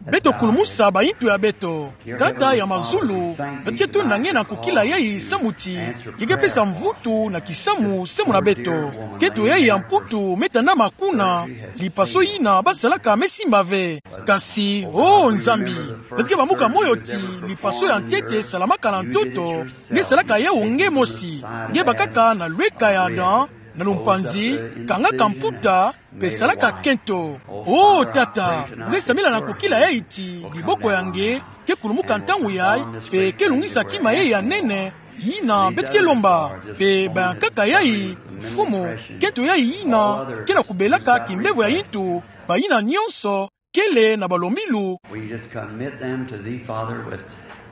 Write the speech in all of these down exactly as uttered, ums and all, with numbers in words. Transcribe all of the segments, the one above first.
Beto kulumusa bahintu ya beto. Tata ya mazulu, beto ke tonda nge na nkokila yayi samu ti nge ke pesa mvutu na kisamu samu na beto. Kento yayi ya mputu me tandama kuna, lipaso yina basalaka me simba ve. Kasi, oh Nzambi, beto ke bambuka moyo ti lipaso ya ntete salamaka na ntoto, nge salaka yawu nge mosi. Nge bakaka na lweka ya Adam, na lumpanzi, kangaka mputa, mpe salaka kento. Oh Tata, nge sambila na nkokila yayi ti loboko ya nge ke kulumuka ntangu yayi, mpe ke lungisa kima yayi ya nene, yina beto ke lomba, mpe baya nkaka yayi, Mfumu, kento yayi yina ke na kubelaka kimbevo ya yintu, bayina nyonso, kele na balombilu. We just commit them to thee, Father, with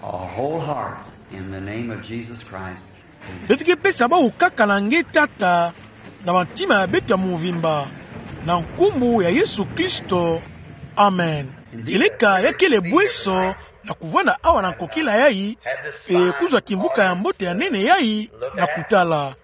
our whole hearts in the name of Jesus Christ. Amen. Beto ke pesa bawu kaka na nge Tata, na bantima ya beto ya mvimba, na nkumbu ya Yesu Kristo. Amen. Kieleka ya kele bweso na kuvanda awa na nkokila yayi, mpe kuzwa kimvuka ya mbote ya nene yayi na kutala.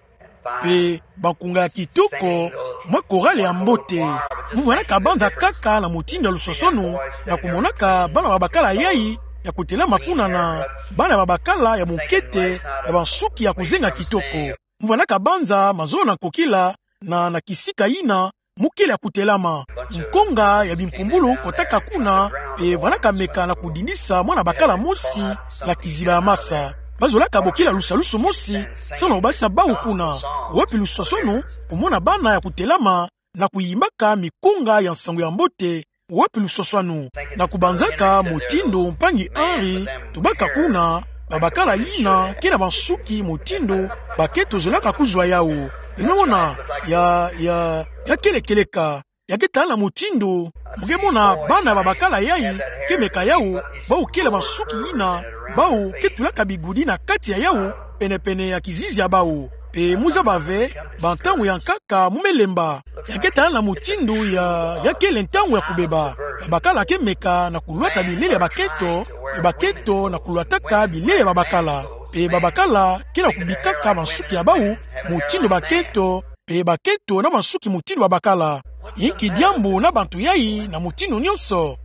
Mpe bankunga ya kitoko, mwa korale ya mbote. Mu vandaka banza kaka na mutindu ya luswaswanu, na kumonaka bana babakala yayi ya kutelama kuna na bana babakala ya munkete, na bansuki ya kuzenga kitoko. Mu vandaka banza mazono na nkokila, na, na kisika yina mu kele ya kutelama. Nkonga ya bimpumbulu kotaka kuna, mpe vandaka meka na kudindisa mwana bakala mosi na kiziba ya masa. Bazolaka bokila lusalusu mosi, samu na kubasisa bawu kuna. Wapi luswaswanu, kumona bana ya kutelama, na kuyimbaka mikonga ya nsangu ya mbote, wapi luswaswanu. Na kubanzaka mutindu mpangi Henri tubaka kuna, babakala yina ke na bansuki mutindu bakento zolaka kuzwa yawu. Beno mona, ya, ya, ya kele kieleka. Ya ke tala na mutindu, mu ke mona bana babakala yayi ke meka yawu, bawu kele bansuki yina, bawu ke tulaka bigudi na kati ya yawu, penepene ya kizizi ya bawu. Mpe mu zaba ve, bantangu ya nkaka mu me lemba. Ya ke tala na mutindu ya, ya kele ntangu ya kubeba. Babakala ke meka na kulwata bilele ya bakento, mpe bakento na kulwataka bilele ya babakala. Mpe babakala ke na kubikaka bansuki ya bawu mutindu bakento, mpe bakento na bansuki mutindu babakala. Inki diambu na bantu yayi na mutindu nyonso?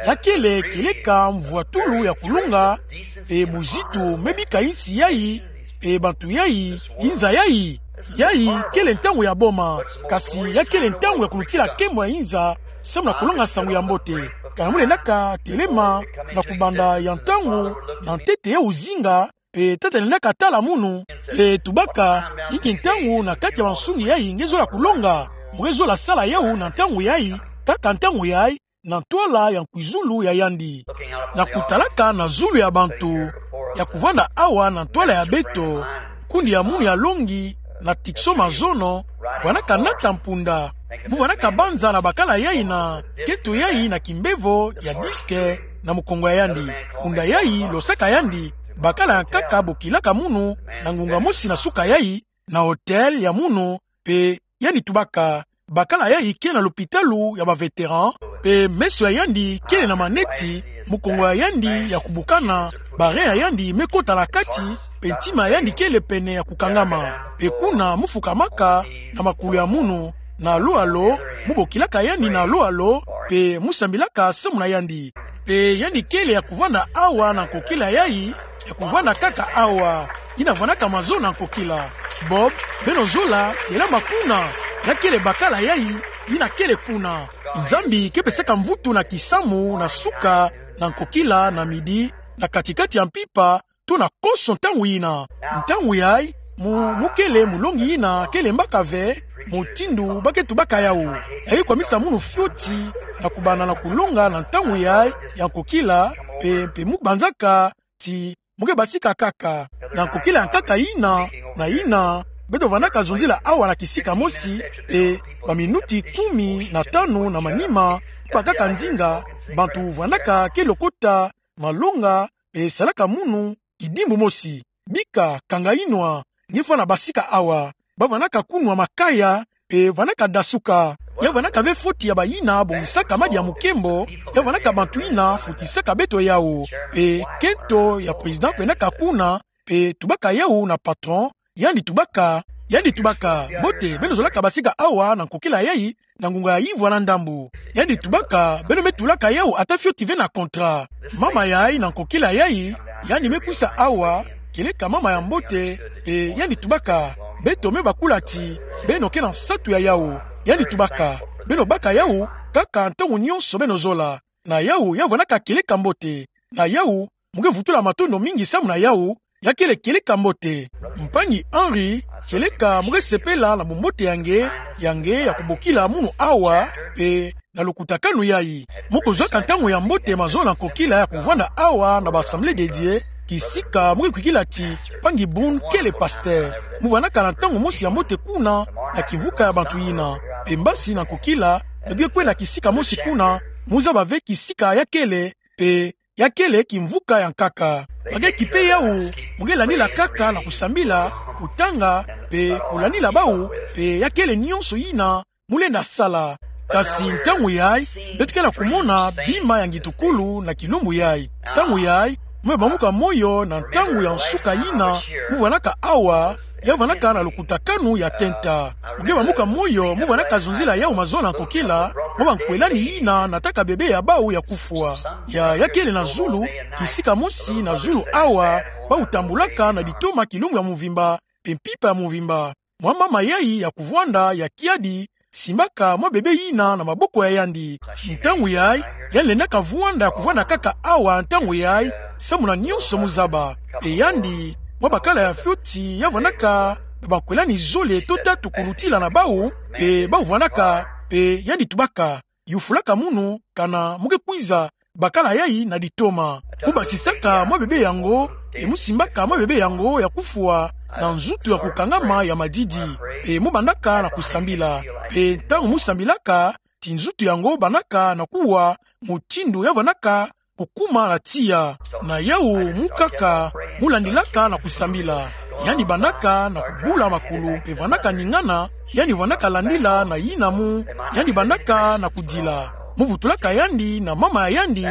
Ya kele kieleka mvwatulu ya kulonga, mpe buzitu me bika insi yayi, mpe bantu yayi, inza yayi. Yayi kele ntangu ya boma, kasi ya kele ntangu ya kulutila nkembo ya inza, samu na kulonga nsangu ya mbote. Kana mu lendaka telema na kubanda ya ntangu, na ntete ya uzinga, mpe Tata lendaka tala munu, mpe tubaka, inki ntangu na kati ya bansungi yayi nge zola kulonga, mu nge zola sala yawu na ntangu yayi, kaka ntangu yayi, na ntwala ya nkwizulu ya yandi. Na kutalaka na zulu ya bantu, ya kuvanda awa na ntwala ya beto, nkundi ya munu ya longi, na tikso mazono, vandaka nata mpunda. Mu vandaka banza na bakala yayi na, kento yayi na kimbevo ya diske, na mukongo ya yandi. Mpunda yayi, losaka yandi, bakala ya nkaka bokilaka munu, na ngunga mosi na suka yayi, na hotel ya munu, mpe yandi tubaka, bakala yayi ke na lopitalu ya ba vétéran, mpe meso ya yandi kele na maneti, mukongo ya yandi ya kubukana, ba rein ya yandi me kota na kati, mpe ntima ya yandi kele pene ya kukangama. Mpe kuna mu fukamaka na makulu ya munu, na alo alo, mu bokilaka yandi na alo alo, mpe mu sambilaka samu na yandi. Mpe yandi kele ya kuvanda awa na nkokila yayi, ya kuvanda kaka awa, yina vandaka mazono na nkokila. Bob, beno zola, telama kuna, ya kele bakala yayi, yina kele kuna. Nzambi ke pesaka mvutu na kisamu, na suka, na nkokila, na midi, na katikati ya mpimpa, to na konso ntangu yina. Ntangu yayi, mu, mu kele mulongi yina ke lembaka ve mutindu ba ke tubaka yawu. Ya ke kwamisa munu fioti na kubanda na kulonga na ntangu yayi ya nkokila, mpe, mpe mu banzaka ti mu ke basika kaka. Na nkokila ya nkaka yina, na yina, beto vandaka zonzila awa na kisika mosi, mpe ba minuti kumi na tanu na manima, mu baka kaka ndinga, bantu vandaka ke lokota, malonga, mpe salaka munu, kidimbu mosi. Bika, kanga yinwa, nge fwana basika awa. Ba vandaka kunwa makaya, mpe vandaka dasuka. Ya vandaka ve foti ya bayina bongisaka madi ya mukembo, ya vandaka bantu yina fotisaka beto yawu. Mpe kento ya président kwendaka kuna, mpe tubaka yawu na patron, yandi tubaka, yandi tubaka, mbote, beno zolaka basika awa na nkokila yayi, na ngunga ya ivwa na ndambu. Yandi tubaka, beno me tulaka yawu ata fioti ve na kontra. Mama yayi na nkokila yayi, yandi me kwisa awa, kieleka mama ya mbote, mpe yandi tubaka, beto me bakula ti, beno ke na nsatu ya yawu. Yandi tubaka, beno baka yawu, kaka ntangu nyonso beno zola. Na yawu, ya vwanaka kieleka mbote. Na yawu, mu ke vutula matondo mingi samu na yawu, ya kele kieleka mbote. Mpangi Henri, kieleka mu ke sepela na bumbote ya nge, ya nge ya kubokila munu awa, mpe na lukutakanu yayi. Mu kuzwaka ntangu ya mbote mazono na nkokila ya kuvwanda awa na ba Assemblée de Dieu, kisika mu ke kwikila ti, mpangi Boone kele pasteur. Mu vwanaka na ntangu mosi ya mbote kuna, na kimvuka ya bantu yina. Mpe mbasi na nkokila, beto ke kwenda kisika mosi kuna, mu zaba ve kisika ya kele, mpe ya kele kimvuka ya nkaka. Ba ke kipe yawu, mu ke landila kaka na kusambila, kutanga, mpe kulandila bawu, mpe ya kele nyonso yina mu lenda sala. Kasi ntangu yayi, beto ke na kumona bima ya ngitukulu na kilumbu yayi. Ntangu yayi, mu me bamuka moyo na ntangu ya nsuka yina, mu vwanaka awa, ya vwanaka na lukutakanu ya tenta. Mu ke bamuka moyo, mu vwanaka zonzila yawu mazono na nkokila, mwa bankwelani yina nataka bebe ya bawu ya kufwa. Ya, ya kele na zulu, kisika mosi na zulu awa, bawu tambulaka na ditoma kilumbu ya mvimba, mpe mpimpa ya mvimba. Mwa mama yayi ya kuvwanda ya kiadi, simbaka mwa bebe yina na maboko ya yandi. Ntangu yayi, yandi lendaka vwanda ya kuvwanda kaka awa ntangu yayi, samu na nyonso mu zaba. Mpe yandi, mwa bakala ya fioti, ya vwanaka na bankwelani zole to tatu kulutila na bawu, mpe bawu vwanaka, mpe yandi tubaka, yufulaka munu, kana mu ke kwiza bakala yayi na ditoma. Mu basisaka mwa bebe yango, mpe mu simbaka mwa bebe yango ya kufwa na nzutu ya kukangama ya madidi, mpe mu bandaka na kusambila. Mpe ntangu mu sambilaka, ti nzutu yango bandaka na kuwa, mutindu ya vwanaka kukuma na tiya. Na yawu mu kaka, mu landilaka na kusambila. Yandi bandaka na kubula makulu, mpe vwanaka ningana, yandi vwanaka landila na yina mu, yandi bandaka na kudila. Mu vutulaka yandi na mama ya yandi,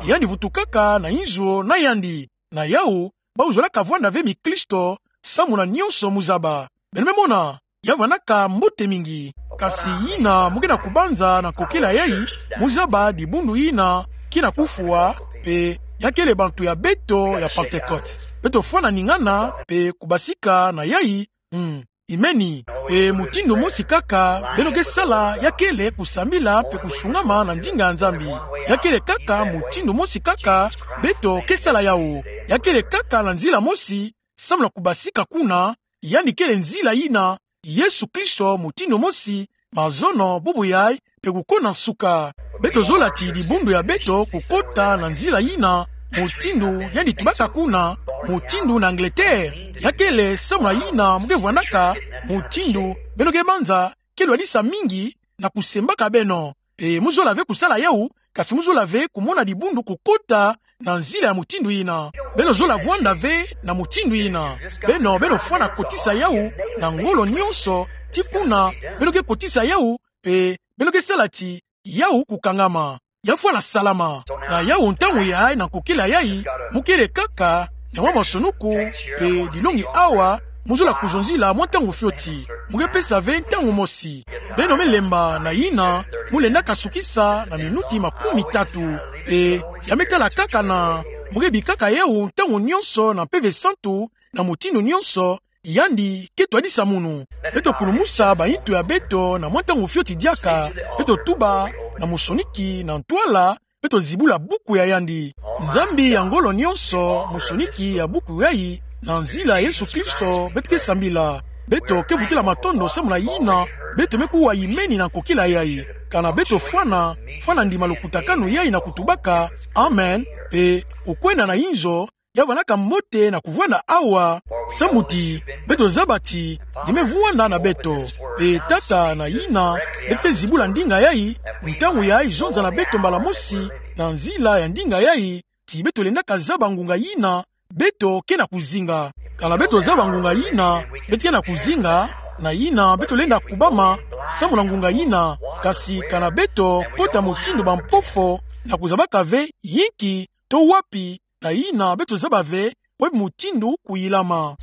yandi vutukaka na inzo na yandi. Na yawu, bawu zolaka vwanda ve mikristo, samu na nyonso mu zaba. Beno me mona, ya vwanaka mbote mingi. Kasi yina mu ke na kubanza na nkokila yayi, mu zaba dibundu yina ke na kufwa, mpe ya kele bantu ya beto ya Pentecôte. Beto fwana ningana, mpe kubasika na yayi, mm, imeni. Mpe mutindu mosi kaka, beno ke sala ya kele kusambila mpe kusungama na ndinga ya Nzambi. Ya kele kaka mutindu mosi kaka, beto ke sala yawu. Ya kele kaka na nzila mosi, samu na kubasika kuna, yandi kele nzila yina, Yesu Kristo mutindu mosi, mazono, bubu yayi, mpe kuko na nsuka. Beto zola ti dibundu ya beto kukota na nzila yina, mutindu yandi tubaka kuna, mutindu na Angleterre. Ya kele samu na yina mu ke vwanaka, mutindu beno ke banza, ke lwadisa mingi na kusembaka beno. Mpe mu zola ve kusala yawu, kasi mu zola ve kumona dibundu kukota na nzila ya mutindu yina. Beno zola vwanda ve na mutindu yina. Beno, beno fwana kotisa yawu na ngolo nyonso, ti kuna, beno ke kotisa yawu, mpe beno ke sala ti yawu kukangama. Ya fwana salama. Na yawu ntangu yayi na nkokila yayi, mu kele kaka na mwa masonuku, mpe dilongi awa, mu zola kuzonzila mwa ntangu fioti. Mu ke pesa ve ntangu mosi. Beno me lemba na yina, mu lenda kasukisa na minuti makumi tatu. Mpe ya me tala kaka na, mu ke bikaka yawu ntangu nyonso na Mpeve Santu, na mutindu nyonso, yandi ke twadisa munu. Beto kulumusa bayintu ya beto na mwa ntangu fioti diaka, beto tuba na mosoniki na ntwala, beto zibula buku ya yandi. Nzambi ya ngolo nyonso, mosoniki ya buku yayi, na nzila Yesu Kristo, beto ke sambila. Beto ke vutula matondo samu na yina, beto me kuwa imeni na nkokila yayi. Kana beto fwana, fwana ndima lukutakanu yayi na kutubaka, amen, mpe kukwenda na inzo, ya vwanaka mbote na kuvwanda awa, samu ti, beto zaba ti, nge me vwanda na beto. Mpe tata na yina, beto ke zibula ndinga yayi, ntangu yayi zonza na beto mbala mosi, na nzila ya ndinga yayi, ti beto lendaka zaba ngunga yina, beto ke na kuzinga. Kana beto zaba ngunga yina, beto ke na kuzinga, na yina, beto lenda kubama, samu na ngunga yina, kasi kana beto kota mutindu bampofo, na kuzabaka ve, yinki, to wapi, na yina beto zaba ve, wapi mutindu kuyilama.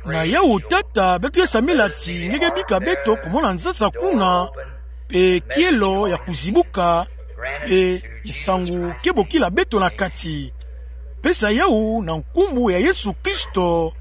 Na yawu tata beto ke sambila ti nge ke bika beto kumona nzasa kuna, pe kielo ya kuzibuka, pe nsangu ke bokila beto na kati. Pesa yawu na nkumbu ya Yesu Kristo.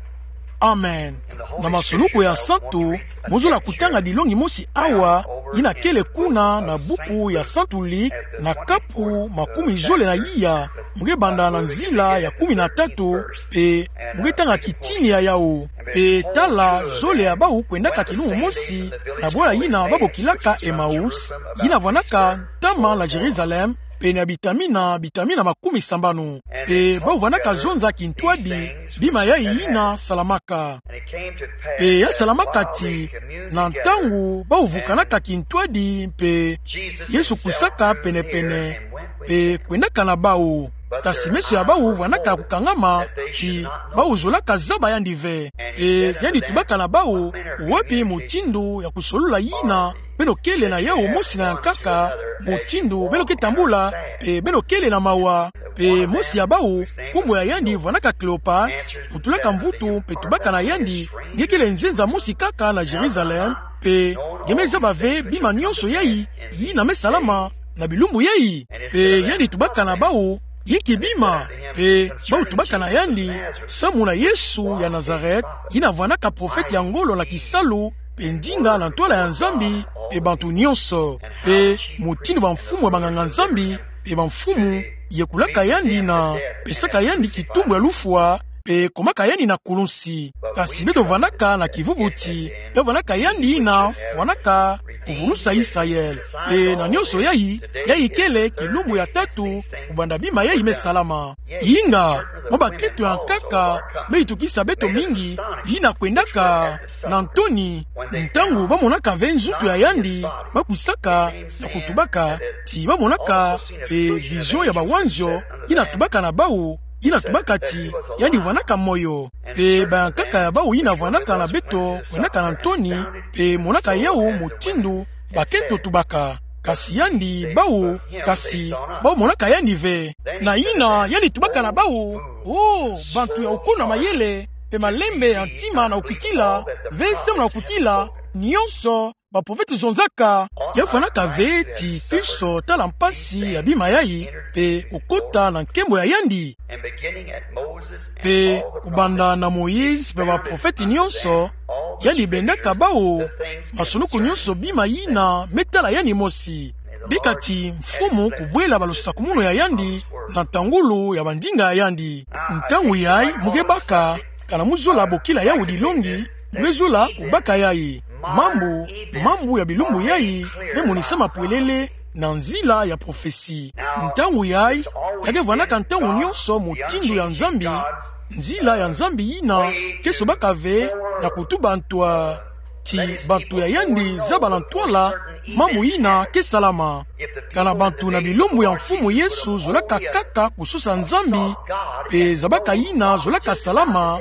Amen. Na masumunuko ya santu, mozola kutanga dilongi mosi awa, yina kele kuna na buku ya Santu Lik, na kapu makumi zole na iya, mo nge banda na nzila ya kumi na tatu, pe mo nge tanga kitini ya yawu. Pe tala, zole ya bawu kwendaka kilumbu mosi na bwala yina babokilaka Emmaüs, yina vwanaka ntama na Jérusalem, pene ya bitamina, bitamina makumi sambanu. Pe bawu vwanaka zonza kintwadi bima yayi yina salamaka. Pe ya salamaka ti, na ntangu bawu vukanaka kintwadi, pe Yesu kwisaka penepene, pe kwendaka na bawu. Kasi meso ya bawu vwanaka kukangama, ti bawu zolaka zaba yandi ve. Pe yandi tubaka na bawu: Wapi mutindu ya kusolula yina beno kele na yawu mosi na ya nkaka, mutindu beno ke tambula, pe beno kele na mawa? Pe mosi ya bawu, nkumbu ya yandi vwanaka Kleopas, vutulaka mvutu pe tubaka na yandi: Nge kele nzenza mosi kaka na Jérusalem, pe nge me zaba ve bima nyonso yayi yina me salama na bilumbu yayi? Pe yandi tubaka na bawu: Inki bima? Pe bawu tubaka na yandi: Samu na Yesu ya Nazareth, yina vwanaka profete ya ngolo na kisalu pe ndinga na ntwala ya Nzambi pe bantu nyonso, pe mutindu bamfumu ya banganga-Nzambi pe bamfumu yekulaka yandi na pesaka yandi kitumbu ya lufwa, pe komaka yandi na kulunsi. Kasi beto vwanaka na kivuvu ti ya vwanaka yandi yina fwanaka kuvulusa Israël. Pe na nyonso yayi, yayi kele kilumbu ya tatu kubanda bima yayi me salama. Inga, mwa bakento ya nkaka me yitukisa beto mingi, yina kwendaka na ntoni ntangu bamonaka ve nzutu ya yandi, bakwisaka na kutubaka ti bamonaka, e, vision ya bawanzio, yina tubaka na bawu, yina tubaka ti yandi vwanaka moyo. Pe bayankaka ya bawu yina vwanaka na beto kwendaka na ntoni, pe monaka yawu mutindu bakento tubaka. Kasi yandi, bawu, kasi bawu monaka yandi ve. Na yina yandi tubaka na bawu: O bantu ya ukono ya mayele, pe malembe ya ntima na ukwikila, ve samu na ukwikila nyonso baprofete zonzaka. Ya vwanaka ve ti Kristo tala mpasi ya bima yayi, pe kukota na nkembo ya yandi? Pe kubanda na Moïse pe baprofete nyonso, yandi bendaka bawu masumunuko nyonso bima yina me tala yandi mosi. Bika ti Mfumu kubwela balosakumunu ya yandi na ntangulu ya bandinga ya yandi. Ntangu yayi mo nge baka, kana mo zola bokila yawu dilongi, mo nge zola kubaka yayi. Mambu, mambu ya bilumbu yayi me monisama pwelele na nzila ya prophetie. Ntangu yayi, ya ke vwanaka ntangu nyonso mutindu ya Nzambi, nzila ya Nzambi yina ke sobaka ve na kutuba ntwa ti bantu ya yandi zaba na ntwala mambu yina ke salama. Kana bantu na bilumbu ya Mfumu Yesu zolaka kaka kusosa Nzambi, pe zabaka yina zolaka salama,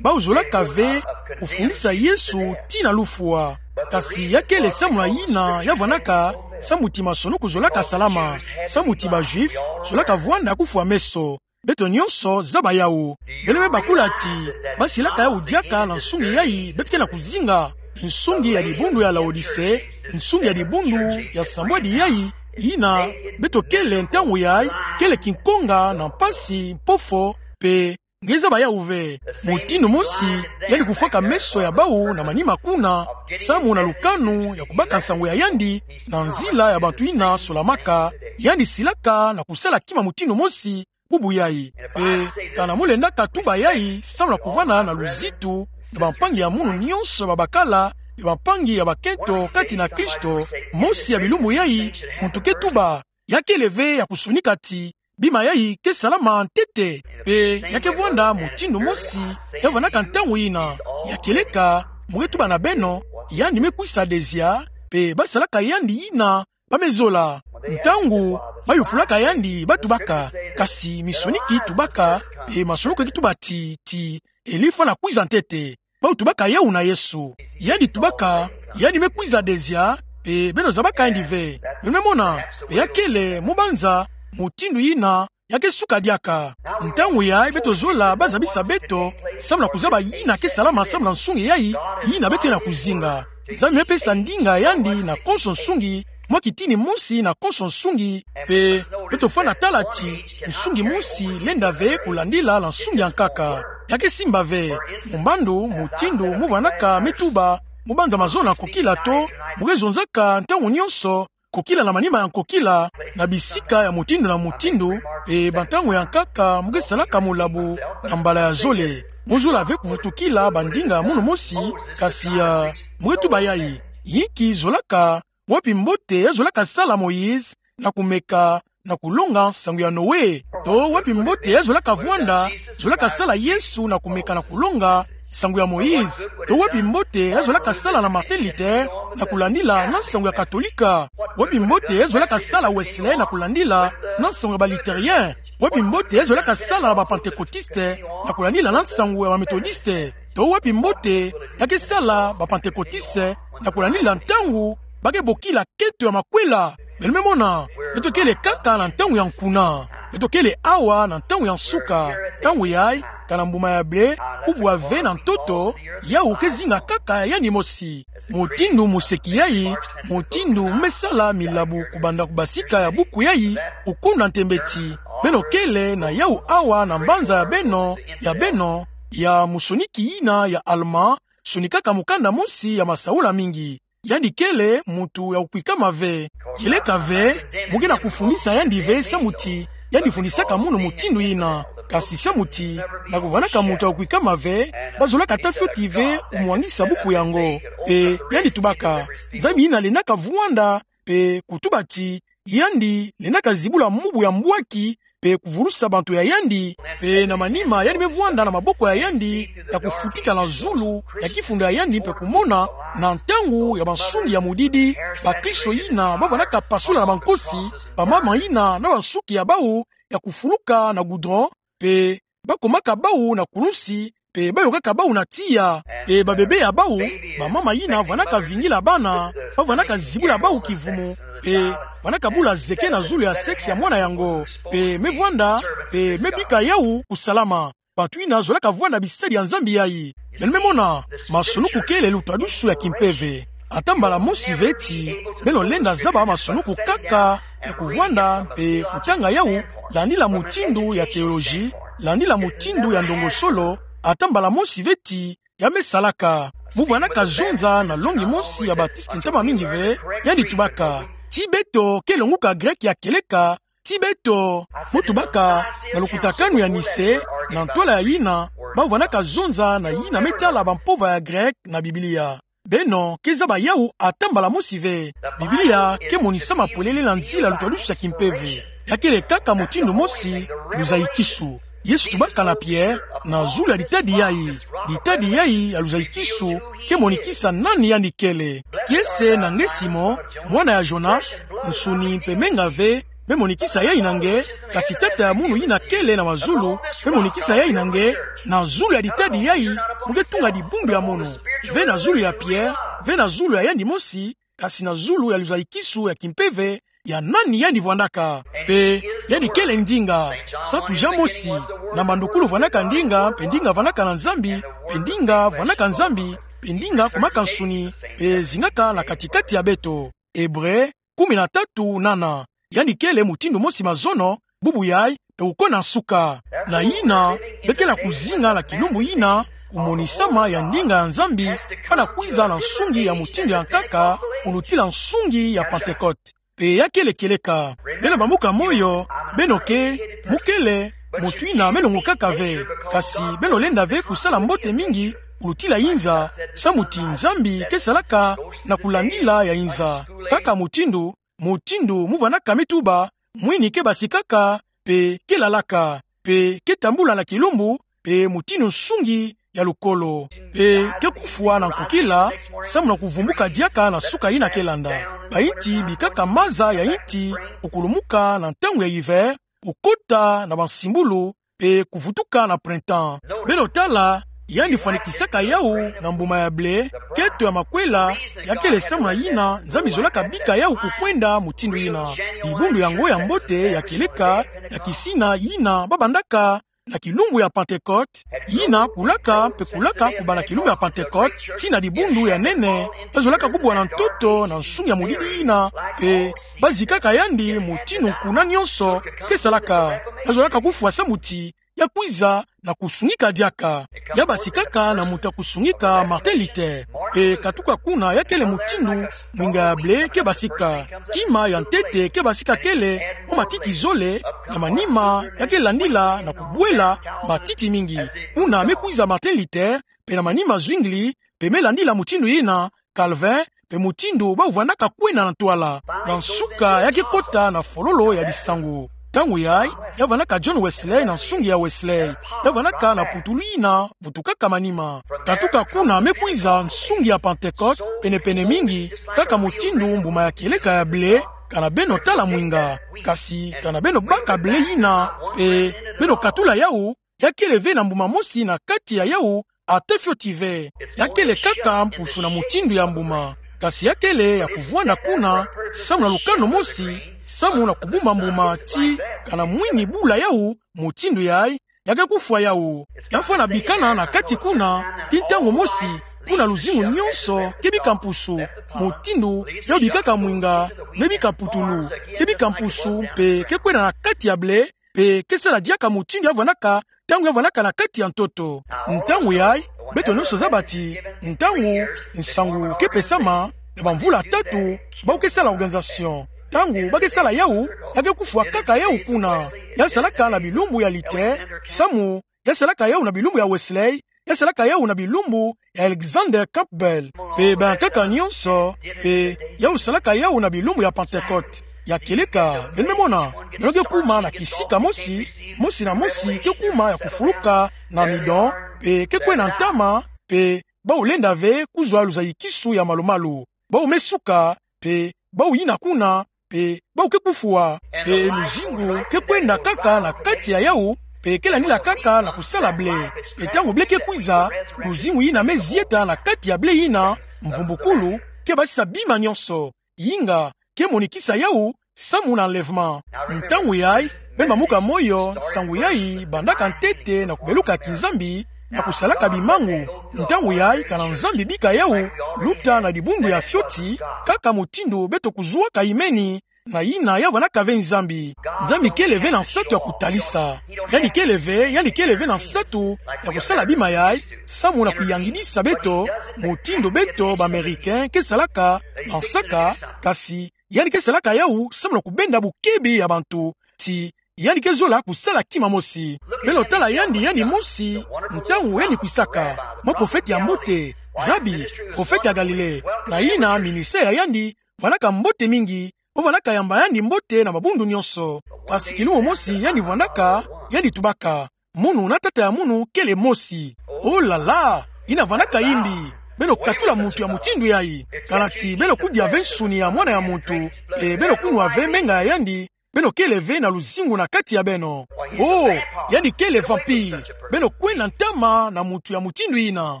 bawu zolaka ve kufundisa Yesu tii na lufwa. Kasi ya kele samu na yina ya vwanaka, samu ti masumunuko zolaka salama, samu ti ba Juifs zolaka vwanda kufwa meso. Beto nyonso zaba yawu. Beno me bakula ti basilaka yawu diaka na nsungi yayi beto ke na kuzinga? Nsungi ya dibundu ya Laodicée, nsungi ya dibundu ya sambwadi yayi, yina beto kele ntangu yayi, kele kinkonga na mpasi, mpofo, pe nge zaba yawu ve. Mutindu mosi, yandi kufwaka meso ya bawu na manima kuna, samu na lukanu ya kubaka nsangu ya yandi na nzila ya bantu yina solamaka, yandi silaka na kusala kima mutindu mosi bubu yayi. Pe kana mo lendaka tuba yayi samu na kuvwanda na luzitu na bampangi ya munu nyonso ya babakala, ya bampangi ya bakento kati na Kristo, mosi ya bilumbu yayi, muntu ke tuba, ya kele ve ya kusonika ti bima yayi ke salama ntete. Pe ya ke vwanda mutindu mosi ya vwanaka ntangu yina. Ya kieleka, mo ke tuba na beno, yandi me kwisa dezia, pe basalaka yandi yina ba me zola. Ntangu bayufulaka yandi, batubaka: Kasi misoniki tubaka, pe masumunuko ke tuba ti, ti Elie fwana kwiza ntete. Bawu tubaka yawu na Yesu. Yandi tubaka, yandi me kwiza dezia, pe beno zabaka yandi ve. Beno me mona, pe ya kele, mo banza, mutindu yina ya ke suka diaka. Ntangu yayi beto zola bazabisa beto samu na kuzaba yina ke salama samu na nsungi yayi, yina beto ke na kuzinga. Nzambi me pesa ndinga ya yandi na konso nsungi mwa kitini mosi na konso nsungi, mpe beto fwana tala ti nsungi mosi lenda ve kulandila na nsungi ya nkaka. Ya ke simba ve, mbandu, mutindu mu vanaka me tuba, mu banza mazono ya nkokila to, mu ke zonzaka ntangu nyonso, nkokila na manima ya nkokila, na bisika ya mutindu na mutindu, mpe bantangu ya nkaka mu ke salaka molabu na mbala ya zole. Mu zola ve kuvutukila bandinga ya munu mosi, kasi ya, mu ke tuba yayi, yinki zolaka, wapi mbote ya zolaka sala Moïse na kumeka na kulonga nsangu ya Noé? To wapi mbote ya zolaka vwanda, zolaka sala Yesu na kumeka na kulonga nsangu ya Moïse? To wapi mbote ya zolaka sala na Martin Luther na kulandila na nsangu ya Katolika? Wapi mbote ya zolaka sala Wesley na kulandila na nsangu ya ba Lutherien? Wapi mbote ya zolaka sala na ba Pentecôtiste na kulandila na nsangu ya ba Methodiste? To wapi mbote ya ke sala ba Pentecôtiste na kulandila ntangu ba ke bokila keto ya makwela? Beno me mona, beto kele kaka na ntangu ya nkuna. Beto kele awa na ntangu ya nsuka. Ntangu yayi, kana mbuma ya ble, kubwa ve na ntoto, yawu ke zinga kaka ya yandi mosi. Mutindu mu seki yayi, mutindu mu me sala milabu kubanda ku basika ya buku yayi, kukuna ntembe ti, beno kele na yawu awa na mbanza ya beno, ya beno, ya musoniki yina ya Allemand, sonikaka mukanda mosi ya masaula mingi. Yandi kele muntu ya kukwikama ve. Kieleka ve, mu ke na kufundisa yandi ve samu ti yandi fundisaka munu mutindu yina. Kasi samu ti, na kuvwanaka muntu ya kukwikama ve, ba zolaka ata fioti ve kumwangisa buku yango. Mpe yandi tubaka, Nzambi yina lendaka vwanda, mpe kutuba ti, yandi lendaka zibula mubu ya mbwaki, mpe kuvulusa bantu ya yandi, mpe na manima yandi me vwanda na maboko ya yandi, ya kufutika na zulu ya kifundu ya yandi, mpe kumona na ntangu ya bansungi ya mudidi, bakristo yina ba vandaka pasula na bankosi, bamama yina na bansuki ya bawu ya kufuluka na goudron, mpe ba komaka bawu na kulunsi, mpe ba yokaka bawu na tiya, mpe babebe ya bawu, bamama yina vandaka vingila bana, ba vandaka zibula bawu kivumu, mpe vandaka bula zeke na zulu ya sexe ya mwana yango, mpe me vwanda, mpe me bika yawu kusalama. Bantu yina zolaka vwanda bisadi ya Nzambi yayi. Beno me mona, masonuku kele lutwadusu ya kimpeve. Ata mbala mosi ve ti beno lenda zaba masonuku kaka ya kuvwanda mpe kutanga yawu, landila mutindu ya théologie, landila mutindu ya ndongo solo, ata mbala mosi ve ti ya me salaka. Mu vandaka zonza na longi mosi ya Baptiste ntama mingi ve, yandi tubaka, ti beto ke longuka grec ya kieleka, ti beto. Mu tubaka, na lukutakanu ya Nicée, na ntwala ya yina, ba vandaka zonza na yina me tala bampova ya grec na Biblia. Beno ke zaba yawu ata mbala mosi ve. Biblia ke monisama polele na nzila lutwadusu ya kimpeve. Ya kele kaka mutindu mosi, luzayikisu. Yesu tubaka na Pierre, na zulu ya ditadi yayi. Ditadi yayi ya luzayikisu ke monikisa nani yandi kele. Kiese na nge Simon, mwana ya Jonas, nsuni mpe menga ve me monikisa yayi na nge, kasi Tata ya munu yina kele na mazulu me monikisa yayi na nge. Na zulu ya ditadi yayi mu ke tunga dibundu ya munu. Ve na zulu ya Pierre, ve na zulu ya yandi mosi, kasi na zulu ya luzayikisu ya kimpeve ya nani yandi vwandaka. Mpe yandi kele ndinga. Santu Jean mosi, na mandukulu vandaka ndinga, mpe ndinga vandaka na Nzambi, mpe ndinga vandaka Nzambi, mpe ndinga kumaka nsuni, mpe zingaka na kati-kati ya beto. Hébreux kumi na tatu nana. Yandi kele mutindu mosi mazono, bubu yayi, mpe kukona nsuka. Na yina, be kele kuzinga na kilumbu yina, kumonisama ya ndinga ya Nzambi fwana kwiza na nsungi ya mutindu ya nkaka, kulutila nsungi ya Pentecôte. Mpe ya kele kieleka. Beno bambuka moyo, beno ke, mu kele, mutu yina me longukaka ve. Kasi beno lenda ve kusala mbote mingi kulutila yinza, samu ti Nzambi ke salaka na kulandila ya yinza. Kaka mutindu, mutindu mu vandaka me tuba, mwini ke basikaka, mpe ke lalaka, mpe ke tambula na kilumbu, mpe mutindu nsungi ya lukolo, mpe ke kufwa na nkukila, samu na kuvumbuka diaka na suka yina ke landa. Bayinti bikaka maza ya yinti, kukulumuka na ntangu ya hiver, kukota na bansimbulu, mpe kuvutuka na printemps. Beno tala, yandi fwanikisaka yawu na mbuma ya ble, keto ya makwela, ya kele samu na yina Nzambi zolaka bika yawu kukwenda mutindu yina. Dibundu yango ya mbote ya kieleka, ya kisina yina ba bandaka na kilumbu ya Pentekote, yina kulaka mpe kulaka kubanda kilumbu ya Pentekote, tii na dibundu ya nene, bazolaka kubwa na ntoto na nsungi ya modidi yina, mpe bazikaka yandi mutindu nkuna nyonso ke salaka. Bazolaka kufwa samu ti ya kwiza na kusungika diaka. Ya basikaka na muntu ya kusungika Martin Luther. Mpe katuka kuna ya kele mutindu mwinga ya blé ke basika. Kima ya ntete ke basika kele mwa matiti zole, na manima ya ke landila na kubwela matiti mingi. Kuna me kwiza Martin Luther, mpe na manima Zwingli, mpe me landila mutindu yina, Calvin, mpe mutindu bau vandaka kwenda na ntwala. Na nsuka ya ke kota na fololo ya disangu. Ntangu yayi, ya vandaka John Wesley na nsungi ya Wesley. Ya vandaka na putulu yina vutukaka manima. Katuka kuna me kwiza nsungi ya Pentekote, penepene mingi, kaka mutindu mbuma ya kieleka ya blé, kana beno tala mwinga. Kasi kana beno baka blé yina, mpe beno katula yau, ya kele ve na mbuma mosi na kati ya yau, ata fioti ve. Ya kele kaka mpusu na mutindu ya mbuma. Kasi ya kele ya kuvwanda kuna, samu na lukano mosi, samu na kubumba mbuma ti, kana mwini bula yau, mutindu yayi, ya ke kufwa yau. Ya fwana bikana na kati kuna, tii ntangu mosi, kuna luzingu nyonso ke bika mpusu, mutindu yau bikaka mwinga, me bika putulu, ke bika mpusu, mpe ke kwenda na kati ya blé, mpe ke sala diaka mutindu ya vandaka, ntangu ya vandaka na kati ya ntoto. Ntangu yayi, beto nyonso zaba ti, ntangu nsangu ke pesama, na bamvula tatu, bau ke sala organisation. Ntangu ba ke sala yau, ya ke kufwa kaka yau kuna. Ya salaka na bilumbu ya Luther, samu, ya salaka yau na bilumbu ya Wesley, ya salaka yau na bilumbu ya Alexander Campbell. Mpe bankaka nyonso, mpe yau salaka yau na bilumbu ya Pentekote. Ya kieleka, beno me mona, beno ke kuma na kisika mosi, mosi na mosi ke kuma ya kufuluka na amidon, mpe ke kwenda ntama, mpe bau lenda ve kuzwa luzayikisu ya malu-malu. Bau me suka, mpe bau yina kuna, mpe bau ke kufwa, mpe luzingu ke kwenda kaka na kati ya yau, mpe ke landila kaka na kusala blé. Mpe ntangu blé ke kwiza, luzingu yina me zieta na kati ya blé yina, mvumbukulu, ke basisa bima nyonso. Inga, ke monikisa yau, samu na enlèvement. Ntangu yayi, beno bambuka moyo, nsangu yayi bandaka ntete na kubeluka kinzambi, na kusalaka bimangu. Ntangu yayi kana Nzambi bika yau, luta na dibundu ya fioti, kaka mutindu beto kuzwaka imeni, na yina ya vandaka ve Nzambi. Nzambi kele ve na nsatu ya kutalisa. Yandi kele ve, yandi kele ve na nsatu ya kusala bima yayi, samu na kuyangidisa beto, mutindu beto ba Américains ke salaka, na nsaka, kasi, yandi ke salaka yau, samu na kubenda bukebi ya bantu, ti, yandi ke zola kusala kima mosi. Beno tala yandi, yandi mosi, ntangu yandi kwisaka, mwa profete ya mbote, Rabi, profete ya Galilée, na yina ministère ya yandi, vandaka mbote mingi, po vandaka yamba yandi mbote na mabundu nyonso. Kasi kilumbu mosi yandi vandaka, yandi tubaka, munu na tata ya munu kele mosi. Oh là là, yina vandaka yimbi. Beno katula muntu ya mutindu yayi. Kana ti beno kudia ve nsuni ya mwana ya muntu, e beno kunwa ve menga ya yandi, beno kele ve na luzingu na kati ya beno. Oh, yandi kele vampire. Beno kwenda ntama na muntu ya mutindu yina.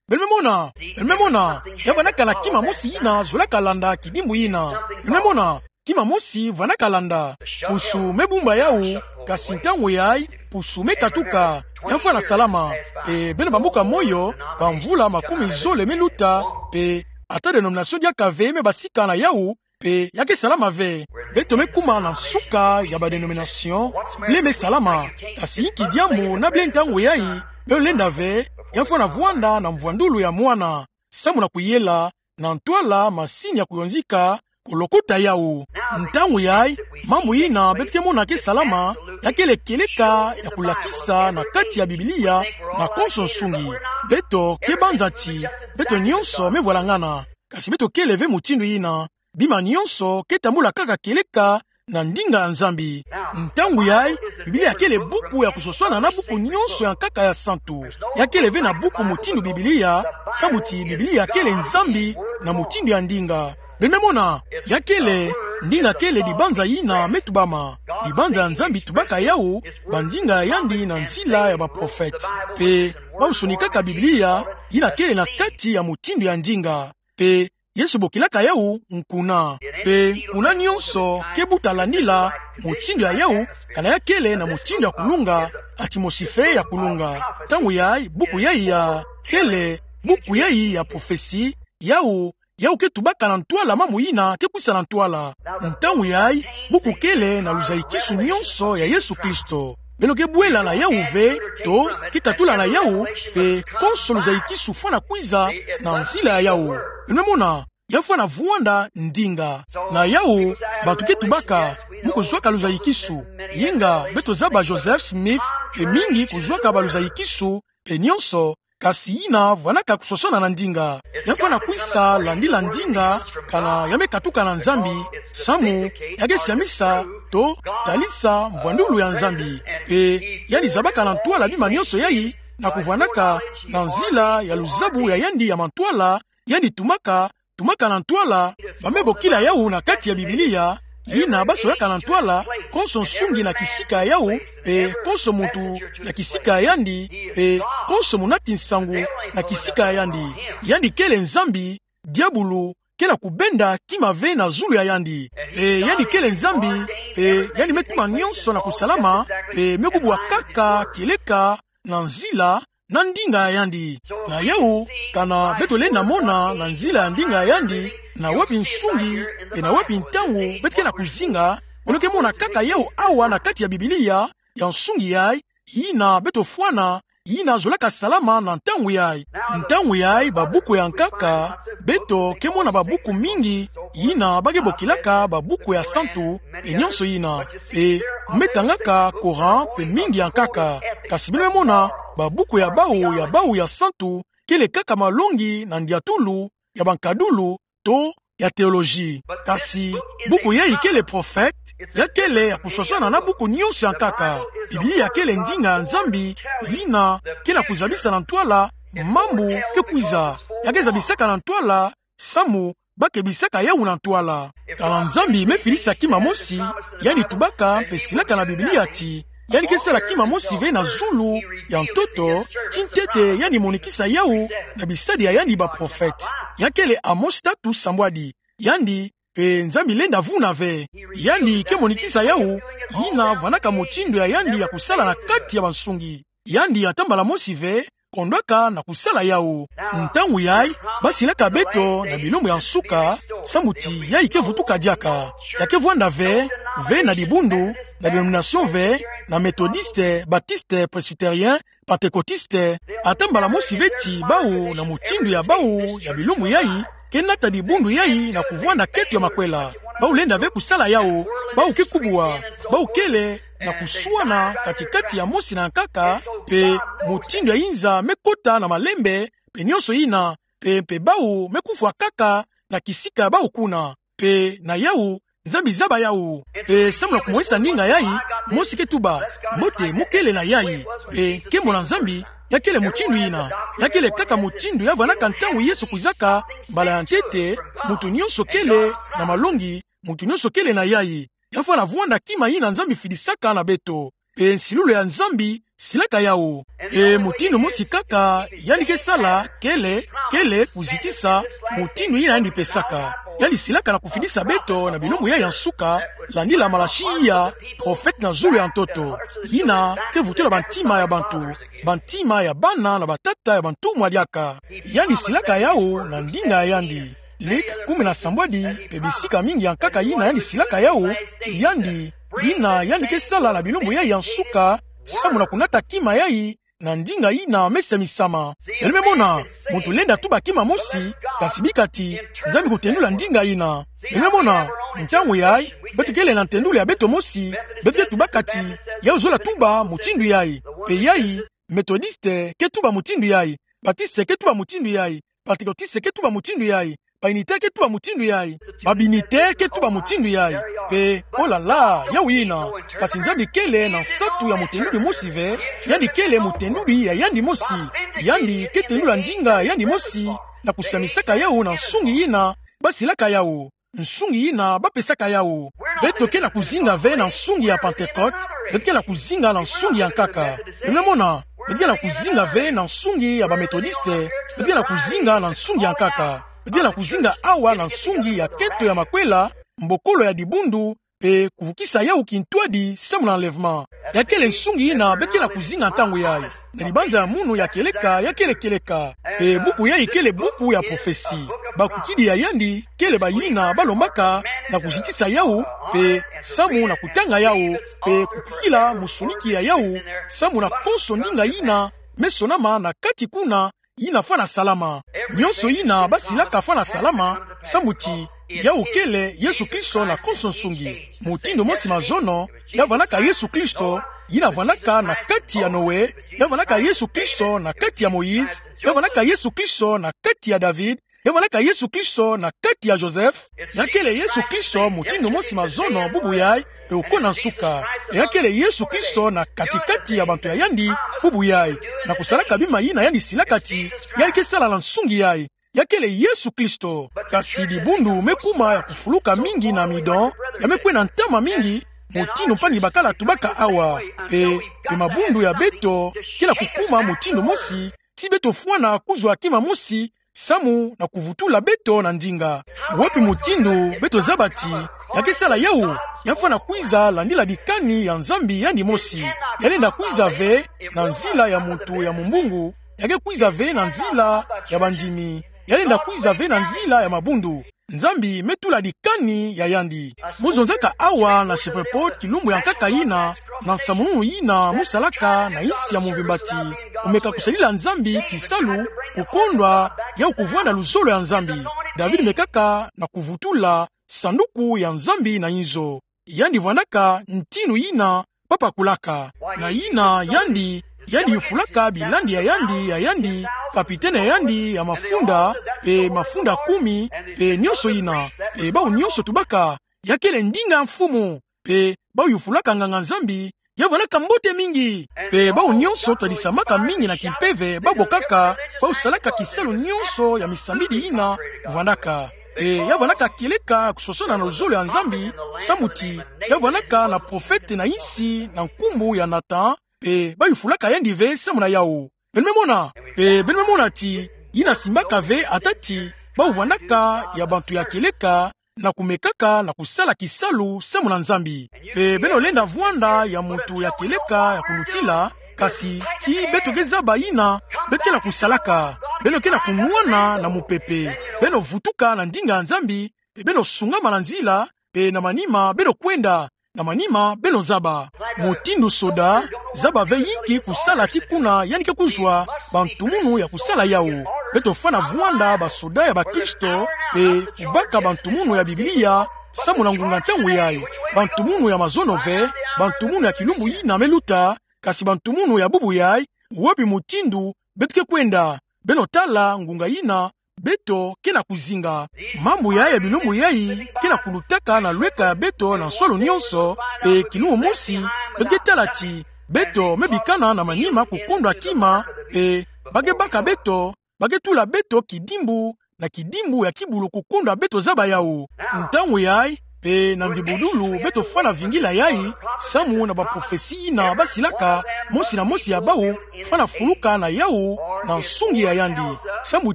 Beno me mona, beno me mona, ya vandaka na kima mosi yina zolaka landa kidimbu yina. Beno me mona, kima mosi vandaka landa. Pusu me bumba yau, kasi ntangu yayi, pusu me katuka, ya fwana salama. E beno bambuka moyo, bamvula makumi zole me luta, mpe ata dénomination diaka ve me basika na yau, mpe ya ke salama ve. Beto me kuma na nsuka ya ba dénomination, blé me salama, kasi inki diambu na blé ntangu yayi, beno lenda ve, ya fwana vwanda na mvwandulu ya mwana, samu na kuyela, na ntwala masini ya kuyonzika, kolokota yau. Ntangu yayi, mambu yina beto ke mona ke salama, ya kele kieleka ya kulakisa na kati ya Biblia, na konso nsungi. Beto ke banza ti, beto nyonso me vwalangana. Kasi beto kele ve mutindu yina, bima nyonso ke tambula kaka kieleka na ndinga ya Nzambi. Ntangu yayi, Biblia kele buku ya kuswaswana na buku nyonso ya nkaka ya santu. Ya kele ve na buku mutindu Biblia, samu ti Biblia kele Nzambi na mutindu ya ndinga. Beno me mona, ya kele, ndinga kele dibanza yina me tubama. Dibanza ya Nzambi tubaka yau, bandinga ya yandi na nzila ya baprofete. Mpe, bau sonikaka Biblia, yina kele na kati ya mutindu ya ndinga. Mpe, Yesu bokilaka yau nkuna. Mpe nkuna nyonso ke buta landila mutindu ya yau, kana ya kele na mutindu ya kulunga, atimosi fee ya kulunga. Ntangu yayi, buku yayi ya kele, buku yayi ya prophetie, yawu, yawu ke tubaka na ntwala mamu yina ke kwisa na ntwala. Ntangu yayi, buku kele na luzayikisu nyonso ya Yesu Kristo. Beno ke bwela na yawu ve, to, ke tatula na yawu, mpe konso luzayikisu fwana kwiza na nzila ya yawu. Beno mona, ya fwana vwanda ndinga. Na yawu, bantu ke tubaka, mu kuzwaka luzayikisu. Yinga, beto zaba Joseph Smith, mpe mingi kuzwaka baluzayikisu, mpe nyonso, kasi yina vwanaka kusosona na ndinga. Ya fwana kwisa landila ndinga, kana ya me katuka na Nzambi, samu, ya ke siamisa, to, talisa mvwandulu ya Nzambi. Mpe, yandi zabaka na ntwala bima nyonso yayi, na kuvwanaka, na nzila ya luzabu ya yandi ya mantwala, yandi tumaka, tumaka na ntwala, ba me bokila yawu na kati ya Biblia, yina ba solaka na ntwala, konso nsungi na kisika ya yawu, mpe konso muntu na kisika ya yandi, mpe konso munati nsangu na kisika ya yandi. Yandi kele Nzambi, diabulu, ke na kubenda kima ve na zulu ya yandi. Mpe yandi kele Nzambi, mpe yandi me tuma nyonso na kusalama, mpe me kubwa kaka kieleka na nzila na ndinga ya yandi. Na yawu, kana beto lenda mona na nzila ya ndinga ya yandi, na wapi nsungi, mpe na wapi ntangu beto ke na kuzinga, beno ke mona kaka yawu awa na kati ya Biblia, ya nsungi yayi, yina beto fwana, yina zolaka salama na ntangu yayi. Ntangu yayi babuku ya nkaka, beto ke mona babuku mingi, yina ba ke bokilaka babuku ya santu, mpe nyonso yina. Mpe mu me tangaka Coran mpe mingi ya nkaka. Kasi beno me mona, babuku ya bawu, ya bawu ya santu, kele kaka malongi na ndiatulu, ya bankadulu, to ya théologie. Kasi, buku yayi kele prophète, ya kele ya kusosona na buku nyonso ya nkaka. Biblia kele ndinga ya Nzambi, yina ke na kuzabisa na ntwala mambu ke kwiza. Ya ke zabisaka na ntwala, samu ba kebisaka yawu na ntwala. Kana Nzambi me fidisa kima mosi, yandi tubaka mpe silaka na Biblia ti, yandi ke sala kima mosi ve na zulu ya ntoto, ti ntete yandi monikisa yawu na bisadi ya yandi baprophète. Ya kele Amos tatu sambwadi. Yandi, mpe Nzambi lenda vuna ve. Yandi ke monikisa yawu, yina vwanaka mutindu ya yandi ya kusala na kati ya bansungi. Yandi ata mbala mosi ve, kondwaka na kusala yawu. Ntangu yayi, ba silaka beto na bilumbu ya nsuka, samu ti yayi ke vutuka diaka. Ya ke vwanda ve, ve na dibundu, na dénomination ve, na Methodiste, Batiste, Presbytérien, Pentecôtiste, ata mbala mosi ve ti bawu na mutindu ya bawu ya bilumbu yayi, ke nata dibundu yayi na kuvwanda keto ya makwela. Bawu lenda ve kusala yawu, bawu ke kubwa, bawu kele na kuswana kati-kati ya mosi na nkaka, mpe mutindu ya inza me kota na malembe, mpe nyonso yina, mpe, mpe bawu me kufwa kaka na kisika ya bawu kuna. Mpe na yawu, Nzambi zaba yawu. Mpe samu na kumonisa ndinga yayi, mosi ke tuba, mbote mu kele na yayi. Mpe nkembo na Nzambi, ya kele mutindu yina. Ya kele kaka mutindu ya vwanaka ntangu Yesu kwizaka, mbala ya ntete, muntu nyonso kele na malongi, muntu nyonso kele na yayi. Ya fwana vwanda kima yina Nzambi fidisaka na beto. Mpe nsilulu ya Nzambi silaka yawu. Mpe mutindu mosi kaka yandi ke sala, kele, kele kuzitisa mutindu yina yandi pesaka. Yandi silaka na kufidisa beto na bilumbu yayi ya nsuka, landila Malaki iya, prophète na zulu ya ntoto. Yina ke vutula bantima ya bantu, bantima ya bana na batata ya bantumwa diaka. Yandi silaka yawu na ndinga ya yandi. Luke kumi na sambwadi, mpe bisika mingi ya nkaka yina yandi silaka yawu, ti yandi, yina yandi ke sala na bilumbu yayi ya nsuka, samu na kunata kima yayi, na ndinga yina me samisama. Beno me mona, muntu lenda tuba kima mosi, kasi bika ti, Nzambi kutendula ndinga yina. Beno me mona, ntangu yayi, beto kele na ntendulu ya beto mosi, beto ke tubaka ti, yayi zola tuba mutindu yayi, mpe yayi, Methodiste ke tuba mutindu yayi, Batiste ke tuba mutindu yayi, Pentecôtiste ke tuba mutindu yayi, ba Unitaire ke tuba mutindu yayi, ba Binitaire ke tuba mutindu yayi. Mpe, oh là là, yawu yina. Kasi Nzambi kele na nsatu ya mutendudi mosi ve, yandi kele mutendudi ya yandi mosi. Yandi ke tendula ndinga ya yandi mosi, na kusamisaka yawu na nsungi yina ba silaka yawu. Nsungi yina ba pesaka yawu. Beto ke na kuzinga ve na nsungi ya Pentecôte, beto ke na kuzinga na nsungi ya nkaka. Beno me mona, beto ke na kuzinga ve na nsungi ya ba Methodiste, beto ke na kuzinga na nsungi ya nkaka. Beto ke na kuzinga awa na nsungi ya keto ya makwela, mbokolo ya dibundu, pe kuvukisa yawu kintwadi samu na enlèvement. Ya kele nsungi ina beto ke na kuzinga ntangu yayi. Na libanza ya munu ya kieleka, ya kele kieleka. Pe buku yayi kele buku ya prophetie. Bakukidi ya yandi kele bayina balombaka na kuzitisa yawu, pe samu na kutanga yawu, pe kukwikila musoniki ya yawu, samu na konso ndinga yina me sonama na kati kuna, yina fwana salama. Nyonso yina basilaka fwana salama, samu ti yawu kele Yesu Kristo na konso nsungi. Mutindu mosi mazono, ya vwandaka Yesu Kristo, yina vwandaka na kati ya Noe, ya vwandaka Yesu Kristo na kati ya Moïse, ya vwandaka Yesu Kristo na kati ya David, ya vwandaka Yesu Kristo na kati ya Joseph. Ya kele Yesu Kristo mutindu mosi mazono bubu yayi, pe okona nsuka. Ya kele Yesu Kristo na kati-kati ya bantu ya yandi bubu yayi. Na kusalaka bima yina yandi silaka ti yandi ke sala na nsungi yayi. Ya kele Yesu Kristo. Kasi dibundu me kuma ya kufuluka mingi na amidon, ya me kwenda ntama mingi, mutindu mpangi-bakala tubaka awa. Pe, pe mabundu ya beto ke na kukuma mutindu mosi, ti beto fwana kuzwa kima mosi, samu na kuvutula beto na ndinga. Wapi mutindu beto zaba ti ya ke sala yawu? Ya fwana kwiza landila dikani ya Nzambi yandi mosi. Ya lenda kwiza ve na nzila ya muntu ya mumbungu, ya ke kwiza ve na nzila ya bandimi. Ya lenda kwiza ve na nzila ya mabundu. Nzambi me tula dikani ya yandi. Mu zonzaka awa na Shreveport kilumbu ya nkaka yina, na nsamununu yina mu salaka na insi ya mvimba ti: Kumeka kusalila Nzambi kisalu, kukondwa yawu kuvwanda luzolo ya Nzambi. David mekaka na kuvutula sanduku ya Nzambi na inzo. Yandi vwandaka ntinu yina bapakulaka. Na yina yandi, yandi yufulaka bilandi ya yandi, ya yandi, kapitene ya yandi ya mafunda, pe mafunda kumi, pe nyonso yina. Pe bawu nyonso tubaka, ya kele ndinga mfumu. Pe bawu yufulaka nganga-Nzambi, ya vwandaka mbote mingi. Pe bawu nyonso twadisamaka mingi na kimpeve, babokaka, bawu salaka kisalu nyonso ya misambidi yina vwandaka. Pe ya vwandaka kieleka kusosona na luzolo ya Nzambi, samu ti ya vwandaka na profete na insi na nkumbu ya Nathan, pe bayufulaka yandi ve samu na yawu. Beno me mona, pe beno me mona ti yina simbaka ve ata ti bawu vwandaka ya bantu ya kieleka, na kumekaka na kusala kisalu samu na Nzambi. Pe beno lenda vwanda ya muntu ya kieleka ya kulutila, kasi ti beto ke zaba yina beto ke na kusalaka. Beno ke na kunwana na mupepe. Beno vutuka na ndinga ya Nzambi, pe beno sungama na nzila, pe na manima beno kwenda, na manima beno zaba. Mutindu soda, zaba ve yinki kusala ti kuna yandi ke kuzwa bantumunu ya kusala yawu. Beto fwana vwanda basoda ya bakristo, pe kubaka bantumunu ya Biblia, samu na ngunga ntangu yayi. Bantumunu ya mazono ve, bantumunu ya kilumbu yina me luta, kasi bantumunu ya bubu yayi, wapi mutindu beto ke kwenda? Beno tala ngunga yina beto ke na kuzinga. Mambu yayi ya bilumbu yayi ke na kulutaka na lweka ya beto na nsolo nyonso, pe kilumbu mosi beto ke tala ti beto me bikana na manima kukondwa kima, pe ba ke baka beto, ba ke tula beto kidimbu na kidimbu ya kibulu kukondwa beto zaba yawu. Ntangu yayi, pe na mvi budulu beto fwana vingila yayi, samu na baprofesi yina basilaka, mosi na mosi ya bawu fwana fuluka na yawu na nsungi ya yandi. Samu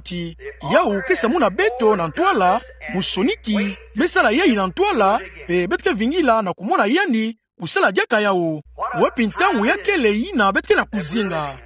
ti yawu ke samuna beto na ntwala, musoniki me sala yayi na ntwala, pe beto ke vingila na kumona yandi kusala diaka yawu. Wapi ntangu ya kele yina beto ke na kuzinga?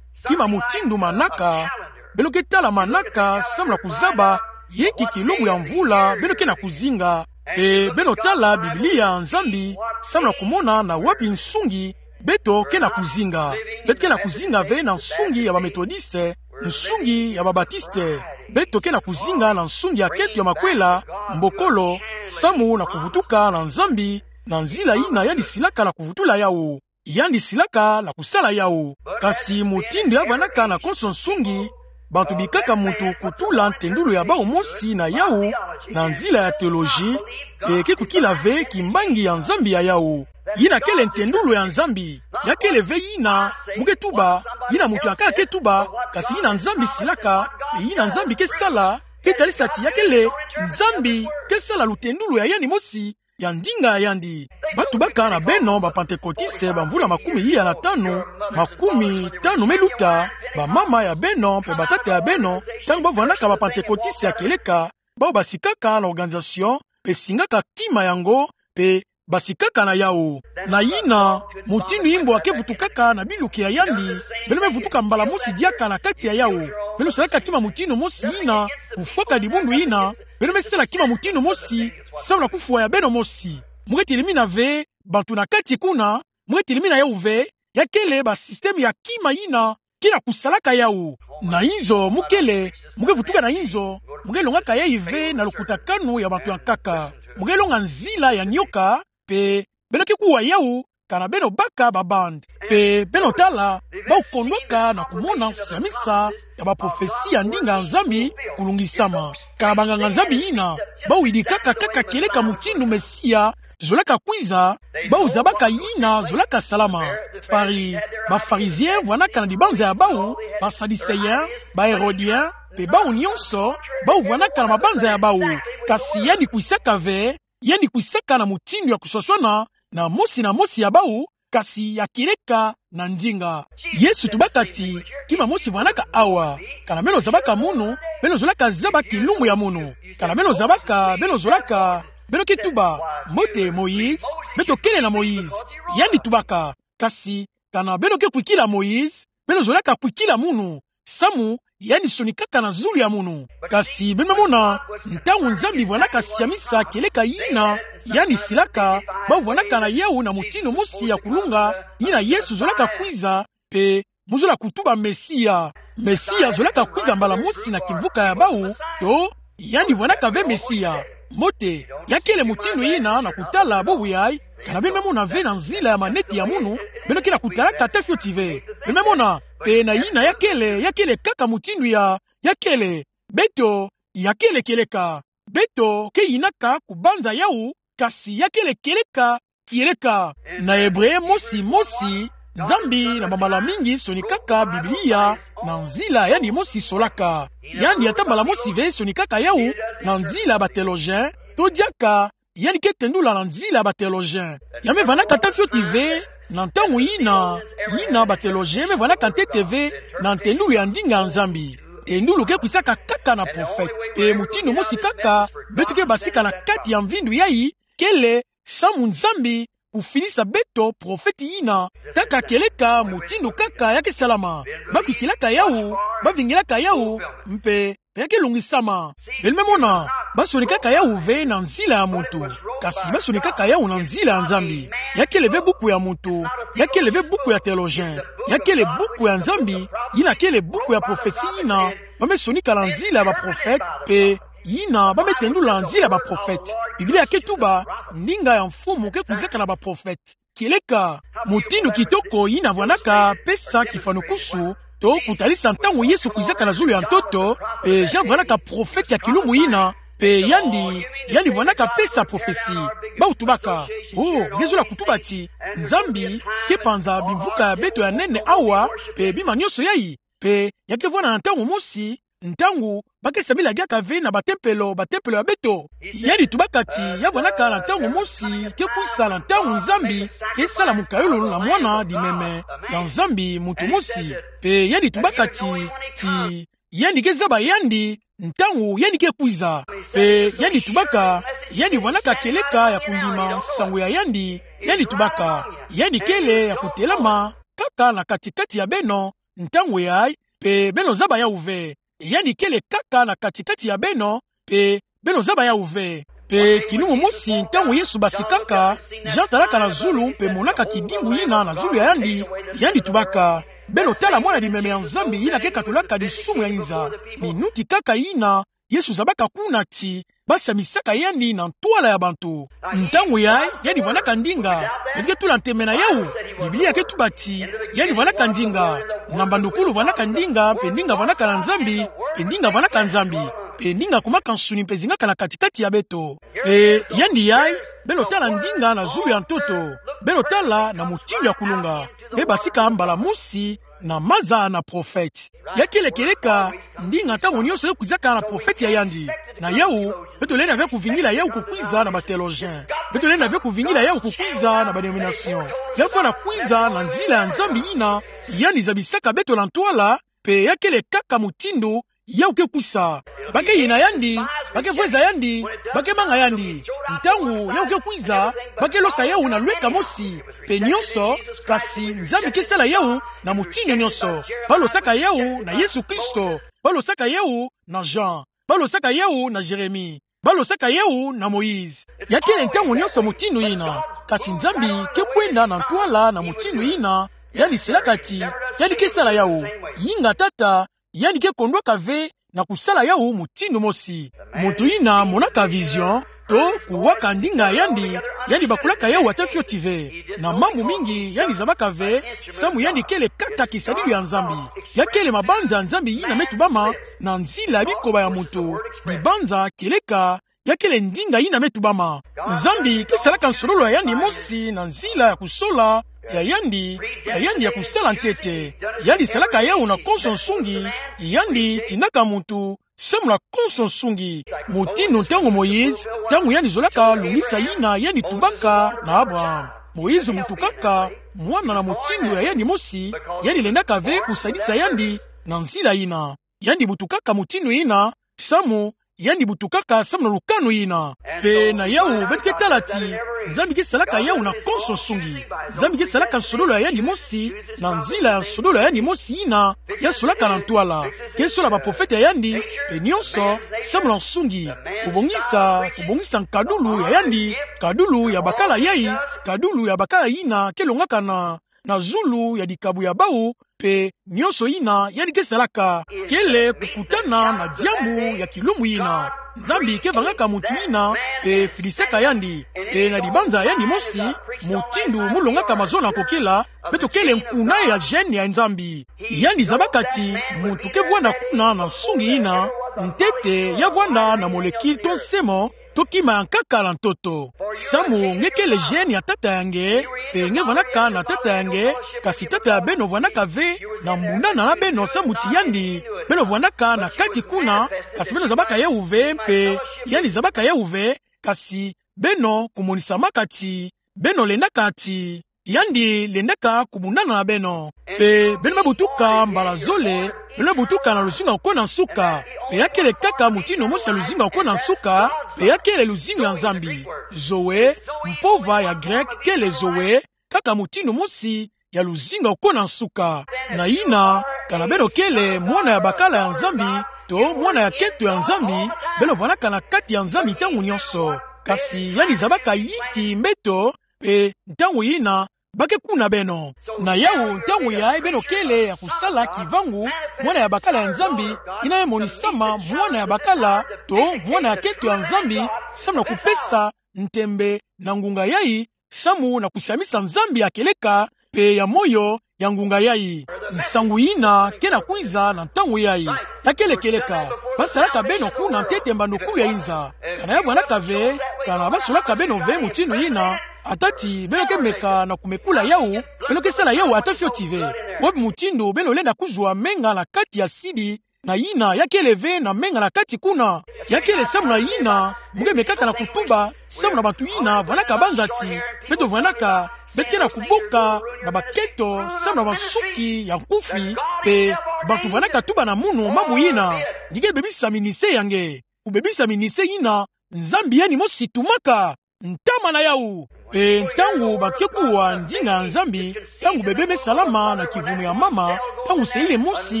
Kima mutindu manaka, beno ke tala manaka samu na kuzaba yinki kilumbu ya mvula beno ke na kuzinga. Pe beno tala Biblia ya Nzambi samu na kumona na wapi nsungi beto ke na kuzinga. Beto ke na kuzinga ve na nsungi ya bametodiste, nsungi ya babatiste. Beto ke na kuzinga na nsungi ya kento ya makwela, mbokolo, samu na kuvutuka na Nzambi, na nzila yina yandi silaka na kuvutula yawu. Yandi silaka na kusala yawu. Kasi mutindu ya vandaka na konso nsungi, bantu bikaka muntu kutula ntendulu ya bawu mosi na yawu, na nzila ya teoloji, pe ke kukila ve kimbangi ya Nzambi ya yawu. Yina kele ntendulu ya Nzambi. Ya kele ve yina mu ke tuba, yina muntu ya nkaka ke tuba, kasi yina Nzambi silaka, pe yina Nzambi ke sala, ke talisa ti ya kele Nzambi ke sala lutendulu ya yandi mosi, ya ndinga ya yandi. Ba tubaka na beno ba Pantekotiste ba mvula makumi iya na tanu, makumi tanu me luta, bamama ya beno pe batata ya beno, ntangu ba vandaka ba Pantekotiste ya kieleka, bawu basikaka na organisation, pe singaka kima yango, pe basikaka na yawu. Na yina, mutindu imbo ake vutukaka na biluki ya yandi, beno me vutuka mbala mosi diaka na kati ya yawu. Beno salaka kima mutindu mosi yina, kufwaka dibundu yina, beno me sala kima mutindu mosi, samu na kufwa ya beno mosi. Mo ke telemina ve, bantu na kati kuna, mo ke telemina yawu ve, ya kele ba système ya kima yina, ke na kusalaka yawu. Na inzo mo kele, mo ke vutuka na inzo, mo ke longaka yayi ve na lukutakanu ya bantu ya nkaka. Mo ke longa nzila ya nyoka, pe beno ke kuwa yawu, kana beno baka ba bande. Pe beno tala, bawu kondwaka na kumona nsiamisa ya ba prophetie ya ndinga ya Nzambi kulungisama. Kana banganga-Nzambi yina, bawu yidikaka kaka kieleka mutindu Mesia zolaka kwiza, bawu zabaka yina zolaka salama. Fari-, ba Pharisiens vwanaka na dibanza ya bawu, ba Sadducéens, ba Hérodiens, pe bawu nyonso, bawu vwanaka na mabanza ya bawu. Kasi yandi kwisaka ve, yandi kwisaka na mutindu ya kuswaswana na mosi na mosi ya bawu, kasi ya kieleka na ndinga. Yesu tubaka ti, kima mosi vwanaka awa, kana beno zabaka munu, beno zolaka zaba kilumbu ya munu. Kana beno zabaka, beno zolaka, beno ke tuba, mbote Moïse, beto kele na Moïse. Yandi tubaka, kasi, kana beno ke kwikila Moïse, beno zolaka kwikila munu, samu yandi sonikaka na zulu ya munu. Kasi beno me mona, ntangu Nzambi vwanaka siamisa kieleka yina, yandi silaka, bawu vwanaka na yawu na mutindu mosi ya kulunga, yina Yesu zolaka kwiza, pe mo zola kutuba Mesia. Mesia zolaka kwiza mbala mosi na kimvuka ya bawu, to, yandi vwanaka ve Mesia. Mbote, ya kele mutindu yina na kutala bubu yayi, kana beno me mona ve na nzila ya maneti ya munu, beno ke na kutalaka ata fioti ve. Beno me mona, pe na yina ya kele, ya kele kaka mutindu ya, ya kele, beto, ya kele kieleka. Beto ke yinaka kubanza yawu, kasi ya kele kieleka, kieleka. Na Ebre mosi mosi, Nzambi na bambala mingi sonikaka Biblia na nzila yandi mosi solaka. Yandi ata mbala mosi ve sonikaka yawu na nzila ba théologiens, to diaka yandi ke tendula na nzila ba théologiens. Ya me vwanaka ata fioti ve, na ntangu yina, yina ba théologiens me vwanaka ntete ve na ntendulu ya ndinga ya Nzambi. Tendulu ke kwisaka kaka na prophète. Pe mutindu mosi kaka, beto ke basika na kati ya mvindu yayi, kele, samu Nzambi kufidisa beto prophète yina, kaka kieleka mutindu kaka ya ke salama. Ba kwikilaka yawu, ba vingilaka yawu, mpe ya ke longisama. Beno me mona, ba sonikaka yawu ve na nzila ya muntu, kasi ba sonikaka yawu na nzila ya Nzambi. Ya kele ve buku ya muntu, ya kele ve buku ya théologien, ya kele buku ya Nzambi, yina kele buku ya prophétie yina ba me sonika na nzila ya ba prophète, pe yina ba me tendula na nzila ya ba prophète. Biblia ke tuba, ndinga ya Mfumu ke kwizaka na ba prophète. Kieleka, mutindu kitoko yina vwanaka pesa kifanukusu, to kutalisa ntangu Yesu kwizaka na zulu ya ntoto, pe Jean vwanaka prophète ya kilumbu yina, pe yandi, yandi vwanaka pesa prophétie. Bawu tubaka, oh, nge zola kutuba ti, Nzambi ke panza bimvuka ya beto ya nene awa, pe bima nyonso yayi, pe ya ke vwana na ntangu mosi, ntangu ba ke sambila diaka ve na ba tempelo, ba tempelo ya beto. Yandi tubaka ti, ya vwanaka na ntangu mosi, ke kwisa na ntangu Nzambi ke sala mukayulu na Mwana Dimeme ya Nzambi muntu mosi. Pe yandi tubaka ti, ti, yandi ke zaba yandi, ntangu yandi ke kwiza. Pe yandi tubaka, yandi vwanaka kieleka ya kundima nsangu ya yandi, yandi tubaka, yandi kele ya kutelama kaka na kati-kati ya beno, ntangu yayi, pe beno zaba yawu ve. Yandi kele kaka na kati-kati ya beno, pe beno zaba yawu ve. Pe kilumbu mosi ntangu Yesu basikaka, Jean talaka na zulu, pe monaka kidimbu yina na zulu ya yandi, yandi tubaka, beno tala Mwana Dimeme ya Nzambi yina ke katulaka disumu ya inza. Minuti kaka yina, Yesu zabaka kuna ti, ba samisaka yandi na ntwala ya bantu. Ntangu yayi, yandi vwanaka ndinga, beto ke tula ntembe na yawu. Biblia ke tuba ti, yandi vwanaka ndinga. Na mbandukulu vwanaka ndinga, pe ndinga vwanaka na Nzambi, pe ndinga vwanaka Nzambi, pe ndinga kumaka nsuni mpe zingaka na kati-kati ya beto. Pe yandi yayi, beno tala ndinga na zulu ya ntoto. Beno tala na mutindu ya kulunga. Pe basika mbala mosi, na maza na prophète. Ya kele kieleka, ndinga ntangu nyonso ke kwizaka na prophète ya yandi. Na yawu, beto lenda ve kuvingila yawu kukwiza na ba théologien. Beto lenda ve kuvingila yawu kukwiza na ba dénomination. Ya fwana kwiza na nzila ya Nzambi yina, yandi zabisaka beto na ntwala, pe ya kele kaka mutindu, yawu ke kwisa. Ba ke yina yandi, ba ke vweza yandi, ba ke manga yandi. Ntangu yawu ke kwiza, ba ke losa yawu na lweka mosi, pe nyonso, kasi Nzambi ke sala yawu na mutindu nyonso. Ba losaka yawu na Yesu Kristo, ba losaka yawu na Jean, ba losaka yawu na Jérémie, ba losaka yawu na Moïse. Ya kele ntangu nyonso mutindu yina, kasi Nzambi ke kwenda na ntwala na mutindu yina yandi silaka ti yandi ke sala yawu. Yinga Tata, yandi ke kondwaka ve na kusala yawu mutindu mosi. Muntu yina monaka vision, to kuwaka ndinga ya yandi, yandi bakulaka yawu ata fioti ve. Na mambu mingi yandi zabaka ve, samu yandi kele kaka kisadilu ya Nzambi. Ya kele mabanza ya Nzambi yina me tubama na nzila ya bikoba ya muntu, bibanza, kieleka, ya kele ndinga yina me tubama. Nzambi ke salaka nsololo ya yandi mosi na nzila ya kusola ya yandi, ya yandi ya kusala ntete. Yandi salaka yawu na konso nsungi, yandi tindaka muntu samu na konso nsungi. Mutindu ntangu Moïse, ntangu yandi zolaka lungisa yina yandi tubaka na Abraham. Moïse butukaka mwana na mutindu ya yandi mosi, yandi lendaka ve kusadisa yandi na nzila yina. Yandi butukaka mutindu yina, samu, yandi butukaka samu na lukanu yina. Pe na yawu, beto ke tala ti Nzambi ke salaka yawu na konso nsungi. Nzambi ke salaka nsololo ya yandi mosi, na nzila ya nsololo ya yandi mosi yina ya solaka na ntwala. Ke sola baprofete ya yandi, pe nyonso, samu na nsungi. Kubongisa, kubongisa nkadulu ya yandi, nkadulu ya bakala yai, nkadulu ya bakala yina ke longaka na, na zulu ya dikabu ya bawu, pe nyonso yina yandi ke salaka, kele kukutana na diambu ya kilumbu yina. Nzambi ke vangaka muntu yina, pe fidisaka yandi, pe na dibanza ya yandi mosi, mutindu mu longaka mazono ya kokela, beto kele nkuna ya gène ya Nzambi. Yandi zabaka ti muntu ke vwanda kuna na nsungi yina, ntete ya vwanda na molécule to nsemo, to kima ya nkaka na ntoto. Samu nge kele gène ya tata ya nge, pe nge vwandaka na tata ya nge, kasi tata ya beno vwandaka ve na mbundana na beno samu ti yandi, beno vwandaka na kati kuna, kasi beno zabaka yawu ve, pe yandi zabaka yawu ve, kasi beno kumonisamaka ti beno lendaka ti yandi lendaka kubundana na beno. Pe beno me butuka mbala zole, beno me butuka na luzingu ya kukwe na nsuka. Pe ya kele kaka mutindu mosi ya luzingu ya kukwe na nsuka, pe ya kele luzingu ya Nzambi. Zoe, mpova ya grec kele Zoe, kaka mutindu mosi ya luzingu ya kukwe na nsuka. Na yina, kana beno kele mwana ya bakala ya Nzambi, to mwana ya keto ya Nzambi, beno vwandaka na kati ya Nzambi ntangu nyonso. Kasi yandi zabaka yiki mbeto, pe ntangu yina, ba ke kuna beno. Na yawu ntangu yayi beno kele ya kusala kivangu, mwana ya bakala ya Nzambi, yina me monisama mwana ya bakala, to mwana ya keto ya Nzambi, samu na kupesa ntembe na ngunga yayi, samu na kusiamisa Nzambi ya kieleka, pe ya moyo ya ngunga yayi. Nsangu yina ke na kwiza na ntangu yayi. Ya kele kieleka, ba salaka beno kuna ntete mbandukulu ya inza. Kana ya vwandaka ve, kana ba solaka beno ve mutindu yina, ata ti beno ke meka na kumekula yawu, beno ke sala yawu ata fioti ve. Wapi mutindu beno lenda kuzwa menga na kati ya sidi, na yina ya kele ve na menga na kati kuna. Ya kele samu na yina mu ke mekaka na kutuba samu na bantu yina vwandaka banza ti beto vwandaka, beto ke na kuboka na baketo samu na bansuki ya nkufi, pe bantu vwandaka tuba na munu mambu yina. Nge ke bebisa ministère ya nge, kubebisa ministère yina Nzambi yandi mosi tumaka. Ntama na yawu. Pe ntangu ba ke kuwa ndinga ya Nzambi, ntangu bebe me salama na kivumu ya mama, ntangu selile mosi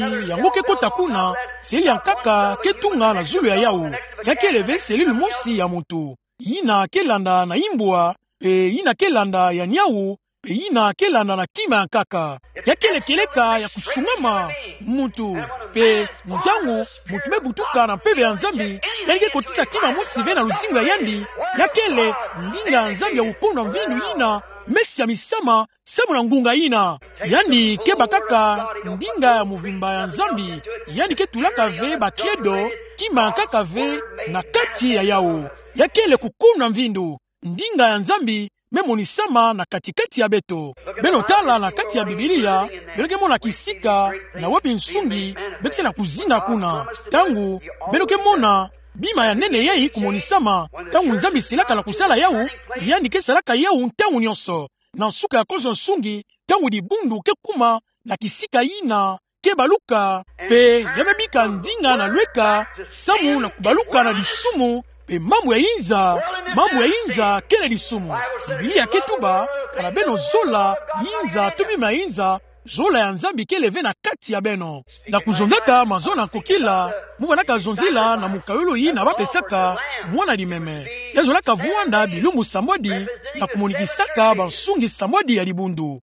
yango ke kota kuna, selile ya nkaka ke tunga na zulu ya yawu. Ya kele ve selile mosi ya muntu. Yina ke landa na imbwa, pe yina ke landa ya niawu, pe yina ke landa na kima ya nkaka. Ya kele kieleka ya kusungama muntu. Pe ntangu muntu me butuka na mpeve ya Nzambi, yandi ke kotisa kima mosi ve na luzingu ya yandi. Ya kele ndinga ya Nzambi ya kukuna mvindu yina me siamisama samu na ngunga yina. Yandi ke bakaka ndinga ya muvimba ya Nzambi. Yandi ke tulaka ve ba credo, kima ya nkaka ve na kati ya yawu. Ya kele kukuna mvindu. Ndinga ya Nzambi me monisama na kati-kati ya beto. Beno tala na kati ya Biblia, beno ke mona kisika na wapi nsungi beto ke na kuzinga kuna. Ntangu beno ke mona bima ya nene yayi kumonisama, ntangu Nzambi silaka na kusala yawu, yandi ke salaka yawu ntangu nyonso. Na nsuka ya konso nsungi, ntangu dibundu ke kuma na kisika yina, ke baluka, pe ya me bika ndinga na lweka, samu na kubaluka na disumu, pe mambu ya inza, mambu ya inza kele disumu. Biblia ke tuba, kana beno zola, inza, to bima ya inza, zola ya Nzambi kele ve na kati ya beno. Na kuzonzaka mazono ya nkokila, mu bana kazonzela na mukayulu yina bapesaka mwana limeme. Ya zolaka vwanda bilumbu sambwadi, na kumonikisaka bansungi sambwadi ya dibundu.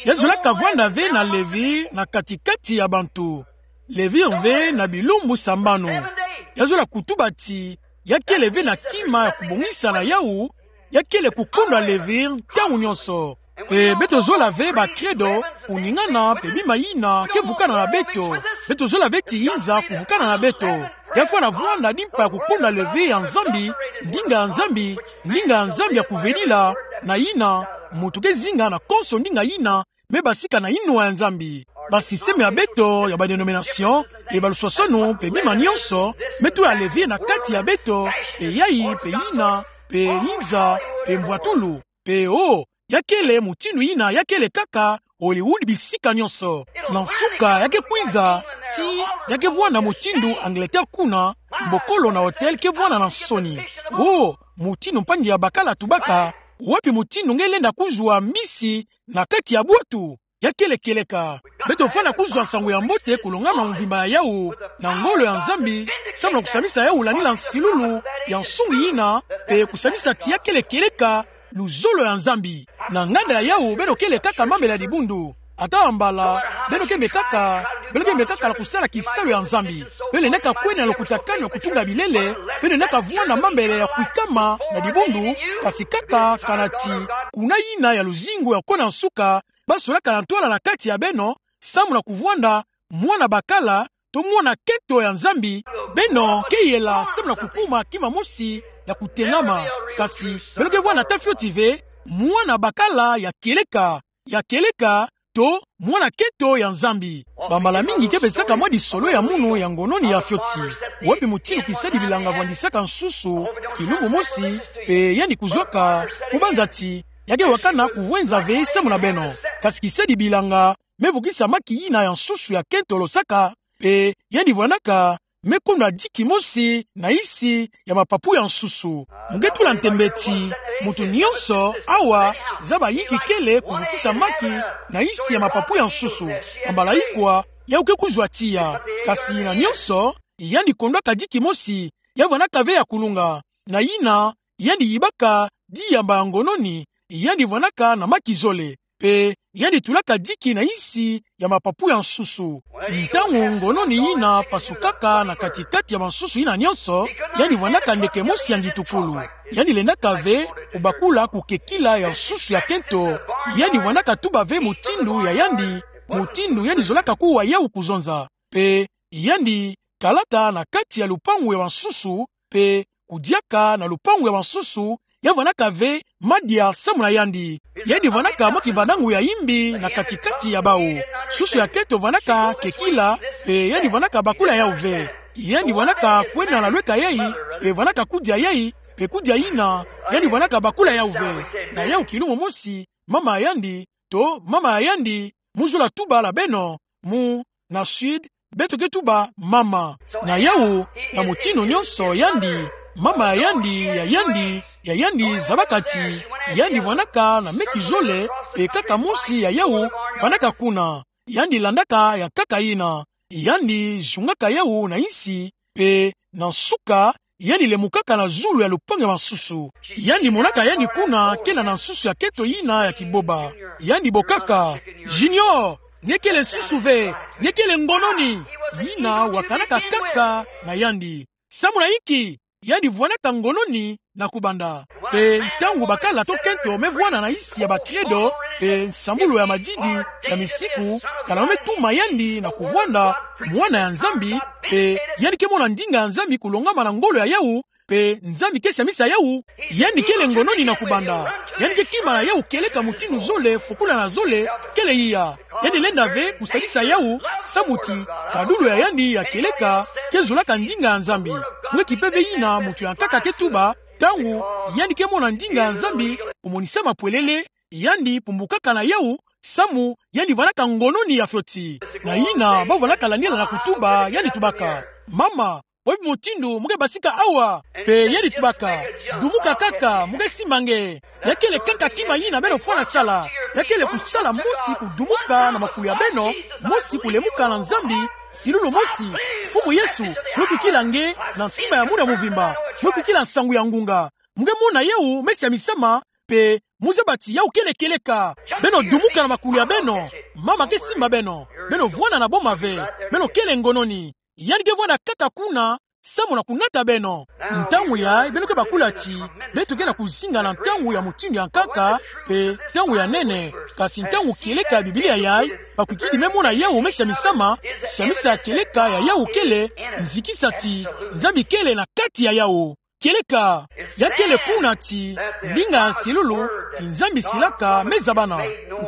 Ya zolaka vwanda ve na levire na kati-kati ya bantu. Levire ve na bilumbu sambanu. Ya zola kutuba ti, ya kele ve na kima ya kubongisa na yawu, ya kele kukondwa levire ntangu nyonso. Pe beto zola ve ba credo, kuningana, pe bima yina ke vukana na beto. Beto zola ve ti inza kuvukana na beto. Ya fwana vwanda di mpa ya kukondwa levire ya Nzambi, ndinga ya Nzambi, ndinga ya Nzambi ya kuvedila, na yina, muntu ke zinga na konso ndinga yina me basika na inwa ya Nzambi. Ba système ya beto ya ba dénomination, pe baluswaswanu, pe bima nyonso, me tula levire na kati ya beto, pe yayi, pe yina, pe inza, pe mvwatulu, pe o, ya kele mutindu yina, ya kele kaka Hollywood bisika nyonso. Na nsuka, ya ke kwiza, ti, ya ke vwanda mutindu Angleterre kuna, mbokolo na hotel ke vwanda na nsoni. O, mutindu mpangi ya bakala tubaka, wapi mutindu nge lenda kuzwa mbisi na kati ya bwatu? Ya kele kieleka. Beto fwana kuzwa nsangu ya mbote kulongama mvimba ya yawu, na ngolo ya Nzambi, samu na kusamisa yawu landila nsilulu ya nsungi yina, pe kusamisa ti ya kele kieleka, luzolo ya Nzambi. Na nganda ya yawu, beno kele kaka mambu ya dibundu. Ata mbala, beno ke me kaka, beno ke me kaka na kusala kisalu ya Nzambi. Beno lenda kaka kwenda na lukutakanu ya kutunga bilele, beno lenda kaka vwanda mambu ya kwikama na dibundu, kasi kaka kana ti, kuna yina ya luzingu ya kona nsuka, basolaka na ntwala na kati ya beno, samu na kuvwanda mwana bakala, to mwana kento ya Nzambi, beno ke yela samu na kukuma kima mosi ya kutengama. Kasi, beno ke vwanda ta fioti ve, mwana bakala ya kieleka, ya kieleka, to mwana kento ya Nzambi. Bambala mingi ke pesaka mwa disolo ya munu ya ngononi ya fioti. Wapi mutindu kisadi bilanga vwandisaka nsusu, kilumbu mosi, pe yandi kuzwaka, kubanza ti, ya ke wakana kuvwenza ve samu na beno. Kasi kisadi bilanga, me vukisa maki yina ya nsusu ya kento losaka, pe yandi vwandaka, me kondwa diki mosi na isi ya mapapu ya nsusu. Mu ke tula ntembe ti, muntu nyonso, awa, zaba yinki kele kuvukisa maki na isi ya mapapu ya nsusu. Bambala ikwa, yawu ke kuzwa tiya. Kasi na nyonso, yandi kondwaka diki mosi, ya vwandaka ve ya kulunga. Na yina, yandi yibaka diyamba ya ngononi, yandi vwandaka na maki zole. Pe, yandi tulaka diki na isi ya mapapu ya nsusu. Ntangu ngononi yina pasukaka na kati-kati ya bansusu yina nyonso, yandi vwandaka ndeke mosi ya ngitukulu. Yandi lendaka ve kubakula kukekila ya nsusu ya kento. Yandi vwandaka tuba ve mutindu ya yandi, mutindu yandi zolaka kuwa yawu kuzonza. Pe, yandi kalaka na kati ya lupangu ya bansusu, pe kudiaka na lupangu ya bansusu, ya vwandaka ve madia samu na yandi. Yandi vwandaka mwa kivanda nguya ya imbi na kati-kati ya bawu. Nsusu ya kento vwandaka kekila, pe yandi vwandaka bakula yawu ve. Yandi vwandaka kwenda na lweka yayi, pe vwandaka kudia yayi, pe kudia yina, yandi vwandaka bakula yawu ve. Na yawu kilumbu mosi, mama ya yandi, to mama ya yandi, mu zola tuba la beno, mu, na sud, beto ke tuba mama. Na yawu, na mutindu nyonso yandi, mama ya yandi, ya yandi, ya yandi zabaka ti, yandi vwandaka na meki zole, pe kaka mosi ya yawu, vwandaka kuna. Yandi landaka ya nkaka yina. Yandi zungaka yawu na isi, pe na nsuka, yandi lemukaka na zulu ya lupangu ya bansusu. Yandi monaka yandi kuna kena na nsusu ya kento yina ya kiboba. Yandi bokaka: Junior, nge kele nsusu ve, nge kele ngononi. Yina wakanaka kaka na yandi. Samu na inki? Yandi vwandaka ngononi na kubanda. Pe ntangu bakala to kento me vwanda na isi ya ba credo, pe nsambulu ya madidi, ya misiku, kana me tuma yandi na kuvwanda mwana ya Nzambi, pe yandi ke mona ndinga ya Nzambi kulongama na ngolo ya yawu, pe Nzambi ke samisa yawu, yandi kele ngononi na kubanda. Yandi ke kima na yawu kieleka mutindu zole, fukula na zole, kele iya. Yandi lenda ve kusadisa yawu, samu ti, kadulu ya yandi ya kieleka, ke zolaka ndinga ya Nzambi. Mwe kipe ve yina muntu ya nkaka ke tuba, ntangu yandi ke mona ndinga ya Nzambi kumonisama pwelele, yandi pumbukaka na yawu, samu yandi vwanaka ngono ni ya fioti. Na ina bau vwanaka lanila na kutuba, yandi tubaka: Mama, wê bi mutindu mo ke basika awa? Mpe yandi tubaka: Dumuka kaka, mo ke simba nge. Ya kele kaka kima ina beno fwana sala. Ya kele kusala mosi kudumuka na makulu ya beno, mosi kulemuka na Nzambi, silulu mosi: Mfumu Yesu, mo ke kwikila nge na ntima ya munu ya mvimba, mo ke kwikila nsangu ya ngunga, mo ke mona yawu me siamisama, mpe mo zaba ti yawu kele kieleka. Beno dumuka na makulu ya beno. Mama ke simba beno. Beno vwanda na boma ve. Beno kele ngono ni. Yandi ke vwanda kaka kuna, samu na kunata beno. Ntangu yayi beno ke bakula ti beto ke na kuzinga na ntangu ya mutindu ya nkaka, mpe ntangu ya nene. Kasi ntangu kieleka ya Biblia yayi, bakwikidi me mona yawu me siamisama. Siamisa ya kieleka ya yawu kele nzikisa ti Nzambi kele na kati ya yawu. Kieleka, ya kele kuna ti ndinga ya nsilulu ti Nzambi silaka me zabana.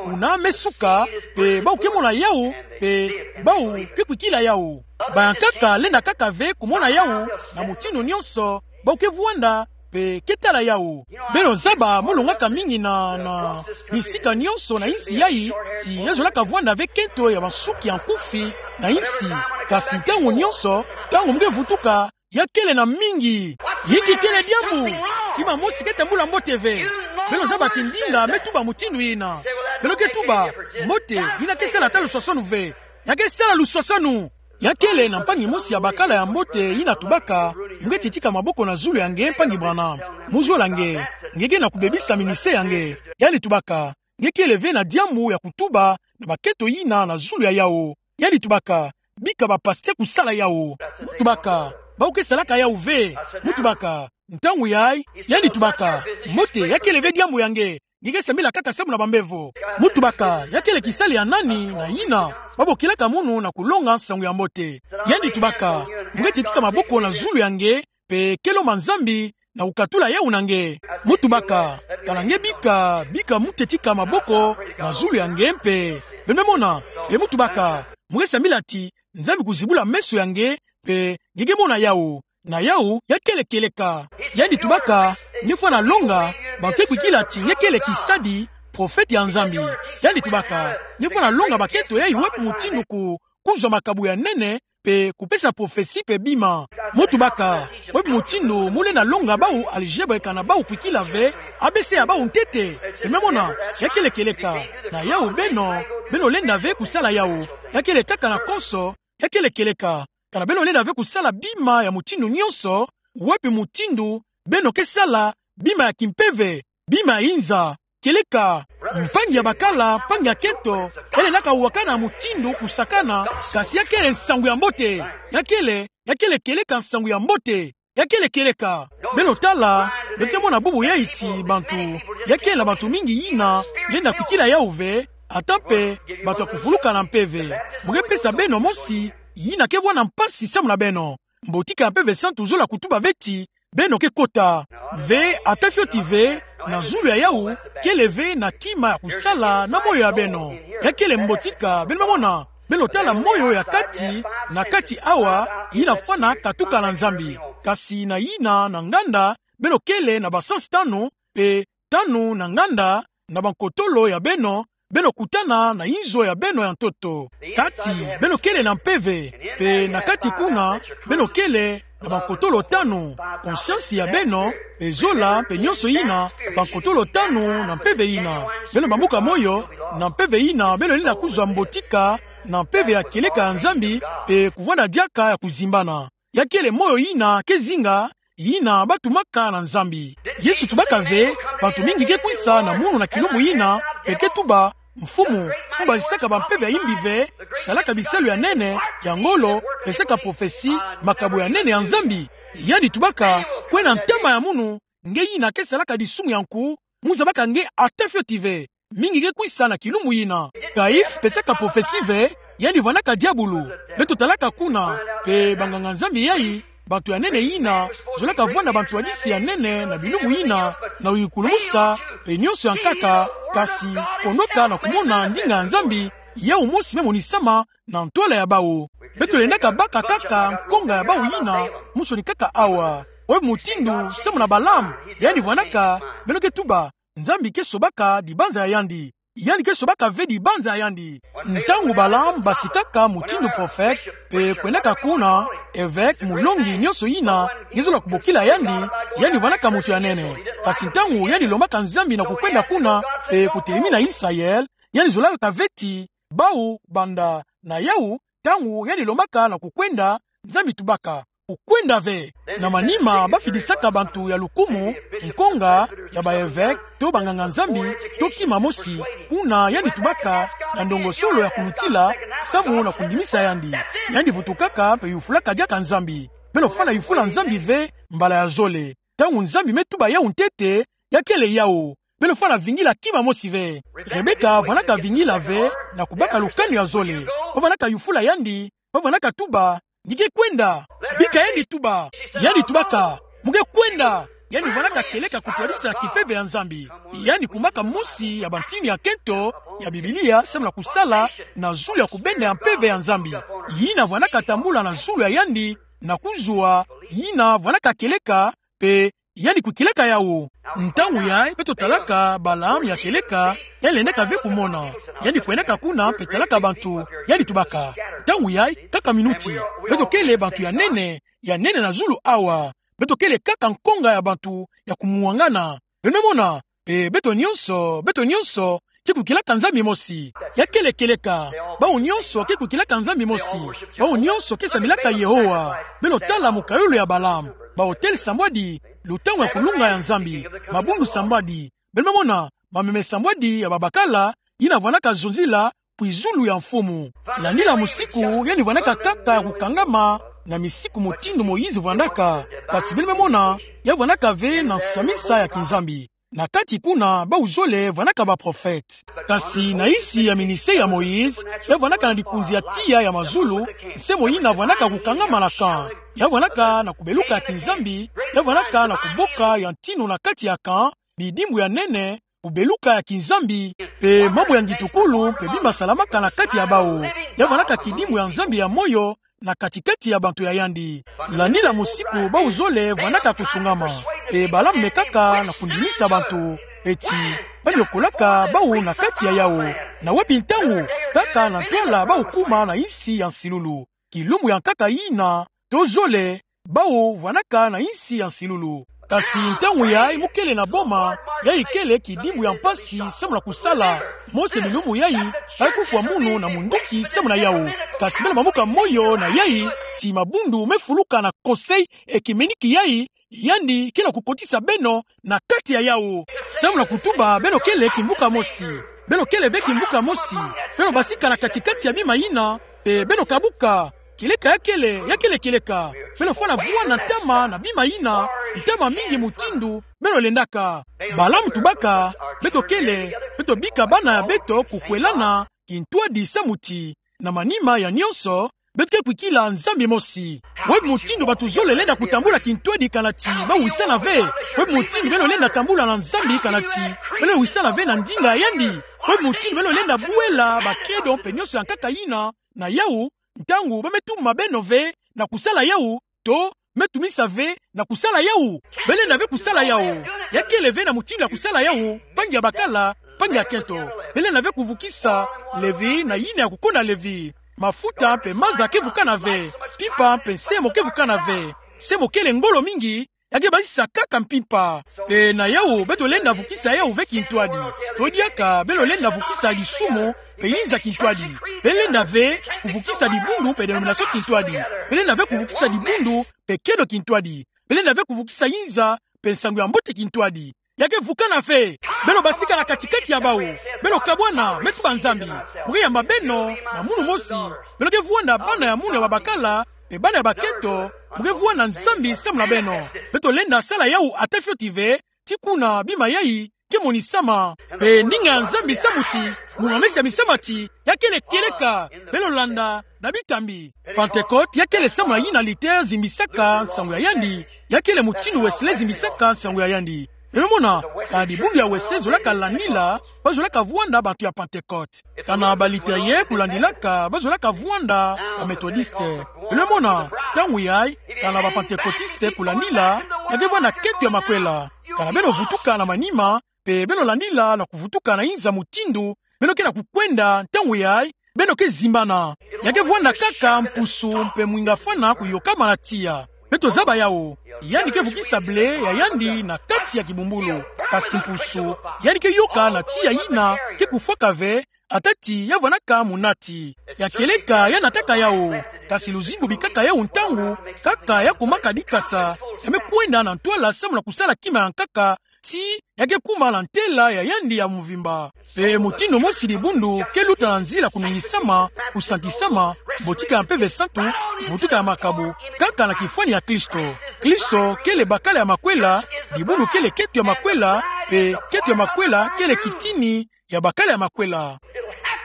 Kuna me suka, mpe bau ke mona yawu, mpe bau ke kwikila yawu. Bayankaka lenda kaka ve kumona yawu na mutindu nyonso, bau ke vwanda, mpe ke tala yawu. Beno zaba, mo longaka mingi na, na bisika nyonso na insi yayi, ti ya zolaka vwanda ve kento ya bansuki ya nkufi na insi, kasi ntangu nyonso, ntangu mo ke vutuka, ya kele na mingi. Inki kele diambu? Kima mosi ke tambula mbote ve. Beno zaba ti ndinga me tuba mutindu yina. Beno ke tuba: Mbote, yina ke sala ata luswaswanu ve. Ya ke sala luswaswanu. Ya kele na mpangi mosi ya bakala ya mbote yina tubaka: Mo ke titika maboko na zulu ya nge, mpangi Branham. Mo zola nge. Nge ke na kubebisa ministère ya nge. Yandi tubaka: Nge kele ve na diambu ya kutuba na bakento yina na zulu ya yawu. Yandi tubaka: Bika bapasteur kusala yawu. Mo tubaka: Bau ke salaka yawu ve. Mo tubaka: Ntangu yayi? Yandi tubaka: Mbote, ya kele ve diambu ya nge. Nge ke sambila kaka samu na bambevo. Mo tubaka: Ya kele kisali ya nani na yina babokilaka munu na kulonga nsangu ya mbote? Yandi tubaka: Mo ke titika maboko na zulu ya nge, mpe ke lomba Nzambi na kukatula yawu na nge. Mo tubaka: Kana nge bika, bika mo titika maboko na zulu ya nge mpe. Beno me mona? Mpe mo tubaka: Mo ke sambila ti Nzambi kuzibula meso ya nge, mpe nge ke mona yawu. Na yawu ya kele kieleka. Yandi tubaka: Nge fwana longa, bantu ke kwikila ti nge kele kisadi, prophète ya Nzambi. Yandi tubaka: Nge fwana longa bakento yayi wê bi mutindu ku, kuzwa makabo ya nene, mpe kupesa prophétie mpe bima. Mo tubaka: Wê bi mutindu mo lenda longa bau algèbre, kana bau kwikila ve A B C ya bau ntete? Beno me mona? Ya kele kieleka. Na yawu beno, beno lenda ve kusala yawu. Ya kele kaka na konso, ya kele kieleka. Kana beno lenda ve kusala bima ya mutindu nyonso, wê bi mutindu beno ke sala bima ya kimpeve, bima ya inza. Kieleka, mpangi ya bakala, mpangi ya kento, elendaka wakana mutindu kusakana, kasi ya kele nsangu ya mbote. Ya kele, ya kele kieleka nsangu ya mbote. Ya kele kieleka. Beno tala, beno ke mona bubu yayi ti bantu, ya kele na bantu mingi yina lenda kwikila yawu ve, ata mpe bantu ya kuvuluka na mpeve. Mo ke pesa beno mosi, yina ke vwanda mpasi samu na beno. Mbotika ya Mpeve Santu zola kutuba ve ti beno ke kota. Ve, ata fioti ve, na zulu ya yawu, kele ve na kima ya kusala na moyo ya beno. Ya kele mbotika, beno me mona, beno tala moyo ya kati na kati awa, yina fwana katuka na Nzambi. Kasi na yina na nganda, beno kele na ba sens tanu, mpe tanu na nganda, na bankotolo ya beno, beno kutana na inzo ya beno ya ntoto. Kati, beno kele na mpeve, mpe na kati kuna, beno kele na bankotolo tanu, conscience ya beno, mpe zola, mpe nyonso yina, bankotolo tanu na mpeve yina. Beno bambuka moyo, na mpeve yina, beno lenda kuzwa mbotika, na mpeve ya kieleka ya Nzambi, mpe kuvwanda diaka ya kuzimbana. Ya kele moyo yina ke zinga, yina batumaka na Nzambi. Yesu tubaka ve, bantu mingi ke kwisa na munu na kilumbu yina, mpe ke tuba: Mfumu, mbazisaka bampeve ya yimbi ve, salaka bisalu ya nene, ya ngolo, pesaka prophetie, makabo ya nene ya Nzambi? Yandi tubaka: Kwena ntama ya munu, nge yina ke salaka disumu ya nku, mo zabaka nge ata fioti ve. Mingi ke kwisa na kilumbu yina. Caïphe pesaka prophetie ve, yandi vwandaka diabulu. Beto talaka kuna, mpe banganga-Nzambi yayi, bantu ya nene yina zolaka vwanda bantwadisi ya nene na bilumbu yina, na kuyikulumusa, mpe nyonso ya nkaka, kasi konoka na kumona ndinga ya Nzambi, yawu mosi me monisama na ntwala ya bawu. Beto lendaka baka kaka nkonga ya bawu yina, monsoni kaka awa. Wê bi mutindu, samu na Balaam, yandi vwandaka, beno ke tuba, Nzambi ke sobaka dibanza ya yandi. yandi ke sobaka ve dibanza yandi. Ntangu Balaam basikaka mutindu prophète, pe kwendaka kuna, évêque, mulongi nyonso yina, nge zolaka kubokila yandi, yandi vwanaka muntu ya nene. Kasi ntangu yandi lombaka Nzambi na kukwenda kuna, pe kutelemi na Israël, yandi zolaka ve ti, bau banda, na yau, ntangu yandi lombaka na kukwenda, Nzambi tubaka, kukwenda ve. Na manima bafidisaka bantu ya lukumu, nkonga, ya ba évêque, to banganga-Nzambi, to kima mosi, kuna yandi tubaka, na ndongosolo ya kulutila, samu na kundimisa yandi. Yandi vutukaka, pe yufulaka diaka Nzambi. Beno fwana yufula Nzambi ve, mbala ya zole. Ntangu Nzambi me tuba yau ntete, ya kele yau. Beno fwana vingila kima mosi ve. Rebeka vwanaka vingila ve, na kubaka lukanu ya zole. Bavwanaka yufula yandi, bavwanaka tuba, nge ke kwenda. Bika yandi tuba. Yandi tubaka, mu ke kwenda. Yandi vwanaka kieleka kutwadisa kimpeve ya Nzambi. Yandi kumaka mosi ya bantinu ya kento, ya Biblia, samu na kusala, na zulu ya kubenda ya mpeve ya Nzambi. Yina vwanaka tambula na zulu ya yandi, na kuzwa, yina vwanaka kieleka, pe yandi kukieleka yau. Ntangu yai, beto talaka Balaam ya kieleka, yandi lendaka ve kumona. Yandi kwendaka kuna, pe talaka bantu, yandi tubaka. Ntangu yai, kaka minuti. Beto kele bantu ya nene, ya nene na zulu awa. Beto kele kaka nkonga ya bantu, ya kumwangana. Beno mona, pe beto nyonso, beto nyonso, ke kukielaka Nzambi mosi. Ya kele kieleka. Bau nyonso ke kukielaka Nzambi mosi. Bau nyonso ke sambilaka Yehowa. Beno tala mokayulu ya Balaam. Ba-autel sambwadi, lutangu ya kulunga ya Nzambi. Mabundu sambwadi. Beno mona, mameme sambwadi ya babakala, yina vwanaka zonzila, kwi zulu ya mfumu. Landila musiku, yandi vwanaka kaka ya kukangama, na misiku mutindu Moïse vwandaka. Kasi beno me mona, ya vwanaka ve na nsamisa ya kiNzambi. Na kati kuna, bau zole vwanaka baprophète. Kasi na nsi ya ministère ya Moïse, ya vwanaka na likunzi ya tiya ya mazulu, nse mo yina vwanaka kukangama na camp. Ya vwanaka na kubeluka ya kiNzambi, ya vwanaka na kuboka ya ntinu na kati ya camp, bidimbu ya nene, kubeluka ya kiNzambi, pe mambu ya ngitukulu, pe bima salamaka na kati ya bau. Ya vwanaka kidimbu ya Nzambi ya moyo, na kati-kati ya bantu ya yandi. Landila musiku bau zole vwanaka kusungama. Pe Balaam mekaka na kundimisa bantu. Pe ti, banyokolaka bau na kati ya yau. Na wapi ntangu, kaka na ntwala bau kuma na nsi ya nsilulu. Kilumbu ya nkaka yina, to zole, bau vwanaka na nsi ya nsilulu. Kasi ntangu yai mu kele na boma, yai kele kidimbu ya mpasi samu na kusala. Mose bilumbu yai, kufwa munu na munduki samu na yau. Kasi beno mamuka moyo na yai, ti mabundu me fuluka na conseil ekimeniki yai, yandi ke na kukotisa beno na kati ya yau. Samu na kutuba beno kele kimvuka mosi. Beno kele ve kimvuka mosi. Beno basika na kati-kati ya bima yina, pe beno kabuka. Kieleka ya kele, ya kele kieleka. Beno fwana vwanda ntama na bima yina, ntama mingi mutindu, beno lendaka. Balaam tubaka, beto kele, beto bika bana ya beto kukwelana, kintwadi samu ti. Na manima ya nyonso, beto ke kwikila Nzambi mosi. Wapi mutindu bantu zole lenda kutambula kintwadi kana ti bau wisana ve? Wapi mutindu beno lenda tambula na Nzambi kana ti beno wisana ve na ndinga ya yandi? Wapi mutindu beno lenda bwela bakedo mpe nyonso ya nkaka yina na yau, ntangu ba me tuma beno ve na kusala yau, to me tumisa ve na kusala yau? Beno lenda ve kusala yau. Ya kele ve na mutindu ya kusala yau, mpangi ya bakala, mpangi ya kento. Beno lenda ve kuvukisa Levi na yina ya kukonda Levi. Mafuta mpe maza ke vukana ve. Mpimpa mpe nsemo ke vukana ve. Nsemo kele ngolo mingi, ya ke basisa kaka mpimpa. Pe na yau, beto lenda vukisa yau ve kintwadi. To diaka, beno lenda vukisa disumu, pe yinza kintwadi. Beno lenda ve kuvukisa dibundu mpe dénomination kintwadi. Beno lenda ve kuvukisa dibundu mpe kedo kintwadi. Beno lenda ve kuvukisa yinza mpe nsangu ya mbote kintwadi. Ya ke vukana ve. Beno basika na kati-kati ya bau. Beno kabwana, me tuba Nzambi. Mu ke yamba beno na munu mosi. Beno ke vwanda bana ya munu ya babakala, mpe bana ya bakento, mu ke vwanda Nzambi samu na beno. Beto lenda sala yau ata fioti ve, ti kuna bima yai ke monisama. Mpe ndinga ya Nzambi samu ti, mu mamesa ya misamu ti, ya kele kieleka, beno landa na bitambi. Pentecôte, ya kele samu na yina Luther zimbisaka nsangu ya yandi, ya kele mutindu Wesley zimbisaka nsangu ya yandi. Beno mona, kana dibundu ya Wesley zolaka landila, ba zolaka vwanda bantu ya Pentecôte. Kana ba Lutherien kulandilaka, ba zolaka vwanda ba Methodiste. Beno mona, ntangu yai, kana ba Pentecôtiste kulandila, ya ke vwanda kento ya makwela. Kana beno vutuka na manima, mpe beno landila na kuvutuka na yinza mutindu Beno ke na kukwenda ntangu yayi, beno ke zimbana. Ya ke vwanda kaka mpusu mpe mwinga fana kuyokamana tiya. Beto zaba yawu. Yandi ke vukisa ble ya yandi na kati ya kibumbulu. Kasi mpusu, yandi ke yoka na tiya yina ke kufwaka ve, atati ya vwanaka munati. Ya kieleka ya nataka yawu. Kasi luzingu bikaka yawu ntangu, kaka ya kumaka dikasa, ya me kwenda na ntwala samu na kusala kima ya nkaka, ti ya ke kuma na ntela ya yandi ya mvimba. Mpe mutindu mosi dibundu ke luta na nzila kunungisama, kusantisama, botika ya Mpeve Santu, vutuka ya makabu, kaka na kifwani ya Kristo. Kristo kele bakala ya makwela, dibundu kele keto ya makwela, mpe keto ya makwela kele kitini ya bakala ya makwela.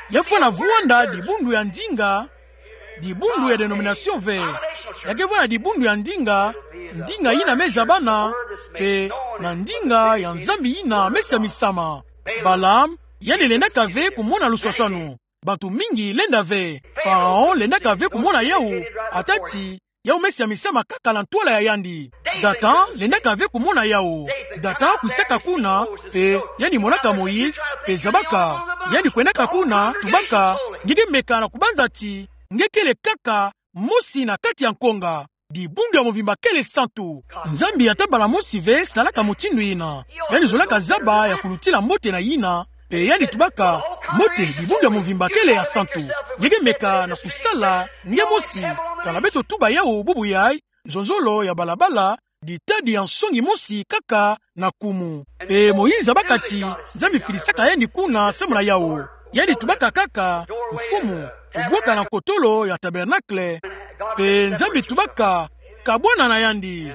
Ya fwana vwanda dibundu ya ndinga, dibundu ya dénomination ve. Ya ke vwanda dibundu ya ndinga, ndinga yina me zabana, mpe na ndinga ya Nzambi yina me samisama. Balaam, yandi lendaka ve kumona luswaswanu. Bantu mingi lenda ve. Pharaon lendaka ve kumona yawu, atati yawu me samisama kaka na ntwala ya yandi. Dathan lendaka ve kumona yawu. Dathan kwisaka kuna, mpe yandi monaka Moïse, mpe zabaka. Yandi kwendaka kuna, tubaka, nge ke meka na kubanza ti nge kele kaka mosi na kati ya nkonga. Dibundu ya mvimba kele santu. Nzambi ata mbala mosi ve salaka mutindu yina. Yandi zolaka zaba ya kulutila mbote na yina, mpe yandi tubaka, mbote, dibundu ya mvimba kele ya santu. Nge ke meka na kusala nge mosi. Kana beto tuba yawu bubu yayi, nzonzolo ya balabala, ditadi ya nsongi mosi kaka na kumu. Mpe Moïse zabaka ti Nzambi filisaka yandi kuna samu na yawu. Yandi tubaka kaka, Mfumu, obwaka na nkotolo ya tabernacle. Mpe Nzambi tubaka, kabwana na yandi.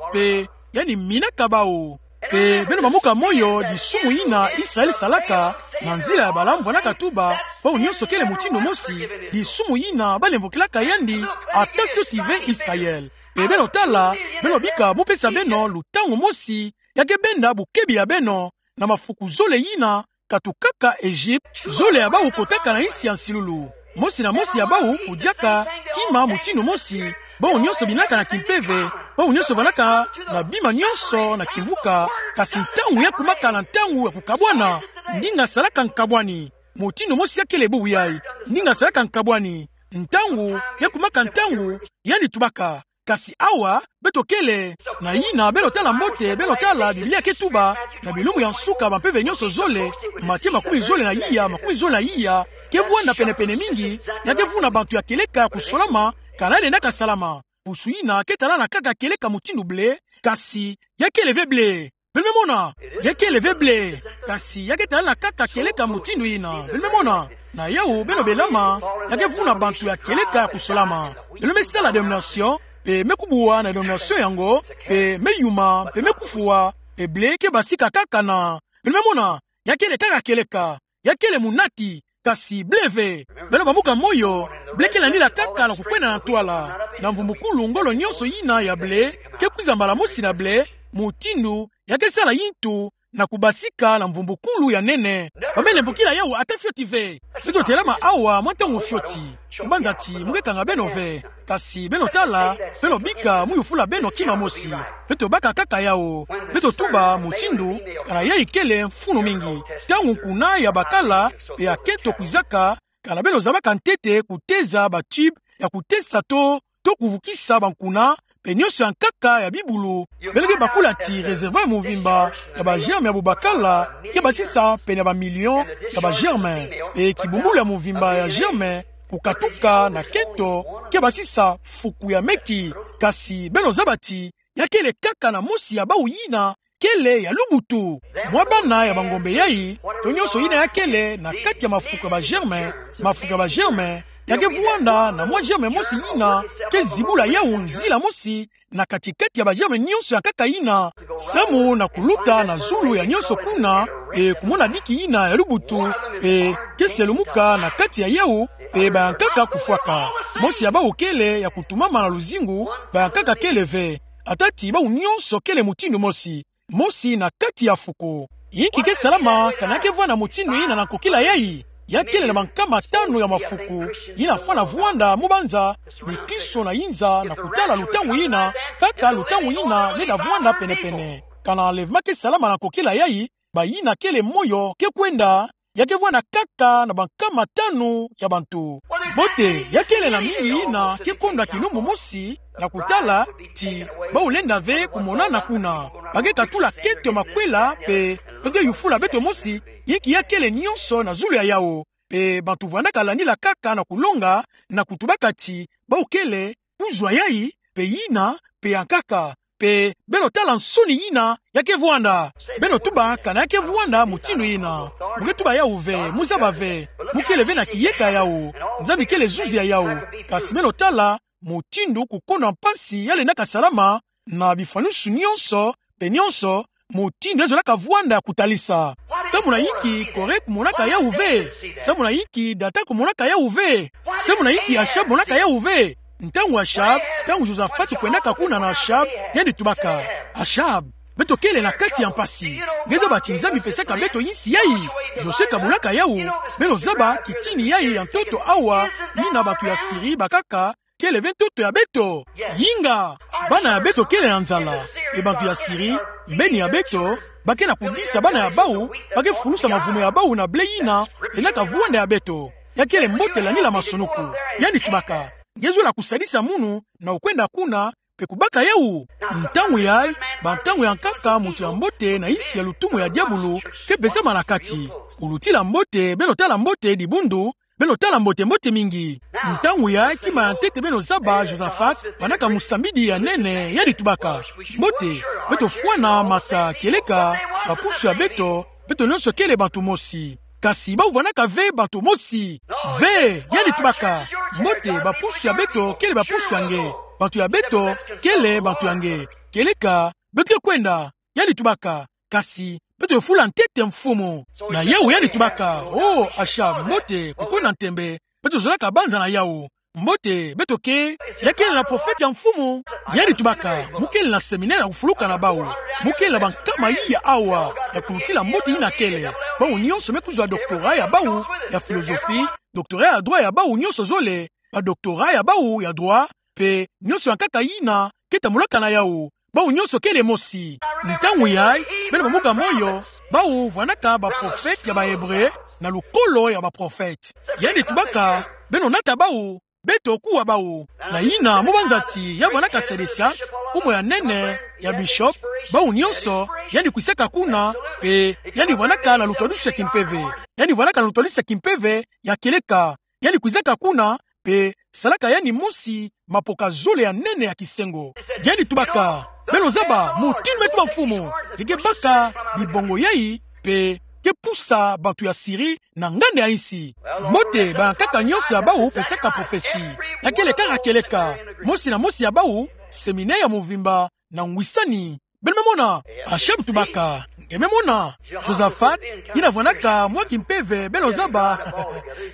Mpe yandi minaka bawu. Mpe beno bambuka moyo, disumu yina Israël salaka, na nzila ya Balaam vwanaka tuba, bawu nyonso kele mutindu mosi, disumu yina balemvokilaka yandi, ata fioti ve Israël. Mpe beno tala, beno bika bupesa beno lutangu mosi, ya ke benda bukebi ya beno, na mafuku zole yina, katukaka Egypte, zole ya bawu kotaka na insi ya nsilulu. Mosi na mosi ya bawu kudiaka kima mutindu mosi, bawu nyonso binaka na kimpeve, bawu nyonso vwanaka na bima nyonso na kimvuka, kasi ntangu ya kumaka na ntangu ya kukabwana, ndinga salaka nkabwani. Mutindu mosi ya kele bubu yayi, ndinga salaka nkabwani. Ntangu ya kumaka ntangu, yandi tubaka. Kasi awa, beto kele, na yina, beno tala mbote, beno tala, Biblia ke tuba, na bilumbu ya nsuka, bampeve nyonso zole, Matthieu makumi zole na iya, makumi zole na iya, ke vwanda pene-pene mingi, ya ke vuna bantu ya kieleka kusolama, kana ya lenda kasalama. Pusu yina, ke talana kaka kieleka mutindu blé, kasi, ya kele ve blé. Beno me mona, ya kele ve blé, kasi ya ke talana kaka kieleka mutindu yina. Beno me mona, na yawu beno belama, ya ke vuna bantu ya kieleka kusolama. Beno me sala dénomination, mpe me kubwa na dénomination yango, mpe me yuma, mpe me kufwa, mpe blé ke basika kaka na. Beno me mona, ya kele kaka kieleka, ya kele munati, kasi blé ve. Beno bambuka moyo, blé ke landila kaka na kukwenda na ntwala. Na mvumbukulu ngolo nyonso yina ya blé, ke kwiza mbala mosi na blé, mutindu, ya ke sala yintu, na kubasika na mvumbukulu ya nene. Ba me lemvokila yawu ata fioti ve. Beto telama awa mwa ntangu fioti. Kubanza ti, mu ke kanga beno ve. Kasi beno tala, beno bika, mu yufula beno kima mosi. Beto baka kaka yawu. Beto tuba mutindu, kana yayi kele mfunu mingi. Ntangu nkuna ya bakala, mpe ya keto kwizaka, kana beno zabaka ntete kuteza ba tube, ya kutesa to, to kuvukisa bankuna, mpe nyonso ya nkaka ya bibulu. Beno ke bakula ti réservoir ya mvimba, ya ba germe ya bubakala, ke basisa pene ya ba million, ya ba germe. Mpe kibumbulu ya mvimba ya germe, kukatuka na keto, ke basisa fuku ya meki, kasi beno zaba ti, ya kele kaka na mosi ya bawu yina, kele ya lubutu. Mwa bana ya bangombe yayi, to nyonso yina ya kele na kati ya mafuku ya ba germe, mafuku ya ba germe, ya ke vwanda na mwa germe mosi yina, ke zibula yawu nzila mosi, na kati-kati ya ba germe nyonso ya nkaka yina, samu na kuluta na zulu ya nyonso kuna, mpe kumona diki yina ya lubutu, mpe ke selumuka na kati ya yawu, mpe ba ya nkaka kufwaka. Mosi ya bawu kele ya kutumama na luzingu, ba ya nkaka kele ve. Ata ti bawu nyonso kele mutindu mosi. Mosi na kati ya fuku. Inki ke salama, kana ya ke vwanda mutindu yina na nkokila yayi? Ya kele na bankama tanu ya mafuku, yina fwana vwanda mu banza, bikristo na inza na kutala lutangu yina, kaka lutangu yina lenda vwanda pene-pene. Kana enlèvement ke salama na nkokila yayi, bayina kele moyo ke kwenda, ya ke vwanda kaka na bankama tanu ya bantu. Mbote, ya kele na mingi yina ke konda kilumbu mosi, na kutala, ti, bau lenda ve kumonana kuna. Ba ke katula keto ya makwela, pe, ba ke yufula beto mosi, inki ya kele nyonso na zulu ya yawu. Pe bantu vwandaka landila kaka na kulonga, na kutubaka ti, bau kele, kuzwa yayi, pe yina, pe yankaka, pe beno tala nsoni yina, ya ke vwanda. Beno tuba kana ya ke vwanda mutindu yina. Mu ke tuba yawu ve, mu zaba ve, mu kele ve na kiyeka yawu. Nzambi kele zuzi ya yawu. Kasi beno tala, mutindu kukonda mpasi ya lendaka salama, na bifwanusu nyonso, pe nyonso, mutindu ya zolaka vwanda kutalisa. Samu na inki Kore kumonaka yawu ve? Samu na inki Datan kumonaka yawu ve? Samu na inki Achab monaka yawu ve? Ntangu Achab, ntangu Josafat kwendaka kuna na Achab, yandi tubaka: Achab, beto kele na kati ya mpasi. Nge zaba ti Nzambi pesaka beto insi yayi. Josue kamonaka yawu. Beno zaba kitini yayi ya ntoto awa, yina bantu ya Siri bakaka, kele ve ntoto ya beto. Inga, bana ya beto kele na nzala. Pe bantu ya Siri, mbeni ya beto, ba ke na kudisa bana ya bawu, ba ke fulusa mavume ya bawu na ble yina lendaka vwanda ya beto. Ya kele mbote landila masonuku. Yandi tubaka: Nge zola kusadisa munu na kukwenda kuna, pe kubaka yawu? Ntangu yayi, bantangu yankaka muntu ya mbote na insi ya lutumu ya diabulu ke pesama na kati. Kulutila mbote, beno tala mbote dibundu, beno tala mbote-mbote mingi. Ntangu yayi, kima ya ntete beno zaba, Josafat, vwandaka mosambidi ya nene, yandi tubaka: Mbote, beto fwana mata kieleka bapusu ya beto, beto nyonso kele bantu mosi. Kasi bawu vwandaka ve bantu mosi. Ve, yandi tubaka: Mbote, bapusu ya beto kele bapusu ya nge. Bantu ya beto kele bantu ya nge. Kieleka beto ke kwenda, yandi tubaka, kasi beto fula ntete mfumu. Na yawu yandi tubaka: O, Achab, mbote, kukwenda ntembe, beto zolaka banza na yawu. Mbote, beto ke, ya kele na profete ya mfumu. Yandi tubaka: Mu kele na séminaire ya kufuluka na bawu. Mu kele na bankama yiya awa ya kulutila mbote yina kele. Bawu nyonso me kuzwa doctorat ya bawu ya philosophie, doctorat ya droit ya bawu nyonso zole, ba doctorat ya bawu ya droit, pe nyonso yankaka yina ke tambulaka na yawu. Bawu nyonso kele mosi. Ntangu yayi, beno bambuka moyo, bawu vwandaka baprofete ya ba Hébreu, na lukolo ya baprofete. Yandi tubaka: Beno nata bawu, beto kuwa bawu. Na yina, mu banza ti ya vwandaka Sédécias, kumu ya nene ya bishop, bawu nyonso, yandi kwisaka kuna, pe yandi vwandaka na lutwadusu ya kimpeve. Yandi vwandaka na lutwadusu ya kimpeve ya kieleka. Yandi kwizaka kuna, pe salaka yandi mosi mapoka zole ya nene ya kisengo. Yandi tubaka: Beno zaba mutindu me tuba mfumu, nge ke baka bibongo yayi, pe ke pusa bantu ya Siri na nganda ya insi. Mbote, bankaka nyonso ya bawu pesaka prophetie. Ya kele kaka kieleka. Mosi na mosi ya bawu, séminaire ya mvimba na ngwisani. Beno me mona? Achab tubaka: Nge me mona? Josaphat, yina vwandaka mwa kimpeve, beno zaba,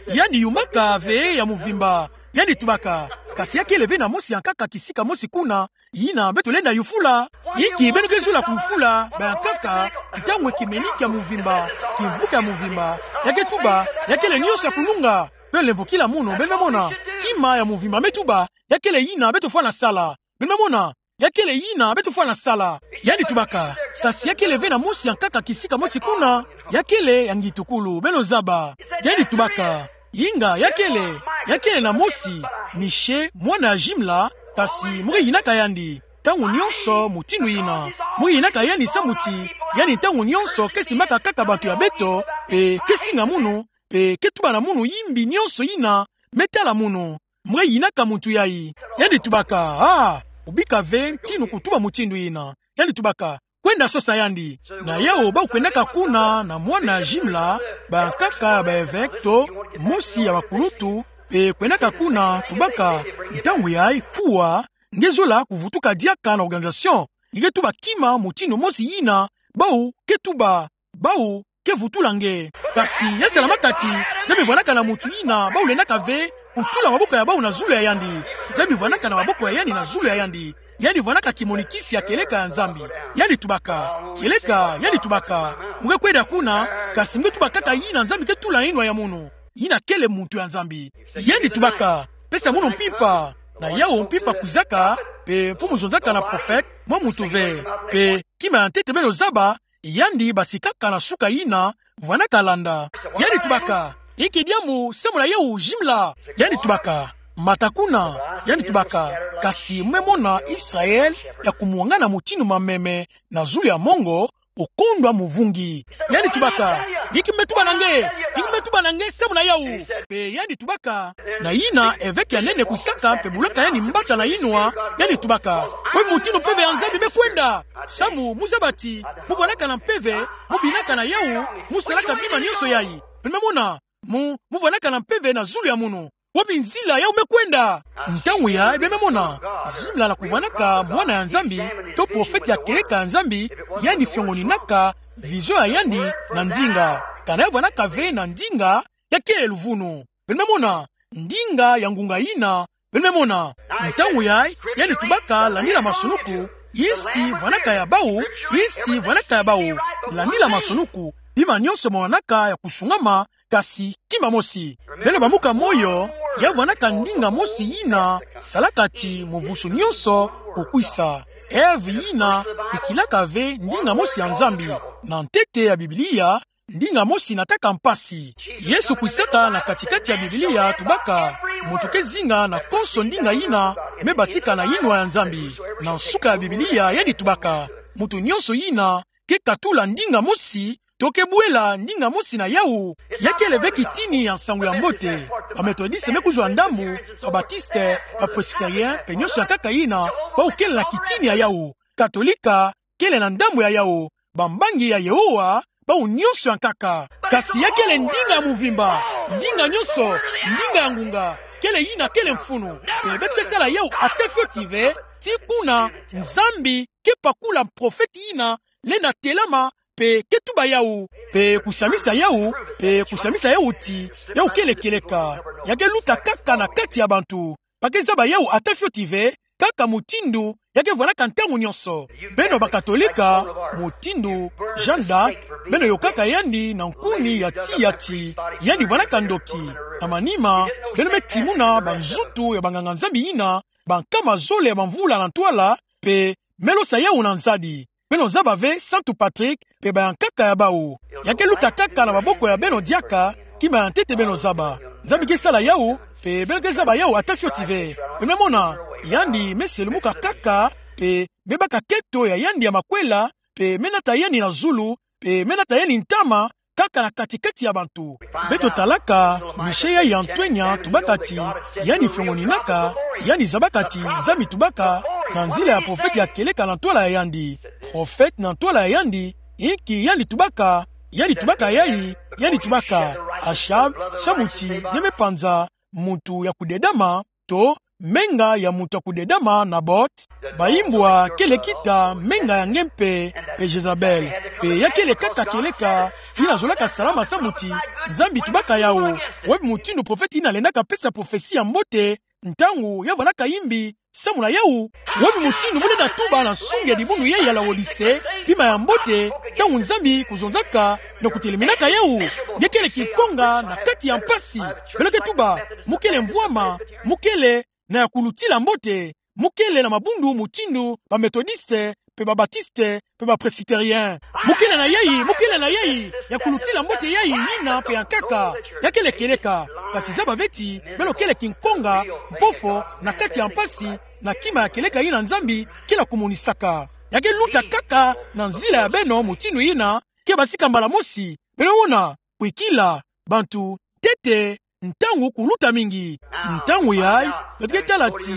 yandi yumbaka ve ya mvimba. Yandi tubaka: Kasi ya kele ve na mosi yankaka kisika mosi kuna, yina beto lenda yufula. Inki beno ke zola kuyufula bayankaka, ntangu kimeni kia mvimba, kimvuka ya mvimba, ya ke tuba ya kele nyonso ya kulunga? Beno lemvokila munu, beno me mona? Kima ya mvimba me tuba ya kele yina beto fwana sala. Beno me mona? Ya kele yina beto fwana sala. Yandi tubaka: Kasi ya kele ve na mosi yankaka kisika mosi kuna, ya kele ya ngitukulu, beno zaba. Yandi tubaka: Inga, ya kele, ya kele na mosi, Miche, mwana ya Jimla, kasi mu ke yinaka yandi ntangu nyonso mutindu yina. Mu ke yinaka yandi samu ti yandi ntangu nyonso ke simbaka kaka bantu ya beto, pe ke singa munu, pe ke tuba na munu yimbi nyonso yina me tala munu. Mu ke yinaka muntu yayi. Yandi tubaka: Ah, obika ve ntinu kutuba mutindu yina. Yandi tubaka: Kwenda sosa yandi. Na yawu bawu kwendaka kuna na mwana ya Jimla, bayankaka ya ba-évêque to mosi ya bakuluntu, pe kwendaka kuna, tubaka: Ntangu yayi kuwa, nge zola kuvutuka diaka na organisation. Nge ke tuba kima mutindu mosi yina bawu ke tuba, bawu ke vutula nge. Kasi ya salamaka ti, Nzambi vwandaka na muntu yina bawu lendaka ve kutula maboko ya bawu na zulu ya yandi. Nzambi vwandaka na maboko ya yandi na zulu ya yandi. Yandi vwandaka kimonikisi ya kieleka ya Nzambi. Yandi tubaka: Kieleka, yandi tubaka: Mu ke kwenda kuna, kasi mu ke tuba kaka yina Nzambi ke tula na yinwa ya munu, yina kele muntu ya Nzambi. Yandi tubaka: Pesa munu mpimpa. Na yawu mpimpa kwizaka, pe mfumu zonzaka na prophète, mwa muntu ve. Pe kima ya ntete beno zaba, yandi basikaka na suka yina, vwanaka landa. Yandi tubaka: Inki diamu samu na yawu, zimla? Yandi tubaka: Mata kuna. Yandi tubaka: Kasi mu me mona Israel ya kumwangana mutindu mameme na zulu ya mongo, okondwa muvungi. Yandi tubaka: Inki me tuba na nge? Inki me tuba na nge samu na yawu? Mpe yandi tubaka, na yina eveke ya nene kwisaka mpe bulaka yandi mbata na yinwa, yandi tubaka: Webi mutindu mpeve ya Nzambi me kwenda? Samu mu zaba ti mu vwanaka na mpeve, mu binaka na yawu, mu salaka bima nyonso yayi. Beno me mona, mu, mu vwanaka na mpeve na zulu ya munu. Webi nzila yawu me kwenda? Ntangu yayi, beno me mona, zimla na kuvwanaka mwana ya Nzambi, to profete ya kieleka ya Nzambi, yandi fiongoninaka vision ya yandi na ndinga. Kana ya vwanaka ve na ndinga, ya kele luvunu. Beno me mona, ndinga ya ngunga yina, beno me mona. Ntangu yayi, yandi tubaka: Landila masunuku, insi vwanaka ya bawu, insi vwanaka ya bawu. Landila masunuku, bima nyonso me wanaka ya kusungama, kasi kima mosi. Beno bambuka moyo, ya vwanaka ndinga mosi yina salaka ti muvusu nyonso kukwisa. Ève yina ikilaka ve ndinga mosi ya Nzambi. Na ntete ya Biblia, ndinga mosi nataka mpasi. Yesu kwisaka na kati-kati ya Biblia tubaka: Muntu ke zinga na konso ndinga yina me basika na yinwa ya Nzambi. Na nsuka ya Biblia, yandi tubaka: Muntu nyonso yina ke katula ndinga mosi, to ke bwela ndinga mosi na yawu, ya kele ve kitini ya nsangu ya mbote. Ba Methodiste me kuzwa ndambu, ba Batiste, ba Presbytérien, mpe nyonso ya nkaka yina, bawu kele na kitini ya yawu. Katolika kele na ndambu ya yawu. Bambangi ya Yehowa, bawu nyonso ya nkaka. Kasi ya kele ndinga muvimba, ndinga nyonso, ndinga ya ngunga, kele yina kele mfunu. Mpe beto ke sala yawu ata fioti ve, tii kuna Nzambi ke pakula profete yina lenda telama, mpe ke tuba yawu, mpe kusamisa yawu, mpe kusamisa yawu ti yawu kele kieleka. Ya ke luta kaka na kati ya bantu. Ba ke zaba yawu ata fioti ve, kaka mutindu ya ke vwanaka ntangu nyonso. Beno ba Katolika, mutindu Jeanne d'Arc, beno yokaka yandi na nkuni ya tiya ti yandi vwanaka ndoki. Na manima, beno me timuna banzutu ya banganga-Nzambi yina, bankama zole ya bamvula na ntwala, mpe me losa yawu na nzadi. Beno zaba ve Santu Patrick mpe bayankaka ya bawu. Ya ke luta kaka na maboko ya beno diaka, kima ya ntete beno zaba. Nzambi ke sala yawu, mpe beno ke zaba yawu ata fioti ve. Beno me mona, yandi me selumuka kaka, mpe me baka keto ya yandi ya makwela, mpe me nata yandi na zulu, mpe me nata yandi ntama, kaka na kati-kati ya bantu. Beto talaka, Michel ya Antoine tubaka ti, yandi fiongoninaka, yandi zabaka ti Nzambi tubaka, na nzila ya profete ya kieleka na ntwala ya yandi. Profete na ntwala ya yandi, inki yandi tubaka? Yandi tubaka yayi, yandi tubaka: Achab, samu ti nge me panza muntu ya kudedama, to menga ya muntu ya kudedama, Naboth, bayimbwa kele kita menga ya nge mpe, mpe Jezabel. Mpe ya kele kaka kieleka yina zolaka salama samu ti Nzambi tubaka yawu: Webi mutindu profete yina lendaka pesa profesi ya mbote, ntangu ya vwanaka yimbi samu na yawu? Webi mutindu mu lenda tuba na nsungi ya dibundu yayi ya Laodicee bima ya mbote, ntangu Nzambi kuzonzaka na kuteleminaka yawu? Nge kele kinkonga na kati ya mpasi. Beno ke tuba: Mu kele mvwama, mu kele na ya kulutila mbote, mu kele na mabundu mutindu ba Methodiste, mpe ba Batiste, mpe ba Presbytérien. Mu kele na yayi, mu kele na yayi, ya kulutila mbote yayi, yina mpe ya nkaka. Ya kele kieleka. Kasi zaba ve ti beno kele kinkonga, mpofo, na kati ya mpasi, na kima ya kieleka yina Nzambi ke na kumonisaka. Ya ke luta kaka na nzila ya beno mutindu yina ke basika mbala mosi. Beno ona, kwikila, bantu, ntete, ntangu kuluta mingi. Ntangu yayi, beto ke tala ti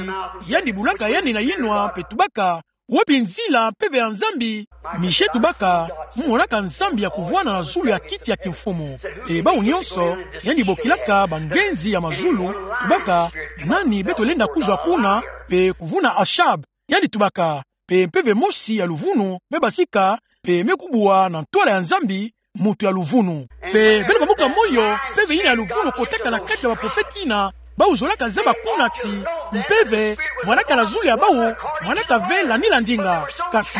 yandi bulaka yandi na yinwa mpe tubaka: Webi nzila mpeve ya Nzambi? Michel tubaka: Mu monaka Nzambi ya kuvwanda na zulu ya kiti ya kimfumu. E bawu nyonso, yandi bokilaka bangenzi ya mazulu, tubaka: Nani beto lenda kuzwa kuna, mpe kuvuna Achab? Yandi tubaka: Mpe mpeve mosi ya luvunu me basika, mpe me kubwa na ntwala ya Nzambi, muntu ya luvunu. Mpe beno bambuka moyo, mpeve yina ya luvunu kotaka na kati ya baprofete yina, bawu zolaka zaba kuna ti mpeve vwanaka na zulu ya bawu, vwanaka ve landila ndinga. Kasi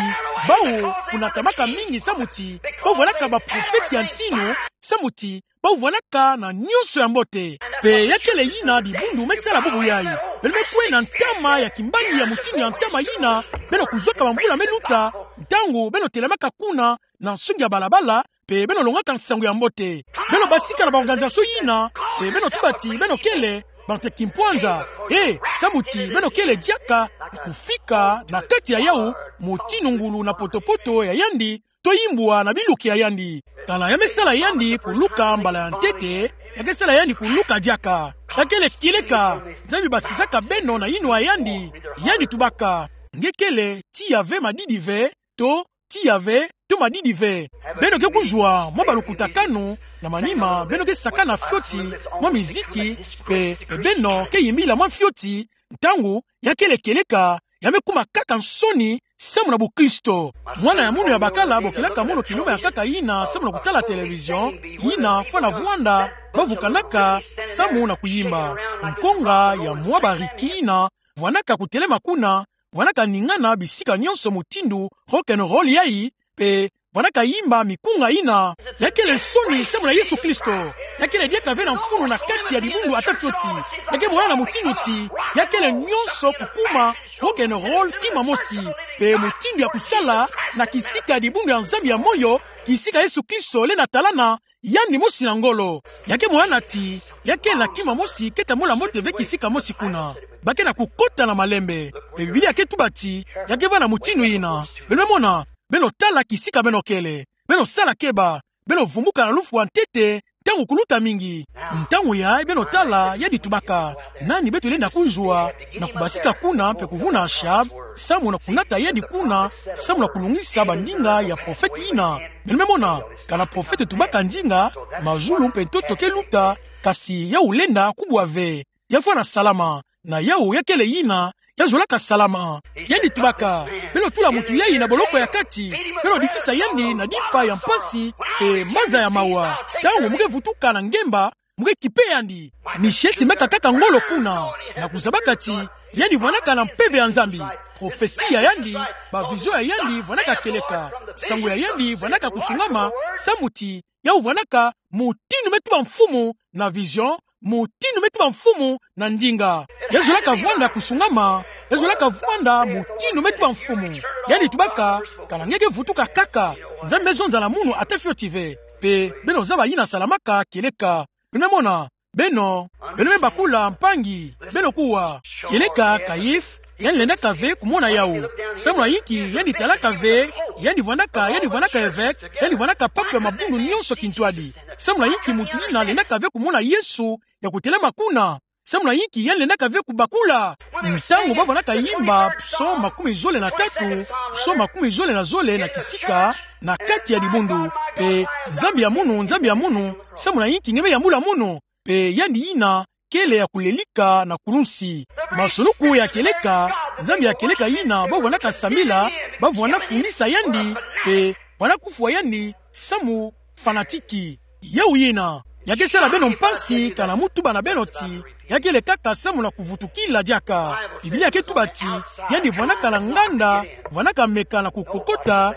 bawu kunatamaka mingi samu ti bawu vwanaka baprofete ya ntinu, samu ti bawu vwanaka na nyonso ya mbote. Mpe ya kele yina dibundu me sala bubu yayi. Beno me kwe na ntama ya kimbangi ya mutindu ya ntama yina beno kuzwaka bamvula me luta, Ntangu beno telamaka kuna na nsungi ya balabala, pe beno longaka nsangu ya mbote, beno basika na baorganisation yina, pe beno tuba ti beno kele bana ya kimpwanza. E, samu ti beno kele diaka kufika na kati ya yawu, motinu ngulu na potopoto ya yandi, to imbwa na biluki ya yandi. Kana ya me sala yandi kuluka mbala ya ntete, ya ke sala yandi kuluka diaka. Ya kele kieleka, Nzambi basisaka beno na yinwa ya yandi. Yandi tubaka: Nge kele tiya ve madidi ve, to tiya ve, to madidi ve. Beno ke kuzwa mwa balukutakanu, na manima beno ke sakana fioti mwa miziki, pe, pe beno ke yimbila mwa fioti. Ntangu ya kele kieleka, ya me kuma kaka nsoni samu na bukristo. Mwana ya munu ya bakala bokelaka munu kiluma ya nkaka yina samu na kutala télévision, yina fwana vwanda bavukanaka samu na kuyimba. Nkonga ya mwa bariki yina vwanaka kutelema kuna, vwanaka ningana bisika nyonso mutindu rock and roll yayi, pe vwanaka yimba mikunga yina. Ya kele nsoni samu na Yesu Kristo. Ya kele diaka ve na mfunu na kati ya dibundu ata fioti. Ya ke monana motinu ti ya kele nyonso kukuma rock and roll kima mosi, pe mutindu ya kusala na kisika ya dibundu ya Nzambi ya moyo, kisika Yesu Kristo lenda talana, yandi mosi na ngolo. Ya ke monana ti ya kele na kima mosi ke tambula mbote ve kisika mosi kuna. Ba ke na kukota na malembe. Pe Biblia ke tuba ti ya ke vwanda motinu yina. Beno me mona, beno tala kisika beno kele. Beno sala keba, beno vumbuka na lufwa ntete, ntangu kuluta mingi. Ntangu yayi beno tala, yandi tubaka: Nani beto lenda kuzwa na kubasika kuna pe kuvuna ashab, samu na kunata yandi kuna, samu na kulungisa bandinga ya profete yina? Beno me mona, kana profete tubaka ndinga, mazulu mpe ntoto ke luta, kasi yawu lenda kubwa ve. Ya fwana salama, na yawu ya kele yina ya zolaka salama. Yandi tubaka: Beno tula mutu yayi na boloko ya kati, beno dikisa yandi na dimpa ya mpasi pe maza ya mawa. Ntangu mu ke vutuka na ngemba, mu ke kipe yandi. Misie simaka kaka ngolo kuna, na kuzabaka ti yandi vwanaka na mpeve ya Nzambi. Profesi ya yandi, ba vision ya yandi vwanaka kieleka. Sango ya yandi vwanaka kusungama, samu ti yawu vwanaka motinu me tuba mfumu na vision, motinu me tuba mfumu na ndinga. Ya zolaka vwanda kusungama, ya zolaka vwanda motinu me tuba mfumu. Yandi tubaka: Kana nge ke vutuka kaka, Nzambi me zonza na munu ata fioti ve. Pe beno zaba yina salamaka kieleka. Beno me mona, beno, beno me bakula mpangi, beno kuwa. Kieleka Caïphe, yandi lendaka ve kumona yawu. Samu na yinki yandi talaka ve, yandi vwanaka, yandi vwanaka évêque, yandi vwanaka pape ya mabundu nyonso kintwadi. Samu na yinki mutu yina lendaka ve kumona Yesu ya kutelema kuna? Samu na yinki yandi lendaka ve kubakula? Ntangu ba vwanaka yimba psaume makumi zole na tatu, psaume makumi zole na zole na kisika, na kati ya dibundu, pe: Nzambi ya munu, Nzambi ya munu, samu na yinki nge me yambula munu? Pe yandi yina kele ya kulelika na kulunsi. Masuluku ya kieleka, Nzambi ya kieleka yina ba vwanaka sambila, ba vwana fundisa yandi, pe vwana kufwa yandi samu fanatique. Yawu yina ya ke sala beno mpasi kana mu tuba na beno ti ya kele kaka samu na kuvutukila diaka. Biblia ke tuba ti yandi vwanaka na nganda, vwanaka meka na kukokota,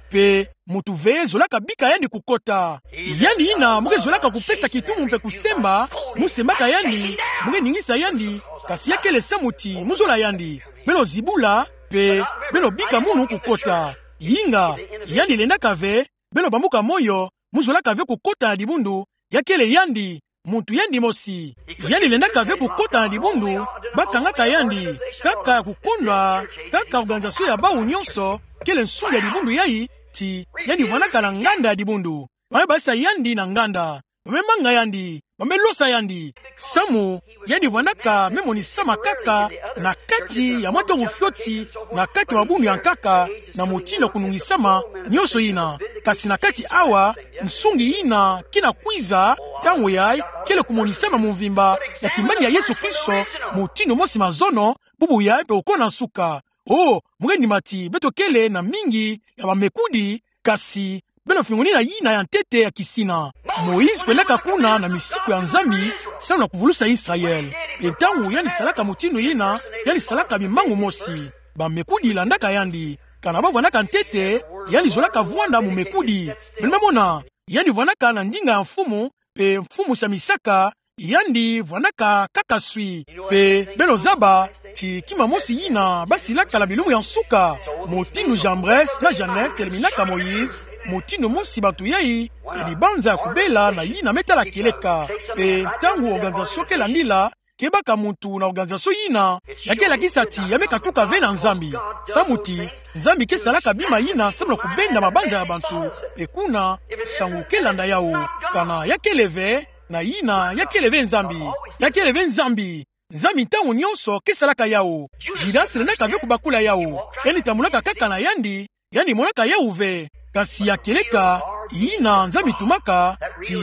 pe mutu ve zolaka bika yandi kukota. Yandi yina mu ke zolaka kupesa kitumu mpe kusemba, mu sembaka yandi, mu ke ningisa yandi, kasi ya kele samu ti mu zola yandi. Beno zibula, pe beno bika munu kukota. Inga, yandi lendaka ve beno bambuka moyo, mu zolaka ve kukota na dibundu, ya kele yandi, mutu yandi mosi. Yandi lendaka ve kukota na dibundu, ba kangaka yandi, kaka ya kukondwa, kaka organisation ya bawu nyonso, kele nsungi ya dibundu yayi, ti yandi vwanaka na nganda ya dibundu. Ba me basisa yandi na nganda. Ba me manga yandi, ba me losa yandi. Samu yandi vwanaka me monisama kaka na kati ya mwa ntangu fioti, na kati ya mabundu ya nkaka, na motinu ya kunungisama nyonso yina. Kasi na kati awa, nsungi yina ke na kwiza, ntangu yayi kele kumonisama mvimba ya kimbangi ya Yesu Kristo, motinu mosi mazono, bubu yayi mpe oko na nsuka. O, mu ke ndima ti beto kele na mingi ya bamekudi, kasi beno fingoni na yina ya ntete ya kisina. Moïse kwendaka kuna na misiku ya Nzambi, samu na kuvulusa Israël. Mpe ntangu yandi salaka motinu yina, yandi salaka bimangu mosi. Bamekudi landaka yandi. Kana ba vwanaka ntete, yandi zolaka vwanda momekudi. Beno me mona, yandi vwanaka na ndinga ya mfumu, mpe mfumu samisaka, yandi vwanaka kaka swi. Pe beno zaba ti kima mosi yina basilaka na bilumbu ya nsuka, mutindu Jambres na Jannes teleminaka Moïse, mutindu mosi bantu yai na dibanza ya kubela na yina me tala kieleka. Pe ntangu organisation ke landila, ke baka muntu na organisation yina, ya ke lakisa ti ya me katuka ve na Nzambi. Samu ti Nzambi ke salaka bima yina samu na kubenda mabanza ya bantu. Pe kuna nsangu ke landa yawu. Kana ya kele ve, na yina ya kele ve Nzambi. Ya kele ve Nzambi. Nzambi ntangu nyonso ke salaka yawu. Judas lendaka ve kubakula yawu. Yandi tambulaka kaka na yandi, yandi monaka yawu ve. Kasi ya kieleka yina Nzambi tumaka, ti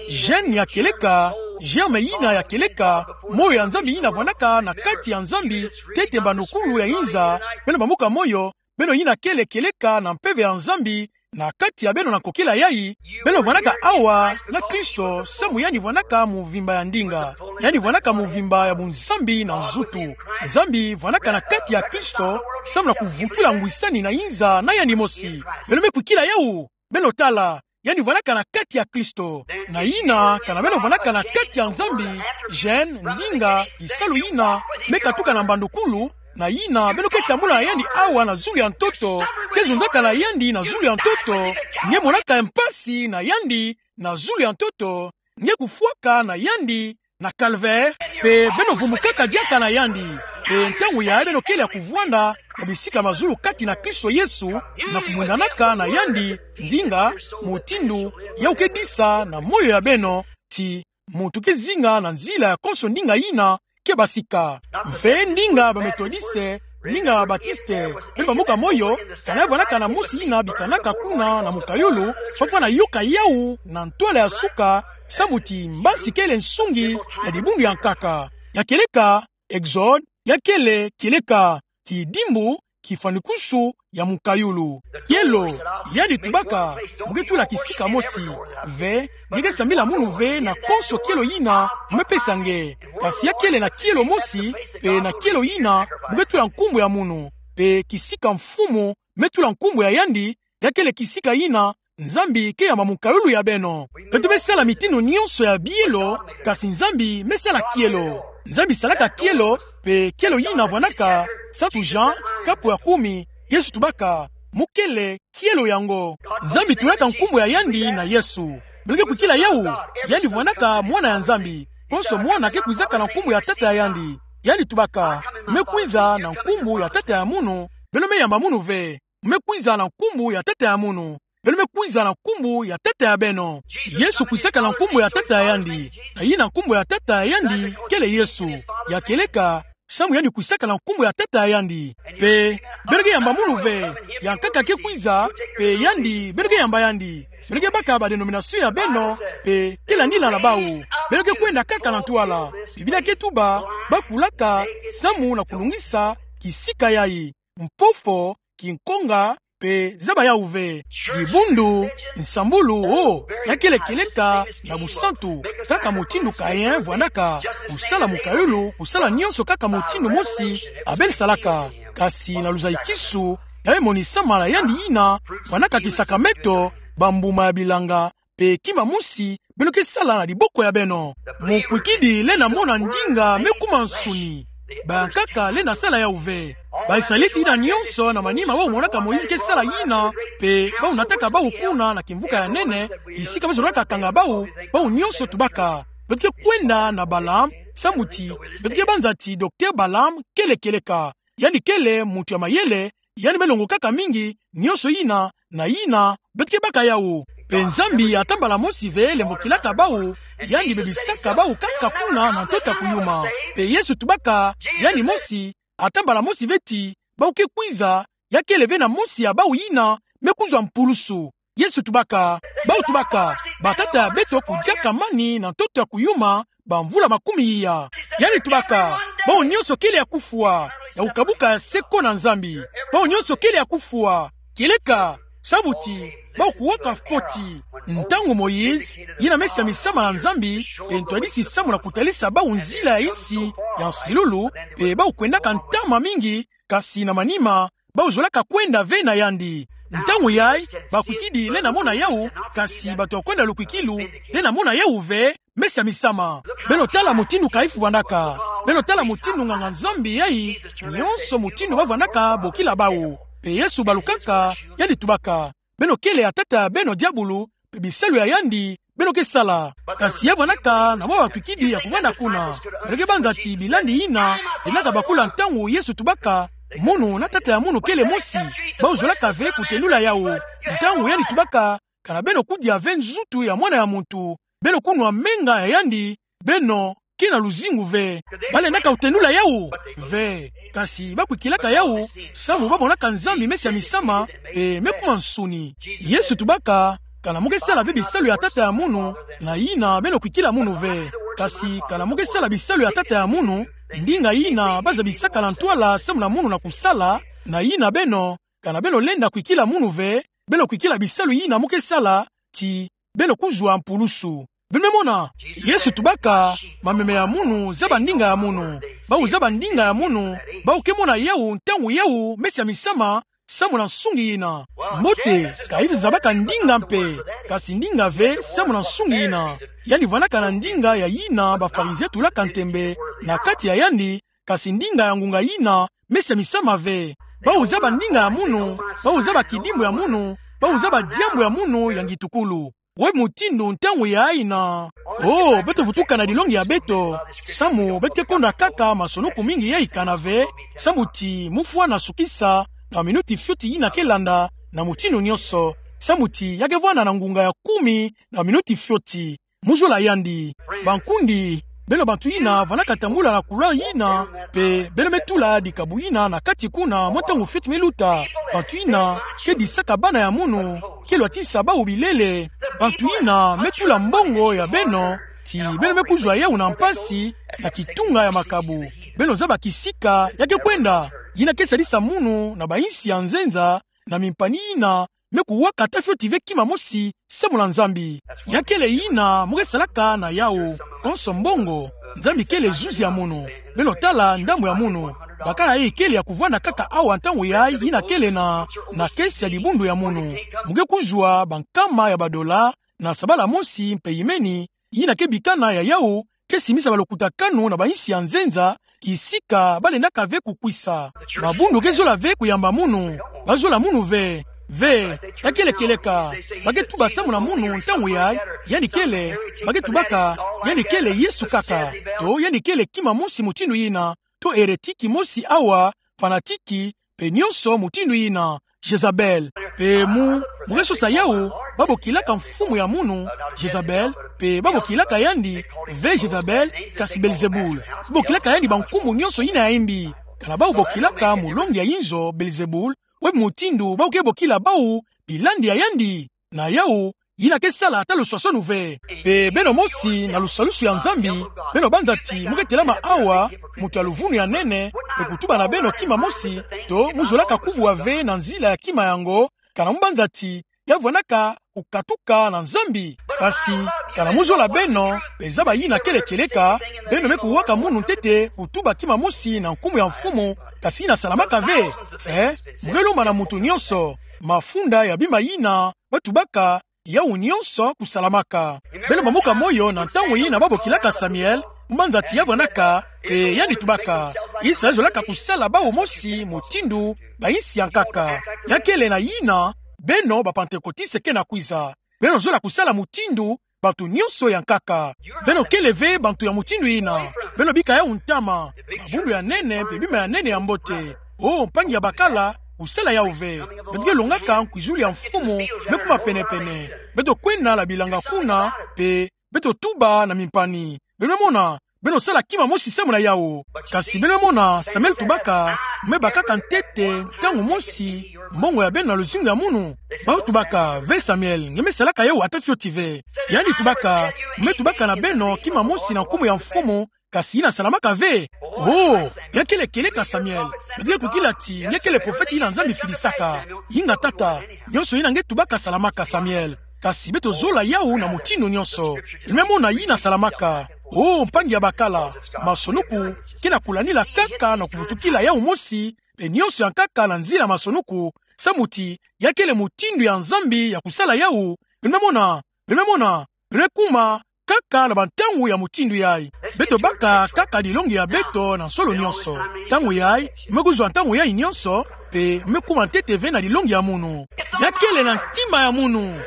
gène ya kieleka, germe yina ya kieleka, moyo ya Nzambi yina vwanaka na kati ya Nzambi, ntete mbandukulu ya inza, beno bambuka moyo, beno yina kele kieleka na mpeve ya Nzambi na kati ya beno na kokila yai, beno vwanaka awa na Kristo, samu yandi vwanaka muvimba ya ndinga. Yandi vwanaka muvimba ya bunzambi na nzutu. Nzambi vwanaka na kati ya Kristo, samu na kuvutula ngwisani na inza na yandi mosi. Beno me kwikila yawu, beno tala, yandi vwanaka na kati ya Kristo. Na yina, kana beno vwanaka na kati ya Nzambi, gène, ndinga, kisalu yina me katuka na mbandukulu, na yina beno ke tambula na yandi awa na zulu ya ntoto, ke zonzaka na yandi na zulu ya ntoto, nge monaka mpasi na yandi na zulu ya ntoto, nge kufwaka na yandi na calvaire, pe beno vumbukaka diaka na yandi. Pe ntangu yayi beno kele ya kuvwanda na bisika mazulu kati na Kristo Yesu, na kubundanaka na yandi, ndinga, mutindu yawu ke disa na moyo ya beno, ti muntu ke zinga na nzila ya konso ndinga yina ke basika. Mpe ndinga baMethodiste, ndinga baBaptiste, mpe bambuka moyo, kana ya vwanaka na mosi yina bikanaka kuna na mukayulu, papa na yoka yawu na ntwala ya suka, samu ti mbasi kele nsungi ya dibundu ya nkaka. Ya kieleka, Exode, ya kele kieleka, kidimbu, kifwanikusu ya mukayulu. Kielo, yandi tubaka, mu ke tula kisika mosi ve, nge ke sambila munu ve na konso kielo yina mu me pesa nge. Kasi ya kele na kielo mosi, pe na kielo yina mu ke tula nkumbu ya munu, pe kisika Mfumu me tula nkumbu ya yandi, ya kele kisika yina Nzambi ke yamba mukayulu ya beno. Beto me sala mitindu nyonso ya bielo, kasi Nzambi me sala kielo. Nzambi salaka kielo, pe kielo yina vwanaka, Santu Jean, kapu ya kumi, Yesu tubaka, mu kele kielo yango. Nzambi tulaka nkumbu ya yandi na Yesu. Beno ke kwikila yawu, yandi vwanaka Mwana ya Nzambi. Konso mwana ke kwizaka na nkumbu ya tata ya yandi. Yandi tubaka, mu me kwiza na nkumbu ya tata ya munu, beno me yamba munu ve. Mu me kwiza na nkumbu ya tata ya munu, beno me kwiza na nkumbu ya tata ya beno. Yesu kwisaka na nkumbu ya tata ya yandi, na yina nkumbu ya tata ya yandi kele Yesu. Ya kieleka, samu yandi kwisaka na nkumbu ya tata ya yandi. Pe, beno ke yamba munu ve, ya nkaka ke kwiza, pe yandi, beno ke yamba yandi. Beno ke baka badenomination ya beno, pe ke landila na bawu. Beno ke kwenda kaka na ntwala. Biblia ke tuba, bakulaka, samu na kulungisa kisika yayi. Mpofo, kinkonga, pe zaba yawu ve. Dibundu, nsambulu, o, ya kele kieleka na busantu, kaka mutindu Kain vwanaka, kusala mukayulu, kusala nyonso kaka mutindu mosi Abel salaka. Kasi na luzayikisu, ya me monisama na yandi yina vwanaka kisakameto, bambuma ya bilanga, pe kima mosi beno ke sala na diboko ya beno. Mukwikidi lenda mona ndinga me kuma nsuni. Bayankaka lenda sala yawu ve. Ba-Israelite yina nyonso na manima bawu monaka Moïse ke sala yina, pe bawu nataka bawu kuna na kimvuka ya nene, kisika bazolaka kanga bawu, bawu nyonso tubaka, beto ke kwenda na Balaam, samu ti beto ke banza ti docteur Balaam kele kieleka. Yandi kele muntu ya mayele, yandi me longokaka mingi nyonso yina na yina beto ke baka yawu. Pe Nzambi ata mbala mosi ve lembokilaka bawu, yandi bebisaka bawu kaka kuna na ntoto ya kuyuma. Pe Yesu tubaka, yandi mosi, ata mbala mosi ve ti bawu ke kwiza, ya kele ve na mosi ya bawu yina me kuzwa mpulusu. Yesu tubaka, bawu tubaka, batata ya beto kudiaka mani na ntoto ya kuyuma bamvula makumi iya. Yandi tubaka, bawu nyonso kele ya kufwa, ya kukabuka ya seko na Nzambi. Bawu nyonso kele ya kufwa, kieleka, samu ti bawu kuwaka foti. Ntangu Moïse yina me samisama na Nzambi, pe ntwadisi samu na kutalisa bawu nzila ya insi ya nsilulu, pe bawu kwendaka ntama mingi, kasi na manima, bawu zolaka kwenda ve na yandi. Ntangu yayi, bakwikidi lenda mona yawu, kasi bato ya kwenda lukwikilu lenda mona yawu ve, mesi ya misama. Beno tala mutindu Kaifu vandaka. Beno tala mutindu nganga-Nzambi yayi, nionso mutindu bavandaka bokila bawu. Mpe Yesu balukaka, yandi tubaka: Beno kele ya tata ya beno diabulu, mpe bisalu ya yandi beno ke sala. Kasi ya vandaka na mwa bakwikidi ya kuvanda kuna. Beno ke banza ti bilandi yina lendaka bakula ntangu Yesu tubaka munu na tata ya munu kele mosi, bawu zolaka ve kutendula yawu. Ntangu yandi tubaka: Kana beno kudia ve nzutu ya Mwana ya muntu, beno kunwa menga ya yandi, beno ke na luzingu ve. Balendaka kutendula yawu ve, kasi bakwikilaka yawu, samu bamonaka Nzambi mesi ya misama, mpe me kuma nsuni. Yesu tubaka: Kana mu ke sala ve bisalu ya tata ya munu, na yina beno kwikila munu ve. Kasi kana mu ke sala bisalu ya tata ya munu, ndinga yina bazabisaka na ntwala samu na munu na kusala, na yina beno, kana beno lenda kwikila munu ve, beno kwikila bisalu yina mu ke sala, ti beno kuzwa mpulusu. Beno me mona, Yesu tubaka: Mameme ya munu zaba ndinga ya munu. Bawu zaba ndinga ya munu, bawu ke mona yawu ntangu yawu mesi ya misama, samu na nsungi yina. Mbote, Kaifu zabaka ndinga mpe, kasi ndinga ve samu na nsungi yina. Yandi vandaka na ndinga ya yina Bafarizien tulaka ntembe na kati ya yandi, kasi ndinga ya ngunga yina mesi ya misama ve. Bawu zaba ndinga ya munu, bawu zaba kidimbu ya munu, bawu zaba diambu ya munu ya ngitukulu. We mutindu ntangu ya yina. Oh, beto vutuka na dilongi ya beto, samu beto ke konda kaka masonuku mingi yayi kana ve, samu ti mu fwa na sukisa na minuti fioti yina ke landa, na mutindu nionso, samu ti ya ke vwanda na ngunga ya kumi na minuti fioti. Mu zola yandi. Bankundi, beno bantu yina vandaka tambula na couleur yina, mpe beno me tula dikabu yina na kati kuna mwa ntangu fioti me luta. Bantu yina ke disaka bana ya munu, ke lwatisa bawu bilele. Bantu yina me tula mbongo ya beno, ti beno me kuzwa yawu na mpasi, na kitunga ya makabu. Beno zaba kisika ya ke kwenda. Yina ke sadisa munu na bayinsi ya nzenza, na mimpani yina me kuwaka ata fioti ve kima mosi samu na Nzambi. Ya kele yina mu ke salaka na yawu, konso mbongo. Nzambi kele zuzi ya munu. Beno tala ndambu ya munu. Bakala yayi kele ya kuvwanda kaka awa ntangu yayi, yina kele na, na caisse ya dibundu ya munu. Mu ke kuzwa bankama ya badola na sabala mosi mpe yimeni, yina ke bikana ya yawu, ke simisa balokutakanu na bayinsi ya nzenza, kisika balendaka ve kukwisa. Mabundu ke zola ve kuyamba munu, ba zola munu ve, ve, ya kele kieleka. Ba ke tuba samu na munu ntangu yayi, yandi kele, ba ke tubaka, yandi kele Yesu kaka, to yandi kele kima mosi mutindu yina, to hérétique mosi awa, fanatique, mpe nionso mutindu yina, Jezabel. Mpe mu, mu ke sosa yawu, ba bokilaka mfumu ya munu, Jezabel, mpe ba bokilaka yandi, ve Jezabel, kasi Belzebul. Ba bokilaka yandi bankumbu nionso yina ya yimbi. Kana bawu bokilaka mulongi ya inzo Belzebul, we mutindu bawu ke bokila bawu bilandi ya yandi. Na yawu, yina ke sala ata luswaswanu ve. Mpe beno mosi na lusalusu ya Nzambi, beno banza ti mu ke telama awa, muntu ya luvunu ya nene, mpe kutuba na beno kima mosi, to mu zolaka kubwa ve na nzila ya kima yango, kana mu banza ti ya vwandaka kukatuka na Nzambi. Kasi, kana mu zola beno, mpe zaba yina kele kieleka, beno me kuwaka munu ntete kutuba kima mosi na nkumbu ya Mfumu, kasi yina salamaka ve. Eh, mu ke lomba na muntu nionso, mafunda ya bima yina ba tubaka, yawu nionso kusalamaka. Beno bambuka moyo na ntangu yina ba bokilaka Samuel, mu banza ti ya vwandaka, mpe yandi tubaka: Israel zolaka kusala bawu mosi mutindu bayinsi ya nkaka. Ya kele na yina, beno ba Pantekotiste ke na kwiza. Beno zola kusala mutindu bantu nionso ya nkaka. Beno kele ve bantu ya mutindu yina. Beno bika yawu ntama. Mabundu ya nene mpe bima ya nene ya mbote. Oh, mpangi ya bakala, kusala yawu ve. Beto ke longaka nkwizulu ya Mfumu me kuma penepene. Beto kwenda na bilanga kuna, mpe beto tuba na mimpani. Beno mona, beno sala kima mosi samu na yawu. Kasi beno mona, Samuel tubaka: Mu me bakaka ntete ntangu mosi mbongo ya beno na luzingu ya munu? Bawu tubaka: Ve Samuel, nge me salaka yawu ata fioti ve. Yandi tubaka: Mu me tubaka na beno kima mosi na nkumbu ya Mfumu, kasi yina salamaka ve. Oh, ya kele kieleka Samuel. Beto ke kwikila ti nge kele profete yina Nzambi fidisaka. Inga tata, nionso yina nge tubaka salamaka Samuel. Kasi beto zola yawu na mutindu nionso. Beno me mona yina salamaka. Oh, mpangi ya bakala, masonuku ke na kulanila kaka na kuvutukila yawu mosi, mpe nionso ya nkaka na nzila masonuku, samu ti ya kele mutindu ya Nzambi ya kusala yawu. Beno me mona, beno me mona, beno me kuma kaka na bantangu ya mutindu yai. Beto baka kaka dilongi ya beto na nsolo nyonso. Ntangu yai, me kuzwa ntangu yai nyonso, mpe me kuma ntete ve na dilongi ya munu. Ya kele na ntima ya munu.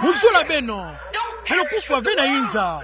Mu zola beno. Beno kufwa ve na inza.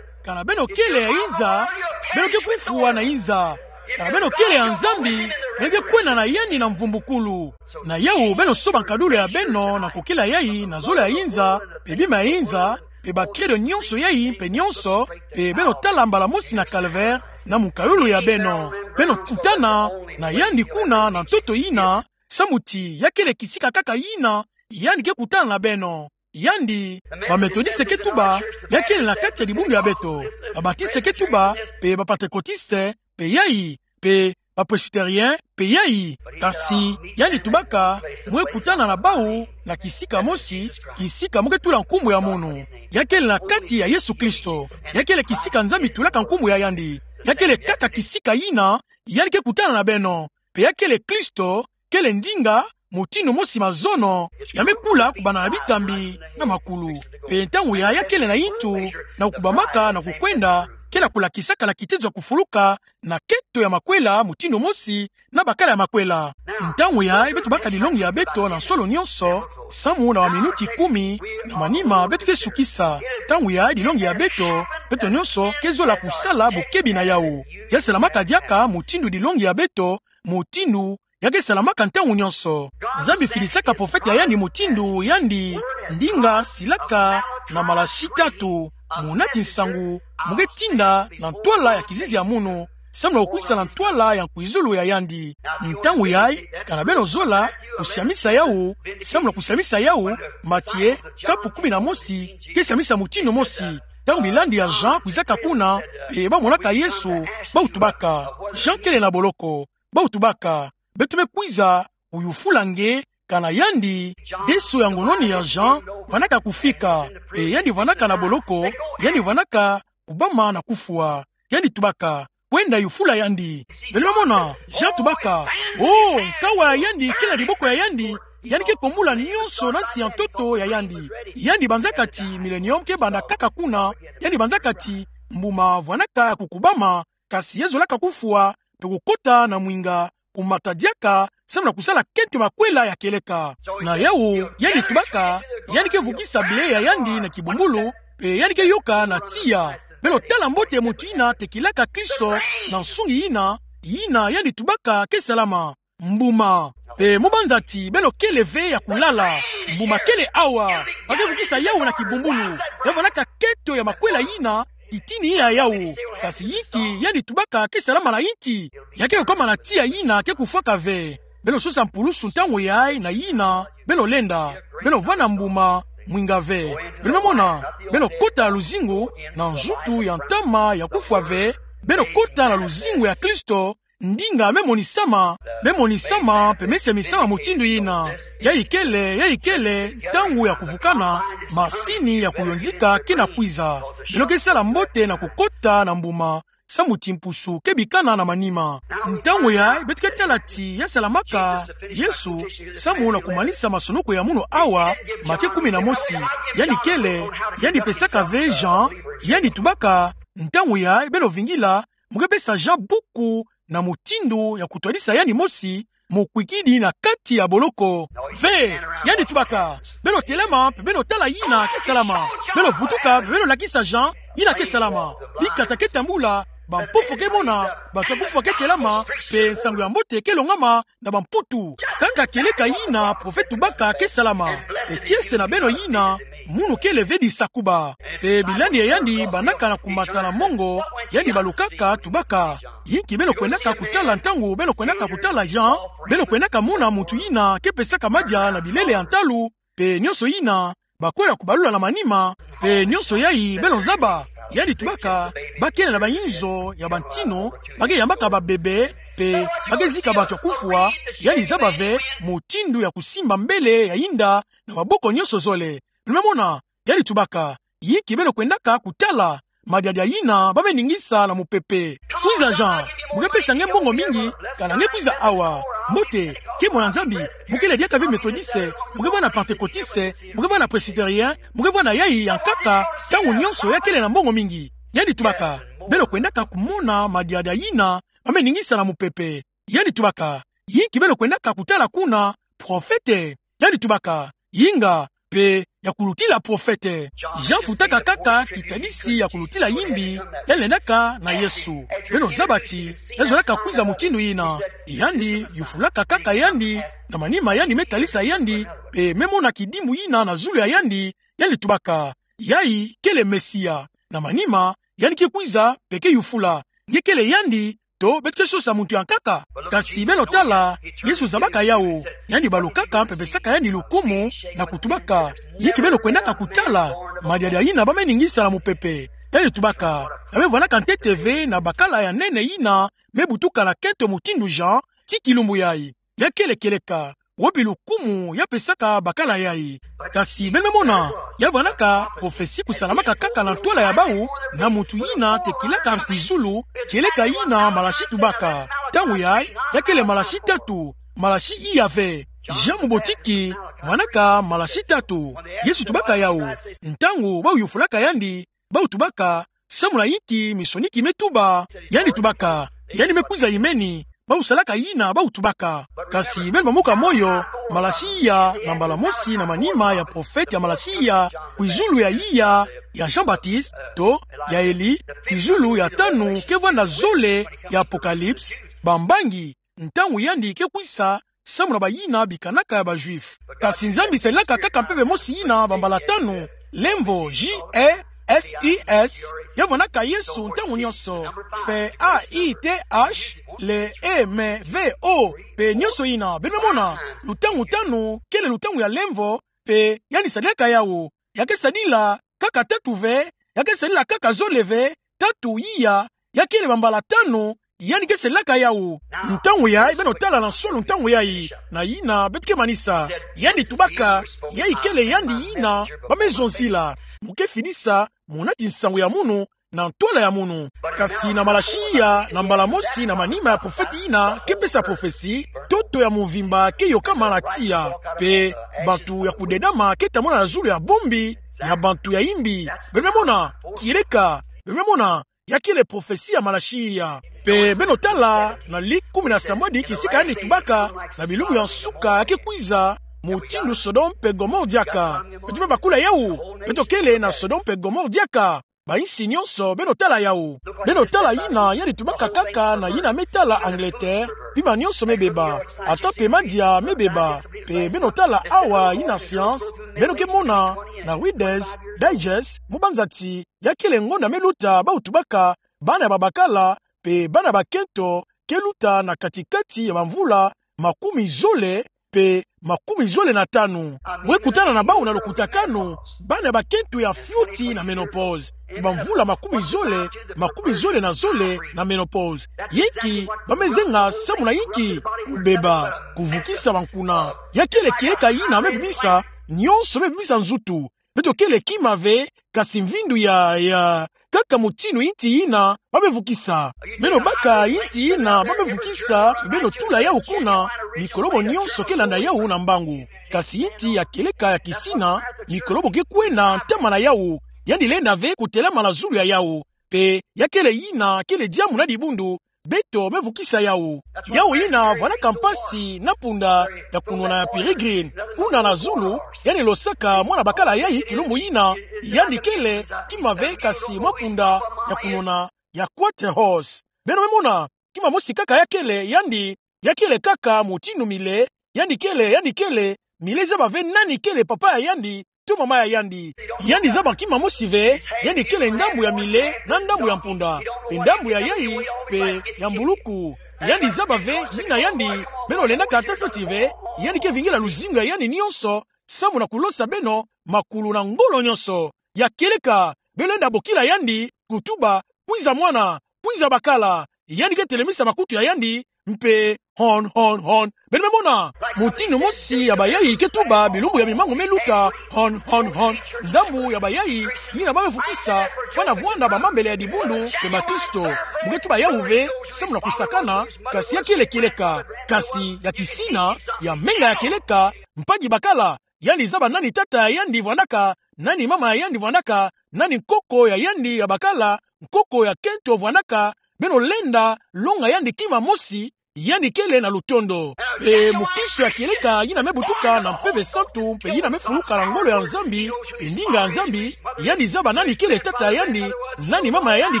Kana beno kele ya inza, beno ke kufwa na inza. Kana beno kele ya Nzambi, beno ke kwenda na yandi na mvumbukulu. Na yawu beno soba nkadulu ya beno na kukila yai na zola ya inza, mpe bima ya inza, mpe bakredo nyonso yai mpe nyonso, mpe beno tala mbala mosi na calvaire, na mukalulu ya beno. Beno kutana na yandi kuna na ntoto yina, samu ti ya kele kisika kaka yina yandi ke kutana na beno. Yandi, ba Methodiste ke tuba, ya kele na kati ya dibundu ya beto. Ba Batiste ke tuba, mpe ba Pantekotiste, mpe yai, mpe ba Presbytérien, mpe yai. Kasi, yandi tubaka, mu kutana na bawu, na kisika mosi, kisika mu ke tula nkumbu ya munu. Ya kele na kati ya Yesu Kristo. Ya kele kisika Nzambi tulaka nkumbu ya yandi. Ya kele kaka kisika yina, yandi ke kutana na beno. Mpe ya kele Kristo, kele ndinga, mutindu mosi mazono, ya me kula kubanda na bitambi na makulu. Mpe ntangu yai ya kele na yintu, na kukubamaka na kukwenda, kele kulakisaka na kitezo ya kufuluka, na kento ya makwela, mutindu mosi, na bakala ya makwela. Ntangu yai beto baka dilongi ya beto na nsolo nyonso, samu na ba minuti kumi, na manima beto ke sukisa. Ntangu yai dilongi ya beto, beto nyonso ke zola kusala bokebi na yawu. Ya salamaka diaka mutindu dilongi ya beto, mutindu ya ke salamaka ntangu nyonso. Nzambi filisaka profete ya yandi mutindu yandi, ndinga silaka na Malachi tatu, muna ti nsangu mu ke tinda na ntwala ya kizizi ya munu, samu na kukwisa na ntwala ya nkwizulu ya yandi. Ntangu yai, kana beno zola kusiamisa yawu, samu na kusiamisa yawu, Matie, kapu kumi na mosi, ke siamisa mutindu mosi. Ntangu bilandi ya Jean kwizaka kuna, mpe ba monaka Yesu, bawu tubaka: Jean kele na boloko. Bawu tubaka: Beto me kwiza kuyufula nge, kana yandi, deso ya ngononi ya Jean, vandaka kufika, mpe yandi vandaka na boloko, yandi vandaka kubama na kufwa. Yandi tubaka: Kwenda yufula yandi. Beno me mona, Jean tubaka: Oh, nkawala ya yandi kele na diboko ya yandi, yandi ke kombula nyonso na nsi ya ntoto ya yandi. Yandi banzaka ti millennium ke banda kaka kuna, yandi banzaka ti mbuma vandaka kukubama, kasi ya zolaka kufwa, mpe kukota na mwinga, kumata diaka, samu na kusala kento ya makwela ya kieleka. Na yawu, yandi tubaka, yandi ke vukisa ble ya yandi na kibumbulu, mpe yandi ke yoka na tiya. Beno tala mbote muntu yina tekilaka Kristo na nsungi yina, yina yandi tubaka ke salama. Mbuma. Mpe mu banza ti beno kele ve ya kulala, mbuma kele awa. Ba ke vukisa yawu na kibumbulu. Ya vandaka kento ya makwela yina itini ya yawu. Kasi yinki yandi tubaka ke salama na inti? Ya ke kukoma na tiya yina ke kufwaka ve. Beno sosa mpulusu ntangu yai na yina beno lenda. Beno vanda mbuma mwinga ve. Beno me mona, beno kota na luzingu, na nzutu ya ntama ya kufwa ve. Beno kota na luzingu ya Kristo, ndinga me monisama, me monisama, mpe me siamisama mutindu yina. Yayi kele, yayi kele ntangu ya kuvukana, masini ya kuyonzika kina kwiza. Beno ke sala mbote na kukota na mbuma, samu ti mpusu ke bikana na manima. Ntangu yai, beto ke tala ti ya salamaka Yesu, samu na kumanisa masonoko ya munu awa, Matie kumi na mosi, yandi kele, yandi pesaka ve Jean, yandi tubaka, ntangu yai, beno vingila, mu ke pesa Jean buku na mutindu ya kutwadisa yandi mosi, mu kwikidi na kati ya boloko. Ve, yandi tubaka, beno telama, mpe beno tala yina ke salama. Beno vutuka, mpe beno lakisa Jean yina ke salama. Bikata ke tambula, bampofo ke mona, bato ya kufwa ke telama, mpe nsangu ya mbote ke longama na bamputu. Kaka kieleka yina profete tubaka ke salama. Mpe kiese na beno yina, munu kele ve disakuba. Mpe bilandi ya yandi bandaka na kumata na mongo, yandi balukaka, tubaka: Yinki beno kwendaka kutala ntangu beno kwendaka kutala Jean? Beno kwendaka mona muntu yina ke pesaka madia na bilele ya ntalu, mpe nyonso yina, bakola kubalula na manima, mpe nyonso yai beno zaba. Yandi tubaka, ba kele na bayinzo ya bantinu, ba ke yambaka babebe, mpe ba ke zika bato ya kufwa. Yandi zaba ve mutindu ya kusimba mbele ya yinda na maboko nyonso zole. Beno me mona, yandi tubaka: Yinki beno kwendaka kutala? Madiadia yina ba me ningisa na mupepe. Kwiza Jean, mu ke pesa nge mbongo mingi, kana nge kwiza awa. Mbote, nkembo na Nzambi, mo kele diaka ve Methodiste, mo ke vwanda Pantekotiste, mo ke vwanda Presbytérien, mo ke vwanda yayi ya nkaka, ntangu nyonso ya kele na mbongo mingi. Yandi tubaka, beno kwendaka kumona madiadi yina, ba me ningisa na mupepe. Yandi tubaka, yinki beno kwendaka kutala kuna, profete? Yandi tubaka, yinga, mpe ya kulutila profete. Jean futaka kaka kitadisi ya kulutila yimbi, yandi lendaka na Yesu. Beno zaba ti, yandi zonaka kwiza mutindu yina. Yandi yufulaka kaka yandi, na manima yandi me talisa yandi, mpe me mona kidimu yina na zulu ya yandi, yandi tubaka, yayi kele Mesia. Na manima, yandi ke kwiza, mpe ke yufula, nge kele yandi, to beto ke sosa muntu ya nkaka? Kasi beno tala, Yesu zabaka yawu. Yandi balukaka mpe pesaka yandi lukumu na kutubaka, yinki beno kwendaka kutala? Madiadi yina ba me ningisa na mupepe. Yandi tubaka, ba me vwandaka ntete ve na bakala ya nene yina me butuka na kento mutindu Jean, tii kilumbu yayi. Ya kele kieleka, wapi lukumu ya pesaka bakala yayi? Kasi beno me mona, ya vwandaka profesi kusalamaka kaka na ntwala ya bawu, na muntu yina tekilaka nkwizulu, kieleka yina Malasi tubaka. Ntangu yayi, ya kele Malasi tatu, Malasi iya ve. Jean mubotiki, vwandaka Malasi tatu. Yesu tubaka yawu. Ntangu bawu yufulaka yandi, bawu tubaka, samu na yinki minsoni ki me tuba? Yandi tubaka, yandi me kwiza yimeni, bawu salaka yina bawu tubaka. Kasi beno bamuka moyo, Malasi iya, na mbala mosi na manima ya profete ya Malasi iya, kwizulu ya iya ya Jean-Baptiste, to ya Elie, kwizulu ya tanu ke vwanda zole ya Apocalypse, bambangi, ntangu yandi ke kwiza, samu na bayina bikanaka ya ba Juifs. Kasi Nzambi sadilaka kaka mpeve mosi yina bambala tanu, lemvo, J E S U S, ya vwandaka Yesu ntangu nyonso, mpe A I T H, le E M V O, mpe nyonso yina, beno me mona, lutangu tanu, kele lutangu ya lemvo, mpe yandi sadilaka yawu. Ya ke sadila kaka tatu ve, ya ke sadila kaka zole ve, tatu iya, ya kele bambala tanu, yandi ke sadilaka yawu. Ntangu yayi, beno tala na nsolo ntangu yayi, na yina beto ke manisa. Yandi tubaka, yayi kele yandi yina ba me zonzila. Mo ke fidisa, mo nati nsangu ya munu, na ntwala ya munu. Kasi na Malasi iya, na mbala mosi na manima ya profete yina ke pesa profesi, ntoto ya mvimba ke yokama na tiya, mpe bantu ya kudedama ke tambula na zulu ya bombi ya bantu ya yimbi. Beno me mona, kieleka, beno me mona, ya kele profesi ya Malasi iya. Mpe beno tala na Luke kumi na sambwadi kisika yandi tubaka, na bilumbu ya nsuka ya ke kwiza, mutindu Sodome mpe Gomore diaka. Beto me bakula yawu, beto kele na Sodome mpe Gomore diaka. Bayinsi nyonso, beno tala yawu. Beno tala yina yandi tubaka kaka na yina me tala Angleterre, bima nyonso me beba, ata mpe madia me beba. Mpe beno tala awa yina science, beno ke mona na Reader's Digest, mu banza ti, ya kele ngonda me luta bawu tubaka, bana ya babakala, mpe bana bakento, ke luta na kati-kati ya bamvula makumi zole mpe makumi zole na tanu. Mwe kutana na bawu na lukutakanu, bana bakento ya fioti na ménopause. Bamvula makumi zole, makumi zole na zole na ménopause. Yinki ba me zenga samu na yinki? Kubeba, kuvukisa bankuna. Ya kele kieleka yina me bebisa, nyonso me bebisa nzutu. Beto kele kima ve, kasi mvindu ya, ya, kaka mutindu inti yina ba me vukisa. Beno baka inti yina ba me vukisa, beno tula yawu kuna, mikolobo nyonso ke landa yawu na mbangu. Kasi inti ya kieleka ya kisina, mikolobo ke kwenda ntama na yawu, yandi lenda ve kutelama na zulu ya yawu. Mpe ya kele yina kele diambu na dibundu, beto me vukisa yawu. Yawu yina vwandaka mpasi na punda ya kunwana ya Peregrine. Kuna na zulu, yandi losaka mwana bakala yayi kilumbu yina, yandi kele kima ve kasi mwa punda ya kunwana ya Quarter Horse. Beno me mona, kima mosi kaka ya kele, yandi, ya kele kaka mutindu Millet, yandi kele, yandi kele, Millet zaba ve nani kele papa ya yandi, to mama ya yandi. Yandi zaba kima mosi ve, yandi kele ndambu ya Millet, na ndambu ya mpunda, mpe ndambu ya yayi, mpe ya mbuluku. Yandi zaba ve, yina yandi, beno lendaka ata fioti ve, yandi ke vingila luzingu ya yandi nyonso, samu na kulosa beno, makulu na ngolo nyonso. Ya kieleka, beno lenda bokila yandi, kutuba, kwiza mwana, kwiza bakala, yandi ke telemisa makutu ya yandi, mpe hon, hon, hon. Beno me mona, mutindu mosi ya bayai ke tuba bilumbu ya bimangu me luta, hon, hon, hon. Ndambu ya bayai yina ba me vukisa, fwana vwanda bamambele ya dibundu mpe bakristo. Mu ke tuba yawu ve, samu na kusakana, kasi ya kele kieleka, kasi ya kisina, ya menga ya kieleka, mpadi bakala, yandi zaba nani tata ya yandi vwandaka, nani mama ya yandi vwandaka, nani nkoko ya yandi ya bakala, nkoko ya kento vwandaka, beno lenda longa yandi kima mosi, yandi kele na lutondo. Mpe mukristo ya kieleka yina me butuka na Mpeve Santu, mpe yina me fuluka na ngolo ya Nzambi, mpe ndinga ya Nzambi, yandi zaba nani kele tata ya yandi, nani mama ya yandi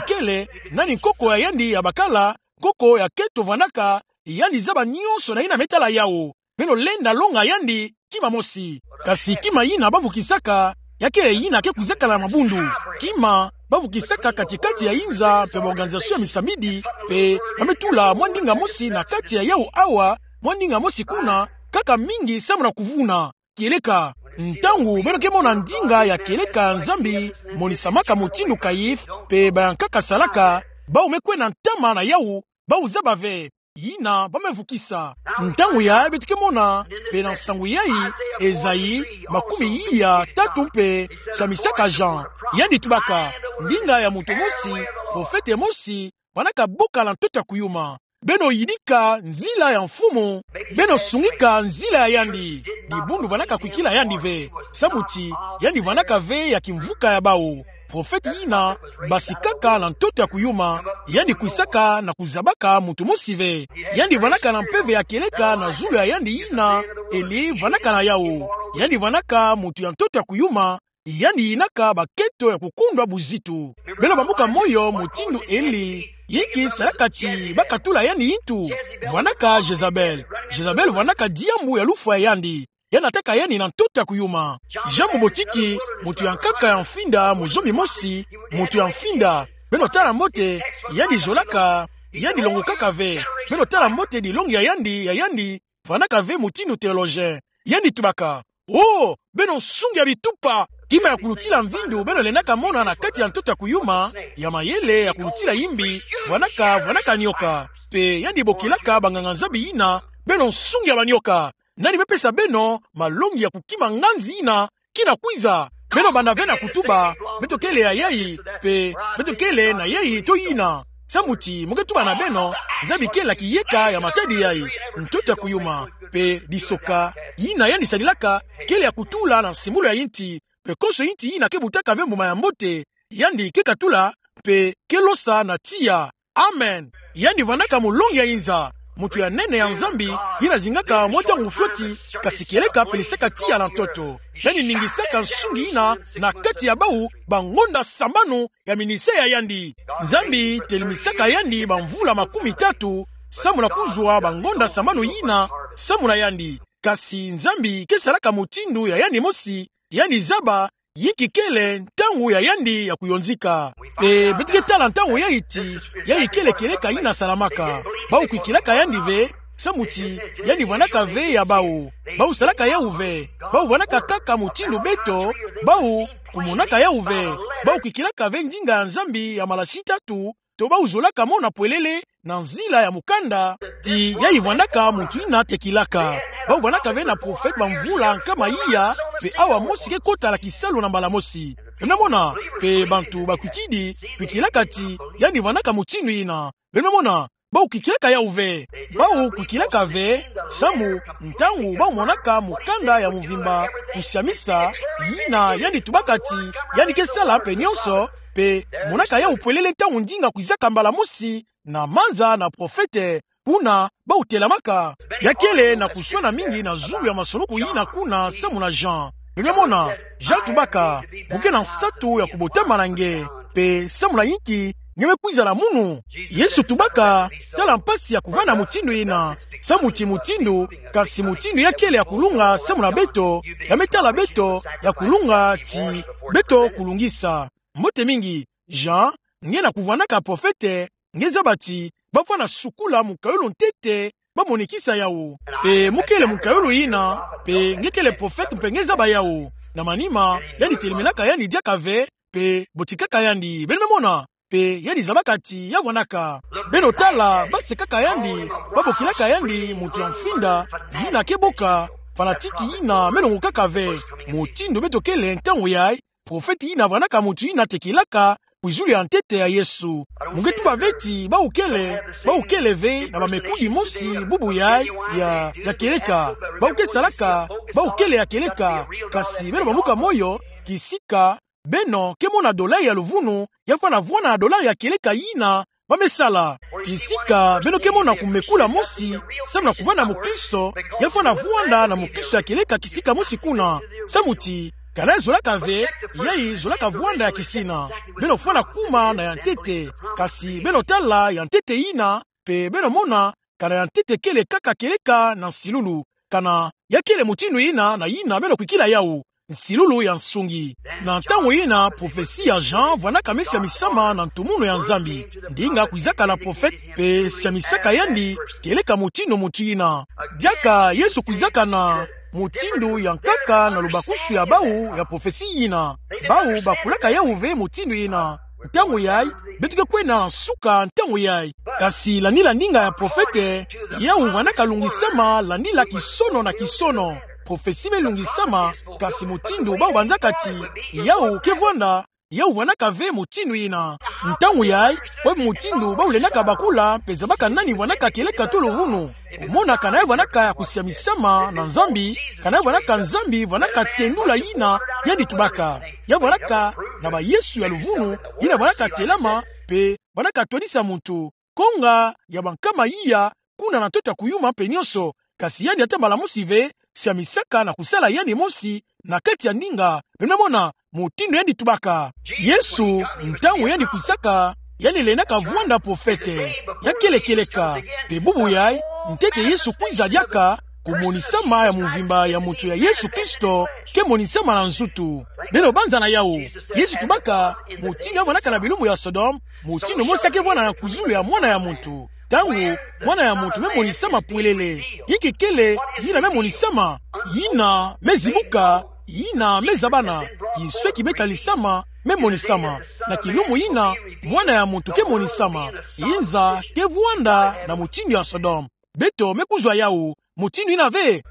kele, nani nkoko ya yandi ya bakala, nkoko ya kento vwandaka, yandi zaba nionso na yina me tala yawu. Beno lenda longa yandi kima mosi. Kasi kima yina ba vukisaka, ya kele yina ke kwizakala na mabundu. Kima ba vukisaka kati-kati ya inza mpe ba organisation ya misamidi, mpe ba me tula mwa ndinga mosi na kati ya yawu awa, mwa ndinga mosi kuna, kaka mingi samu na kuvuna kieleka. Ntangu beno ke mona ndinga ya kieleka ya Nzambi monisamaka mutindu Kayife mpe bayankaka salaka, bawu me kwenda ntama na yawu, bawu zaba ve yina ba me vukisa. Ntangu yayi beto ke mona, mpe na nsangu yayi, Ezayi makumi iya tatu mpe siamisaka Jean. Yandi tubaka, ndinga ya muntu mosi, profete mosi, vwandaka bokala ntoto ya kuyuma. Beno yidika nzila ya Mfumu, beno sungika nzila ya yandi. Dibundu vwandaka kwikila yandi ve, samu ti yandi vwandaka ve ya kimvuka ya bawu. Profete yina basikaka na ntoto ya kuyuma, yandi kwisaka na kuzabaka muntu mosi ve. Yandi vwandaka na mpeve ya kieleka na zulu ya yandi yina Eli vwandaka na yawu. Yandi vwandaka muntu ya ntoto ya kuyuma, yandi yinaka bakento ya kukundwa buzitu. Beno bambuka moyo, mutindu Eli, yinki salaka ti ba katula yandi yintu? Vwandaka Jezabel. Jezabel vwandaka diambu ya lufwa ya yandi. Yandi nataka yandi na ntoto ya kuyuma. Jean mubotiki, muntu ya nkaka ya mfinda, muzombi mosi, muntu ya mfinda. Beno tala mbote, yandi zolaka, yandi longokaka ve. Beno tala mbote dilongi ya yandi, ya yandi, vwandaka ve mutindu théologien. Yandi tubaka: Oh, beno nsungi ya bitupa, kima ya kulutila mvindu beno lendaka mona na kati ya ntoto ya kuyuma, ya mayele ya kulutila yimbi, vwandaka, vwandaka nioka. Mpe yandi bokilaka banganga-Nzambi yina: Beno nsungi ya banioka. Nani me pesa beno malongi ya kukima nganzi yina kina kwiza? Beno banda ve na kutuba: Beto kele ya yayi, mpe beto kele na yayi to yina. Samu ti mu ke tuba na beno, Nzambi kele na kiyeka ya matadi yayi, ntoto ya kuyuma, mpe disoka yina yandi sadilaka kele ya kutula na nsimbulu ya yinti, mpe konso yinti yina ke butaka ve mbuma ya mbote, yandi ke katula, mpe ke losa na tiya. Amen. Yandi vwandaka mulongi ya inza, muntu ya nene ya Nzambi, yina zingaka mwa ntangu fioti, kasi kieleka pelisaka tiya na ntoto. Yandi ningisaka nsungi yina na kati ya bawu bangonda sambanu ya ministère ya yandi. Nzambi telemisaka yandi bamvula makumi tatu, samu na kuzwa bangonda sambanu yina samu na yandi. Kasi Nzambi ke salaka mutindu ya yandi mosi, yandi zaba yinki kele ntangu ya yandi ya kuyonzika. Mpe beto ke tala ntangu yayi ti, yayi kele kieleka yina salamaka. Bawu kwikilaka yandi ve, samu ti yandi vwandaka ve ya bawu. Bawu salaka yawu ve. Bawu vwandaka kaka mutindu beto, bawu kumonaka yawu ve. Bawu kwikilaka ve ndinga ya Nzambi ya malasi tatu, to bawu zolaka mona pwelele na nzila ya mukanda, ti yayi vwandaka muntu yina tekilaka. Bawu vwandaka ve na profete bamvula nkama iya, mpe awa mosi ke kota na kisalu na mbala mosi. Beno mona, mpe bantu bakwikidi, kwikilaka ti yandi vwandaka mutindu yina. Beno mona, bawu kwikilaka yawu ve. Bawu kwikilaka ve, samu, ntangu bawu monaka mukanda ya muvimba, kusiamisa, yina yandi tubaka ti yandi ke sala mpe nionso, mpe monaka yawu pwelele ntangu ndinga kwizaka mbala mosi, na manza na profete, kuna bawu telamaka. Ya kele na kuswana mingi na zulu ya masoniku yina kuna samu na Jean. Beno mona, Jean tubaka: Mu ke na nsatu ya kubotama na nge, mpe samu na yinki nge me kwizala munu? Yesu tubaka: Tala mpasi ya kuvanda mutindu yina, samu ti mutindu, kasi mutindu ya kele ya kulunga samu na beto, ya me tala beto, ya kulunga ti beto kulungisa. Mbote mingi, Jean, nge na kuvwandaka profete, nge zaba ti bafwana sukula mukayulu ntete, bamonikisa yawu. Mpe mu kele mukayulu yina, mpe nge kele profete mpe nge zaba yawu. Na manima, yandi teleminaka yandi diaka ve, mpe botikaka yandi. Beno me mona, pe yandi zabaka ti ya vwanaka. Beno tala, ba sekaka yandi, ba bokilaka yandi muntu ya mfinda, yina ke boka, fanatique yina me longokaka ve. Mutindu beto kele ntangu yayi, profete yina vwanaka muntu yina tekilaka kwizulu ya ntete ya Yesu. Mo nge tuba ve ti bawu kele, bawu kele ve na bamekudi mosi bubu yayi ya, ya kieleka. Bawu ke salaka, bawu kele ya kieleka, kasi beno bambuka moyo, kisika beno ke mona dolari ya luvunu, ya fwana vwanda na dolari ya kieleka yina ba me sala. Kisika beno ke mona kumekula mosi, samu na kuvanda mukristo, ya fwana vwanda na mukristo ya kieleka kisika mosi kuna. Samu ti, kana ya zolaka ve, yayi zolaka vwanda ya kisina. Beno fwana kuma na ya ntete, kasi beno tala ya ntete yina, pe beno mona, kana ya ntete kele kaka kieleka na nsilulu. Kana ya kele mutindu yina na yina beno kwikila yawu, nsilulu ya nsungi. Na ntangu yina, profesi ya Jean vwanaka me siamisama na ntumunu ya Nzambi. Ndinga kwizaka na profete pe siamisaka yandi kieleka mutindu muntu yina. Diaka Yesu kwizaka na mutindu ya nkaka na lubakusu ya bawu ya profesi yina. Bawu bakulaka yawu ve mutindu yina. Ntangu yayi, beto ke kwenda nsuka ntangu yayi. Kasi landila ndinga ya profete, yawu vwanaka lungisama landila kisono na kisono. Profesi me lungisama, kasi mutindu bawu banzaka ti yawu ke vwanda, yawu vwanaka ve mutindu yina. Ntangu yayi, wapi mutindu bawu lendaka bakula pe zabaka nani vwanaka kieleka to luvunu? Kumona kana ya vwanaka ya kusiamisama na Nzambi, kana ya vwanaka Nzambi vwanaka tendula yina yandi tubaka. Ya vwanaka na ba Yesu ya luvunu, yina vwanaka telama, pe vwanaka twadisa muntu. Konga ya bankama iya, kuna na ntoto ya kuyuma mpe nyonso. Kasi yandi ata mbala mosi ve siamisaka na kusala yandi mosi na kati ya ndinga. Beno mona mutindu yandi tubaka. Yesu, ntangu yandi kwisaka, yandi lendaka vwanda profete ya kele kieleka. Pe bubu yayi, ntete Yesu kwiza diaka, kumonisama ya mvimba ya muntu ya Yesu Kristo ke monisama na nzutu. Beno banza na yawu. Yesu tubaka, mutindu ya vwanaka na bilumbu ya Sodome, mutindu mosi ya ke vwanda na kwizulu ya Mwana ya muntu. Ntangu Mwana ya muntu me monisama pwelele, inki kele yina me monisama? Yina me zibuka, yina me zabana. Kinsweki me talisama, me monisama. Na kilumbu yina, Mwana ya muntu ke monisama. Inza ke vwanda na mutindu ya Sodome. Beto me kuzwa yawu, mutindu yina ve.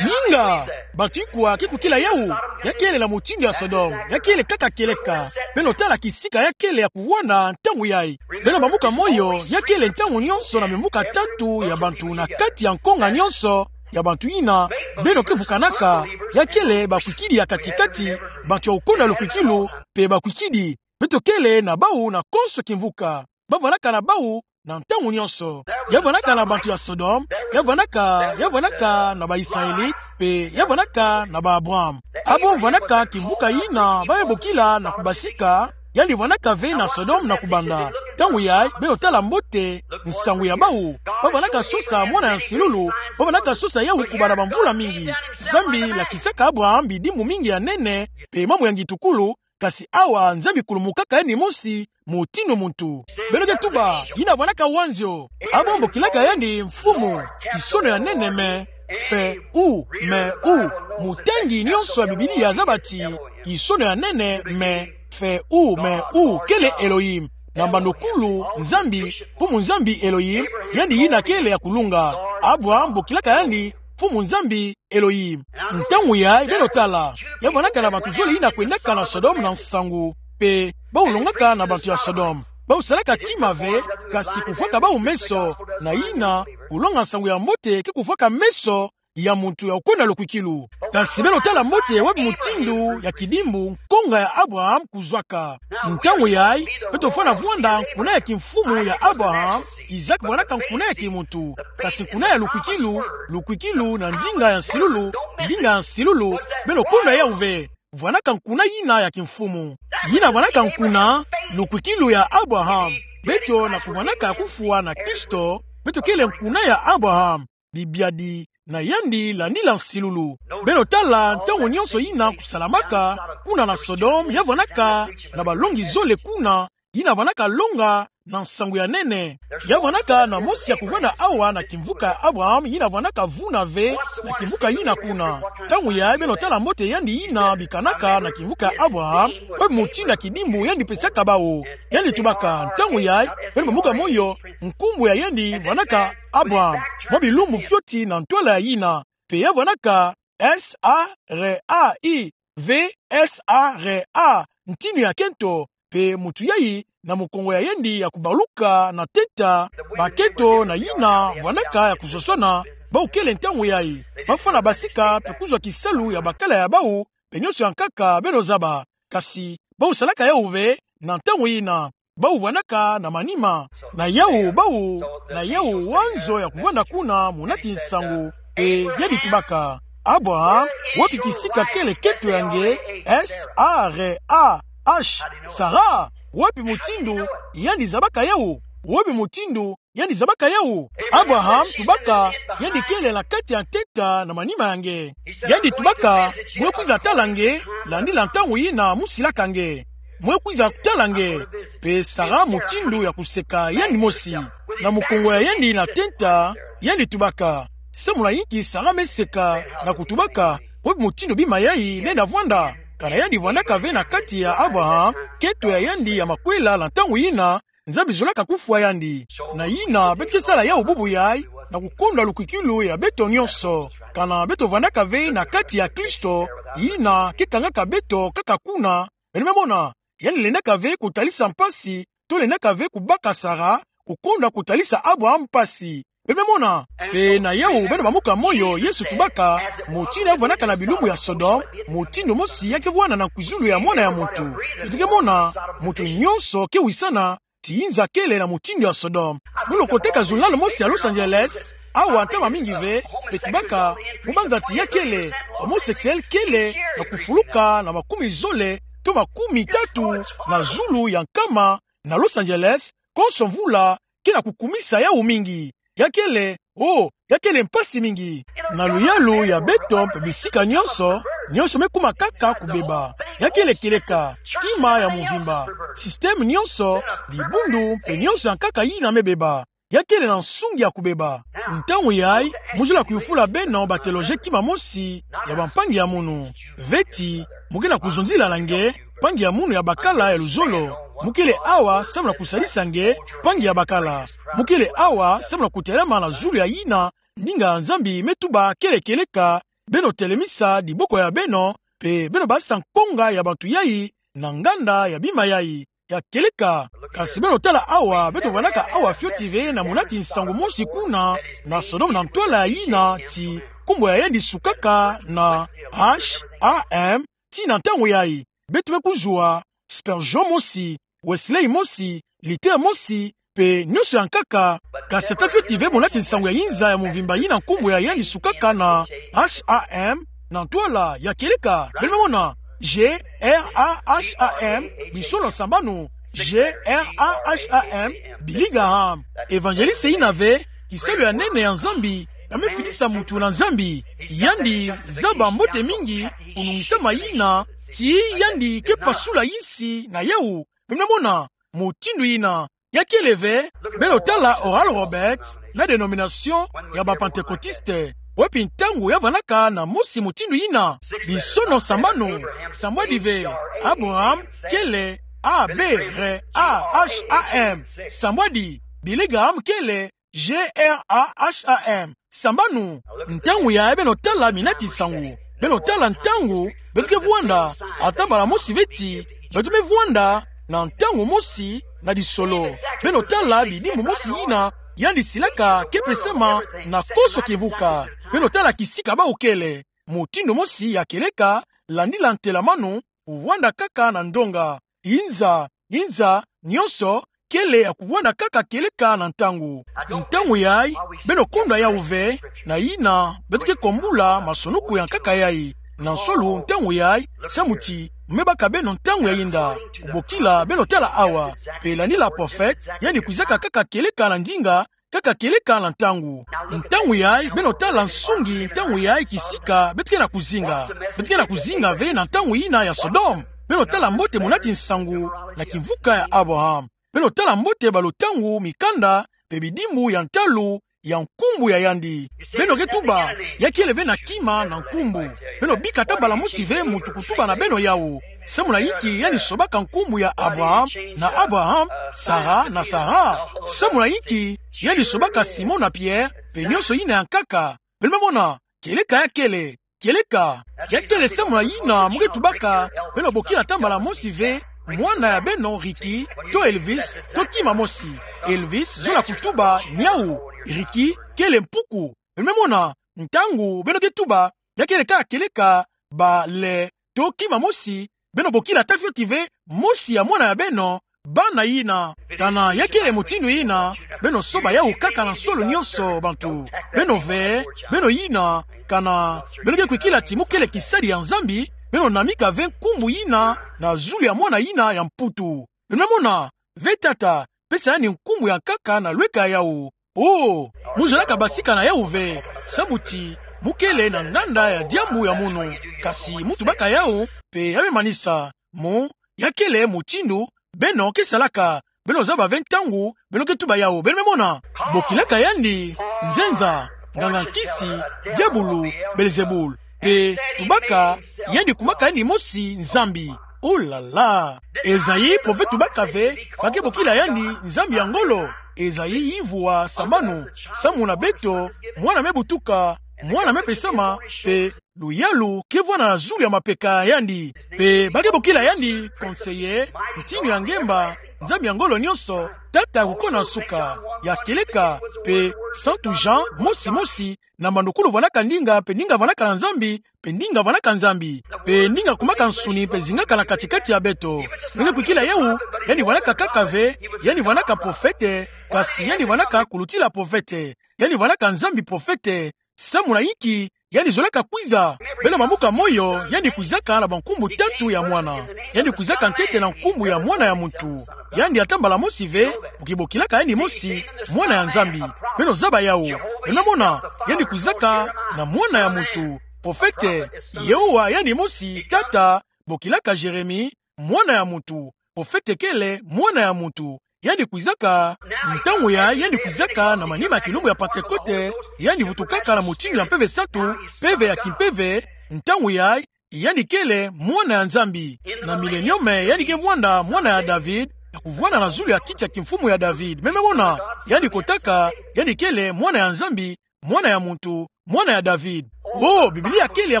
Inga, bantu ikwa ke kwikila yawu? Ya kele na mutindu ya Sodome, ya kele kaka kieleka. Beno tala kisika ya kele ya kuvwanda ntangu yayi. Beno bambuka moyo, ya kele ntangu nyonso na bimbuka tatu ya bantu na kati ya nkonga nyonso ya bantu yina beno ke vukanaka. Ya kele bakwikidi ya kati-kati, bantu ya kukonda lukwikilu, pe bakwikidi. Beto kele na bawu na konso kimvuka. Ba vwanaka na bawu na ntangu nyonso. Ya vwanaka na bantu ya Sodome, ya vwanaka, ya vwanaka na ba Israelite, pe ya vwanaka na ba Abraham. Abraham vwanaka kimvuka yina ba me bokila na kubasika, yandi vwanaka ve na Sodome na kubanda. Ntangu yayi, beno tala mbote nsangu ya bawu. Ba vwanaka sosa Mwana ya nsilulu, ba vwanaka sosa yawu kubanda bamvula mingi. Nzambi lakisaka Abraham bidimbu mingi ya nene, pe mambu ya ngitukulu, kasi awa Nzambi kulumukaka yandi mosi mutindu muntu. Beno ke tuba, yina vwanaka wanzio? Abraham bokilaka yandi mfumu, kisono ya nene me, fe u, me u. Mutangi nyonso ya Biblia zaba ti, kisono ya nene me, fe u, me u, kele Elohim. Na mbandokulu, Nzambi, Mfumu Nzambi Elohim, yandi yina kele ya kulunga. Abraham bokilaka yandi Mfumu Nzambi Elohim. Ntangu yayi beno tala, ya vwanaka na bantu zole yina kwendaka na Sodome na nsangu, pe bawu longaka na bantu ya Sodome. Bawu salaka kima ve, kasi kufwaka bawu meso, na yina, kulonga nsangu ya mbote ke kufwaka meso ya muntu ya kukonda lukwikilu. Kasi beno tala mbote wapi mutindu ya kidimbu nkonga ya Abraham kuzwaka. Ntangu yayi, beto fwana vwanda nkuna ya kimfumu ya Abraham, Isaac vwanaka nkuna ya kimuntu, kasi nkuna ya lukwikilu, lukwikilu na ndinga ya nsilulu, ndinga ya nsilulu, beno konda yawu ve. Vwanaka nkuna yina ya kimfumu. Yina vwanaka nkuna, lukwikilu ya Abraham. Beto na kuvwanaka kufwa na Kristo, beto kele nkuna ya Abraham. Bibiadi na yandi landila nsilulu. Beno tala ntangu nyonso yina kusalamaka, kuna na Sodome ya vwanaka na balongi zole kuna, yina vwanaka longa na nsangu ya nene. Ya vwanaka na mosi ya kuvwanda awa na kimvuka ya Abraham, yina vwanaka vuna ve na kimvuka yina kuna. Ntangu yayi beno tala mbote yandi yina bikanaka na kimvuka ya Abraham, pe mutindu ya kidimbu yandi pesaka bawu. Yandi tubaka, ntangu yayi beno bamuka moyo, nkumbu ya yandi vwanaka Abraham. Mwa bilumbu fioti na ntwala ya yina, pe ya vwanaka S A R A I V S A R A, ntinu ya kento, pe mutu yayi na mukongo ya yandi ya kubaluka na teta, bakento na yina vwanaka ya kuzosana, bawu kele ntangu yayi bafwana basika pe kuzwa kisalu ya bakala ya bawu, pe nionso ya nkaka beno zaba. Kasi bawu salaka yawu ve na ntangu yina. Bawu vwanaka na manima. Na yawu bawu, na yawu wanzo ya kuvwanda kuna munati nsangu. Pe yandi tubaka, Abraham, wapi kisika kele kento ya nge? S A R A H. Sara, wapi mutindu yandi zabaka yawu? Wapi mutindu yandi zabaka yawu? Abraham tubaka, yandi kele na kati ya nteta na manima ya nge. Yandi tubaka, mwe kwiza tala nge, landila ntangu yina mu silaka nge. Mwe kwiza tala nge. Pe Sara mutindu ya kuseka yandi mosi. Na mukongo ya yandi na teta, yandi tubaka. Samu na inki Sara me seka na kutubaka, wapi mutindu bima yayi lenda vwanda? Kana yandi vwandaka ve na kati ya Abraham, kento ya yandi ya makwela na ntangu yina, Nzambi zolaka kufwa yandi. Na yina, beto ke sala yawu bubu yayi, na kukondwa lukwikilu ya beto nionso. Kana beto vwandaka ve na kati ya Kristo, yina ke kangaka beto kaka kuna. Beno me mona, yandi lendaka ve kutalisa mpasi, to lendaka ve kubaka Sara, kukondwa kutalisa Abraham mpasi. Beno me mona, pe na yawu beno bamuka moyo, Yesu tubaka, mutindu ya vwandaka na bilumbu ya Sodome, mutindu mosi ya ke vwanda na nkwizulu ya mwana ya muntu. Beto ke mona, mutu nionso ke wisana, ti yinza kele na mutindu ya Sodome. Mu lokotaka journal mosi ya Los Angeles, awa ntama mingi ve, pe tubaka, mu banza ti ya kele, homosexuel kele, na kufuluka na makumi zole, to makumi tatu, na zulu ya nkama, na Los Angeles, konso mvula, ke na kukumisa yawu mingi. Ya kele, oh, ya kele mpasi mingi. Na luyalu ya beto mpe bisika nionso, nionso me kuma kaka kubeba. Ya kele kieleka, kima ya mvimba. Système nionso, dibundu mpe nionso ya nkaka yina me beba. Ya kele na nsungi ya kubeba. Ntangu yayi, mu zola kuyufula beno ba théologie kima mosi ya bampangi ya munu. Veti, mu ke na kuzonzila na nge, mpangi ya munu ya bakala ya luzolo. Mu kele awa samu na kusadisa nge, mpangi ya bakala. Mu kele awa samu na kutelama na zulu ya yina ndinga ya Nzambi me tuba kele kieleka, beno telemisa diboko ya beno, pe beno basa nkonga ya bantu yayi, na nganda ya bima yayi, ya kieleka. Kasi beno tala awa, beto vwandaka awa fioti ve na munati nsangu mosi kuna, na Sodome na ntwala ya yina ti, nkumbu ya yandi sukaka na H A M, ti na ntangu yayi, beto me kuzwa, Spurgeon mosi, Wesley mosi, Luther mosi, pe nionso ya nkaka, kasi ata fioti ve munati nsangu ya yinza ya mvimba yina nkumbu ya yandi sukaka na H A M, na ntwala ya kieleka, beno me mona, G R A H A M, bisono sambanu, G R A H A M, Billy Graham, évangéliste yina ve, kisalu ya nene ya Nzambi, ya me fidisa mutu na Nzambi, yandi zaba mbote mingi, kunungisama yina, ti yandi ke pasula yisi na yawu, beno me mona, mutindu yina, ya kele ve, beno tala Oral Roberts, na dénomination ya ba Pentecôtistes, wapi ntangu ya vwandaka na mosi mutindu yina, bisono sambanu, sambwadi ve, Abraham, kele, A B R A H A M, sambwadi, Billy Graham kele, G R A H A M. Sambanu, ntangu yayi beno tala minati nsangu. Beno tala ntangu, beto ke vwanda, ata mbala mosi veti, beto me vwanda, na ntangu mosi, na disolo. Beno tala bidimbu mosi yina, yandi silaka ke pesama, na konso kimvuka. Beno tala kisika bawu kele, mutindu mosi ya kieleka, landila ntelamanu, vwanda kaka na ndonga. Yinza, yinza, nionso, kele ya kuvwanda kaka kieleka na ntangu. Ntangu yayi, beno kondwa yawu ve, na yina, beto ke kombula, masonuku ya nkaka yayi. Na nsolu, ntangu yayi, samu ti, me baka beno ntangu ya yinda. Kubokila, beno tala awa. Pe landila prophète, yandi kwizaka kaka kieleka na ndinga, kaka kieleka na ntangu. Ntangu yayi, beno tala nsungi, ntangu yayi kisika, beto ke na kuzinga. Beto ke na kuzinga ve na ntangu yina ya Sodome. Beno tala mbote monati nsangu na kimvuka ya Abraham. Beno tala mbote balo tangu mikanda pe bidimbu ya ntalu ya nkumbu ya yandi. Beno ke tuba, ya kele ve na kima na nkumbu. Beno bika ata bala mosi ve muntu kutuba na beno yawu. Samu na inki yandi sobaka nkumbu ya Abraham na Abraham, Sara na Sara? Samu na inki yandi sobaka Simon na Pierre pe nyonso yina ya nkaka? Beno me mona, kieleka ya kele. Kieleka ya kele samu na yina mu ke tubaka beno bokila ata mbala mosi ve mwana ya beno Ricky to Elvis to kima mosi. Elvis zola kutuba niawu. Ricky kele mpuku. Beno me mona, ntangu beno ke tuba ya kele kaka kieleka, bale to kima mosi, beno bokila ata fioti ve mosi ya mwana ya beno, bana yina. Kana ya kele mutindu yina, beno soba yawu kaka na nsolo nyonso, bantu. Beno ve, beno yina, kana beno ke kwikila ti mu kele kisadi ya Nzambi, beno namika ve nkumbu yina na zulu ya mwana yina ya mputu. Beno me mona, ve tata, pesa yandi nkumbu ya nkaka na lweka yawu. Oh, mu zolaka basika na yawu ve, sambu ti mu kele na nganda ya diambu ya munu. Kasi mu tubaka yawu, pe ya me manisa. Mo, ya kele mutindu beno ke salaka. Beno zaba ve ntangu beno ke tuba yawu. Beno me mona, bokilaka yandi nzenza, nganga-nkisi, diabulu, Belzebul. Pe tubaka yandi kumaka yandi mosi Nzambi. Oh là là! Ezayi prophète tubaka ve ba ke bokila yandi nzambi ya ngolo. Ezayi yivua sambanu, samu na beto, mwana me butuka, mwana me pesama, pe luyalu ke vwanda na zulu ya mapeka ya yandi. Pe ba ke bokila yandi conseiller, ntinu ya ngemba, Nzambi ya ngolo nyonso, tata ya kukona nsuka, ya kieleka, pe Santu Jean mosi mosi, na mbandukulu vwandaka ndinga, pe ndinga vwandaka na Nzambi, pe ndinga vwandaka Nzambi, pe ndinga kumaka nsuni, pe zingaka na kati-kati ya beto. Beno ke kwikila yawu, yandi vwandaka kaka ve yandi vwandaka prophète, kasi yandi vwandaka kulutila prophète. Yandi vwandaka Nzambi prophète. Samu na inki yandi zolaka kwiza? Beno bambuka moyo, yandi kwizaka na bankumbu tatu ya mwana. Yandi kwizaka ntete na nkumbu ya Mwana ya muntu. Yandi ata mbala mosi ve, bu ke bokilaka yandi mosi mwana ya Nzambi. Beno zaba yawu. Beno me mona, yandi kwizaka na Mwana ya muntu, prophète, Yehowa yandi mosi, tata, bokilaka Jérémie, Mwana ya muntu, prophète kele Mwana ya muntu. Yandi kwizaka, ntangu yayi yandi kwizaka na manima ya kilumbu ya Pantekote, yandi vutukaka na mutindu ya Mpeve Santu, mpeve ya kimpeve, ntangu yayi yandi kele Mwana ya Nzambi. Na milenium yandi ke vwanda mwana ya David, ya kuvwanda na zulu ya kiti ya kimfumu ya David. Beno me mona, yandi kotaka, yandi kele Mwana ya Nzambi, Mwana ya muntu, Mwana ya David. Oh, Biblia kele ya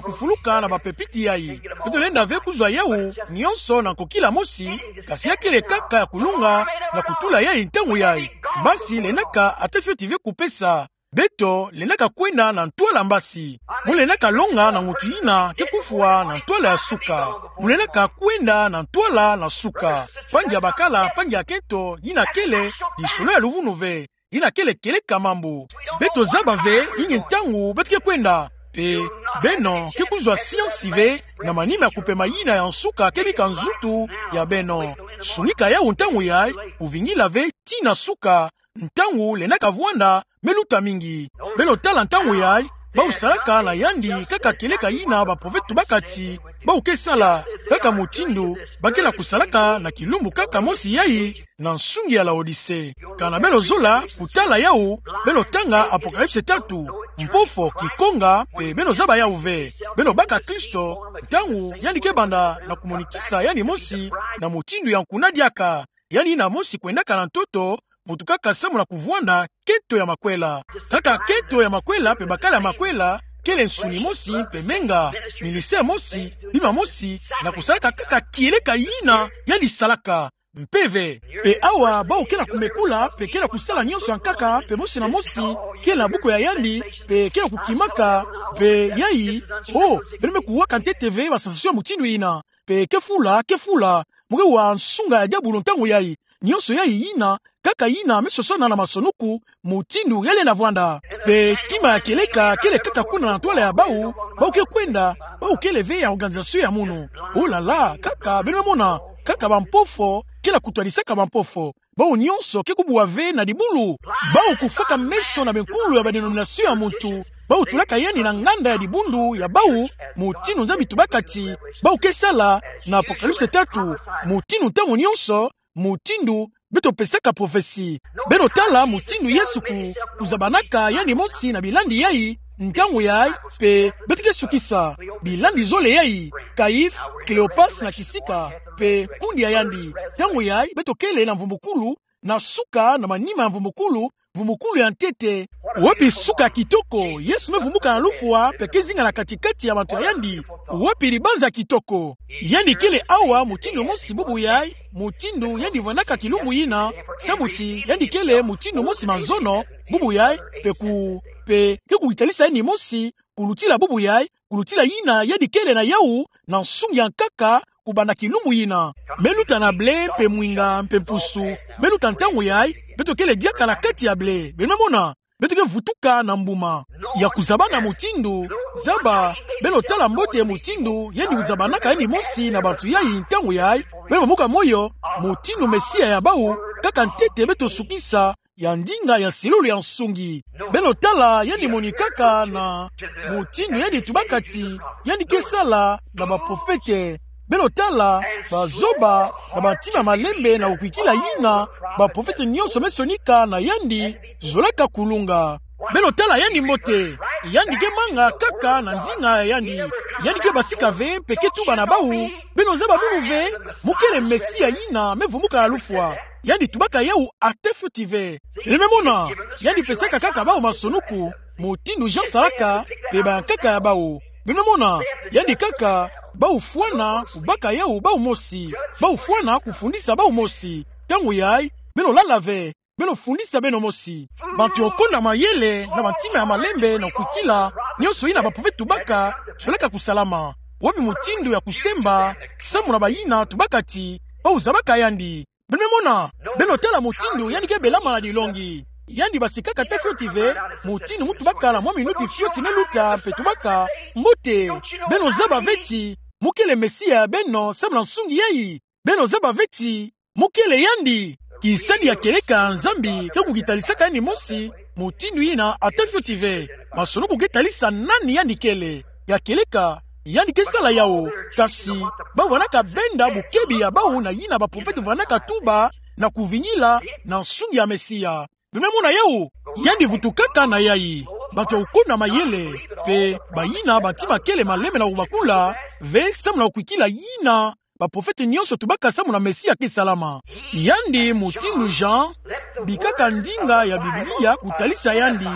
kufuluka na bapepiti yayi. Beto lenda ve kuzwa yawu nyonso na nkokila mosi, kasi ya kele kaka ya kulunga na kutula yayi ntangu yayi. Mbasi lendaka ata fioti ve kupesa. Beto lendaka kwenda na ntwala mbasi. Mu lendaka longa na mutu yina ke kufwa na ntwala ya suka. Mu lendaka kwenda na ntwala na suka. Mpangi ya bakala, mpangi ya kento, yina kele lisolo ya luvunu ve. Yina kele kieleka mambu. Beto zaba ve inki ntangu beto ke kwenda. Pe beno ke kuzwa siansi ve na manima ya kupema yina ya nsuka ke bika nzutu ya beno. Sunika yawu ntangu yayi, kuvingila ve tii na suka, ntangu lendaka vwanda me luta mingi. Beno tala ntangu yayi, bau salaka na yandi kaka kieleka yina baprophète tubaka ti bau ke sala, kaka mutindu ba ke na kusalaka na kilumbu kaka mosi yayi, na nsungi ya Laodicée. Kana beno zola kutala yawu, beno tanga Apocalypse tatu, mpofo, kikonga, pe beno zaba yawu ve. Beno baka Kristo, ntangu yandi ke banda na kumonikisa yandi mosi na mutindu ya nkuna diaka. Yandi yina mosi kwendaka na ntoto, vutukaka samu na kuvwanda kento ya makwela. Kaka kento ya makwela pe bakala ya makwela, kele nsuni mosi pe menga, ministère mosi, bima mosi, na kusalaka kaka kieleka yina yandi salaka. Mpeve. Pe awa, bau ke na kumekula, pe ke na kusala nyonso ya nkaka, pe mosi na mosi ke na buku ya yandi, pe ke na kukimaka, pe yayi, oh, beno me kuwaka ntete ve ba sensation ya mutindu yina. Pe ke fula, ke fula, mu ke wa nsunga ya diabulu ntangu yayi. Nyonso yayi yina, kaka yina me sosona na masonuku, mutindu ya lenda vwanda. Pe kima ya kieleka kele kaka kuna na ntwala ya bau, bau ke kwenda, bau kele ve ya organisation ya munu. Oh là là, kaka beno mona, kaka bampofo ke na kutwadisaka bampofo. Bau nyonso ke kubwa ve na dibulu. Bau kufwaka meso na bankulu ya badenomination ya muntu. bau tulaka yandi na nganda ya dibundu ya bau, mutindu Nzambi tubaka ti bau ke sala na Apocalypse tatu, mutindu ntangu nyonso, mutindu beto pesaka prophetie. Beno tala mutindu Yesu ku, kuzabanaka yandi mosi na bilandi yai, ntangu yai, pe beto ke sukisa. Bilandi zole yai, Caïphe, Cléopas na kisika, pe kundi ya yandi. Ntangu yai, beto kele na mvumbukulu, na suka na manima ya mvumbukulu, mvumbukulu ya ntete. Wapi suka kitoko, Yesu me vumbuka na lufwa, pe ke zinga na kati-kati ya bantu ya yandi. Wapi libanza kitoko. Yandi kele awa, mutindu mosi bubu yai, mutindu yandi vandaka kilumbu yina, samu ti yandi kele mutindu mosi mazono, bubu yai, pe ku, pe ke kukitalisa yandi mosi, kulutila bubu yai, kulutila yina yandi kele na yau, na nsungi ya nkaka, kubanda kilumbu yina. Me luta na blé, pe mwinga, pe mpusu, me luta ntangu yai, beto kele diaka na kati ya blé. Beno me mona, beto ke vutuka na mbuma. Ya kuzabana mutindu, zaba, beno tala mbote mutindu, yandi kuzabanaka yandi mosi na bantu yai ntangu yai, beno vumbuka moyo, mutindu Mesia ya bau, kaka ntete beto sukisa, ya ndinga ya nsilulu ya nsungi. Beno tala, yandi monikaka na mutindu yandi tubaka ti, yandi ke sala na baprofete. Beno tala, bazoba, na bantima malembe na kukwikila yina, baprofete nyonso me sonika na yandi, zolaka kulunga. Beno tala yandi mbote, yandi ke manga kaka na ndinga ya yandi, yandi ke basika ve, pe ke tuba na bau, beno zaba munu ve, mukele Mesia yina, me vumbuka na lufwa. Yandi tubaka yau ata fioti ve. Beno me mona, yandi pesaka kaka bau masonuku, mutindu Jean salaka, pe bayankaka ya bau. Beno me mona, yandi kaka, bau fwana, kubaka yau bau mosi. Bau fwana, kufundisa bau mosi. Ntangu yai, beno lala ve, beno fundisa beno mosi. Bantu ya kukonda mayele, na bantima ya malembe, na kukwikila, nyonso yina baprofete tubaka, zolaka kusalama. Wapi mutindu ya kusemba, samu na bayina, tubaka ti, bau zabaka yandi. Beno me mona, beno tala mutindu yandi ke belama na dilongi. Yandi basikaka ata fioti ve, mutindu mu tubaka na mwa minuti fioti me luta, pe tubaka, mbote, beno zaba ve ti, mukele Mesia ya beno, samu na nsungi yai. Beno zaba ve ti, mukele yandi. Kisadi ya kieleka ya Nzambi, ke kukitalisaka yandi mosi, mutindu yina, ata fioti ve. Masonuku ke talisa nani yandi kele. Ya kieleka, yandi ke sala yau, kasi, bau vandaka benda bokebi ya bau na yina baprofete vandaka tuba, na kuvingila, na nsungi ya Mesia. Beno me mona yau, yandi vutukaka na yai. Bantu ya kukonda mayele, pe, bayina bantima kele malembe na kubakula, ve samu na kukwikila yina, baprofete nyonso tubaka samu na Mesia ke salama. Yandi mutindu Jean, bikaka ndinga ya Biblia kutalisa yandi,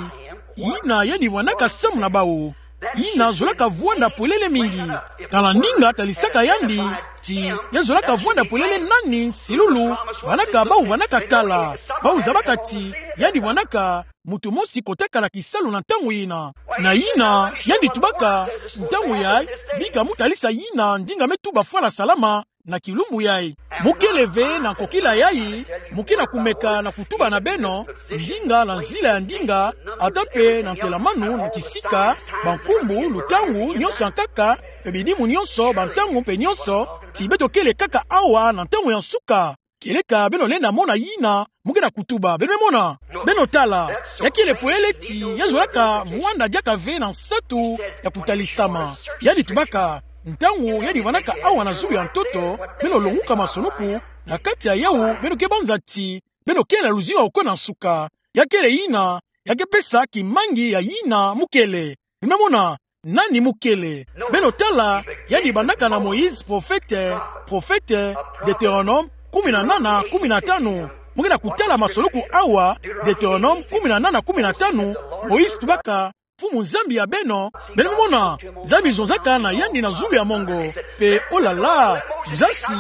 yina yandi vandaka samu na bau. Yina zolaka vwanda polele mingi. Tala ndinga talisaka yandi, ti, ya zolaka vwanda polele nani, nsilulu, vandaka bau vandaka tala. Bau zabaka ti, yandi vandaka, muntu mosi kotaka na kisalu na ntangu yina. Na yina, yandi tubaka, ntangu yai, bika mu talisa yina, ndinga me tuba fwana salama, na kilumbu yai. Mukele ve na nkokila yai, muke na kumeka na kutuba na beno, ndinga na nzila ya ndinga, ata pe na ntelamanu na kisika, bankumbu, lutangu, nyonso ya nkaka, pe bidimu nyonso, bantangu pe nyonso, ti beto kele kaka awa na ntangu ya nsuka. Kieleka beno lenda mona yina, muke na kutuba, beno me mona, beno tala, ya kele polele ti, ya zolaka vwanda diaka ve na nsatu ya kutalisama. Yandi tubaka, ntangu yandi vandaka awa na zulu ya ntoto, beno longuka masonuku, na kati ya yau, beno ke banza ti, beno kele na luzingu ya kukwe na nsuka. Ya kele yina, ya ke pesa kimangi ya yina mukele. Beno me mona, nani mukele. Beno tala, yandi bandaka na Moïse, profete, profete, Deutéronome, kumi na nana, kumi na tanu. Muke na kutala masonuku awa, Deutéronome, kumi na nana, kumi na tanu, Moïse tubaka, Mfumu Nzambi ya beno, beno me mona, Nzambi zonzaka na yandi na zulu ya mongo. Pe, oh là là, nzasi,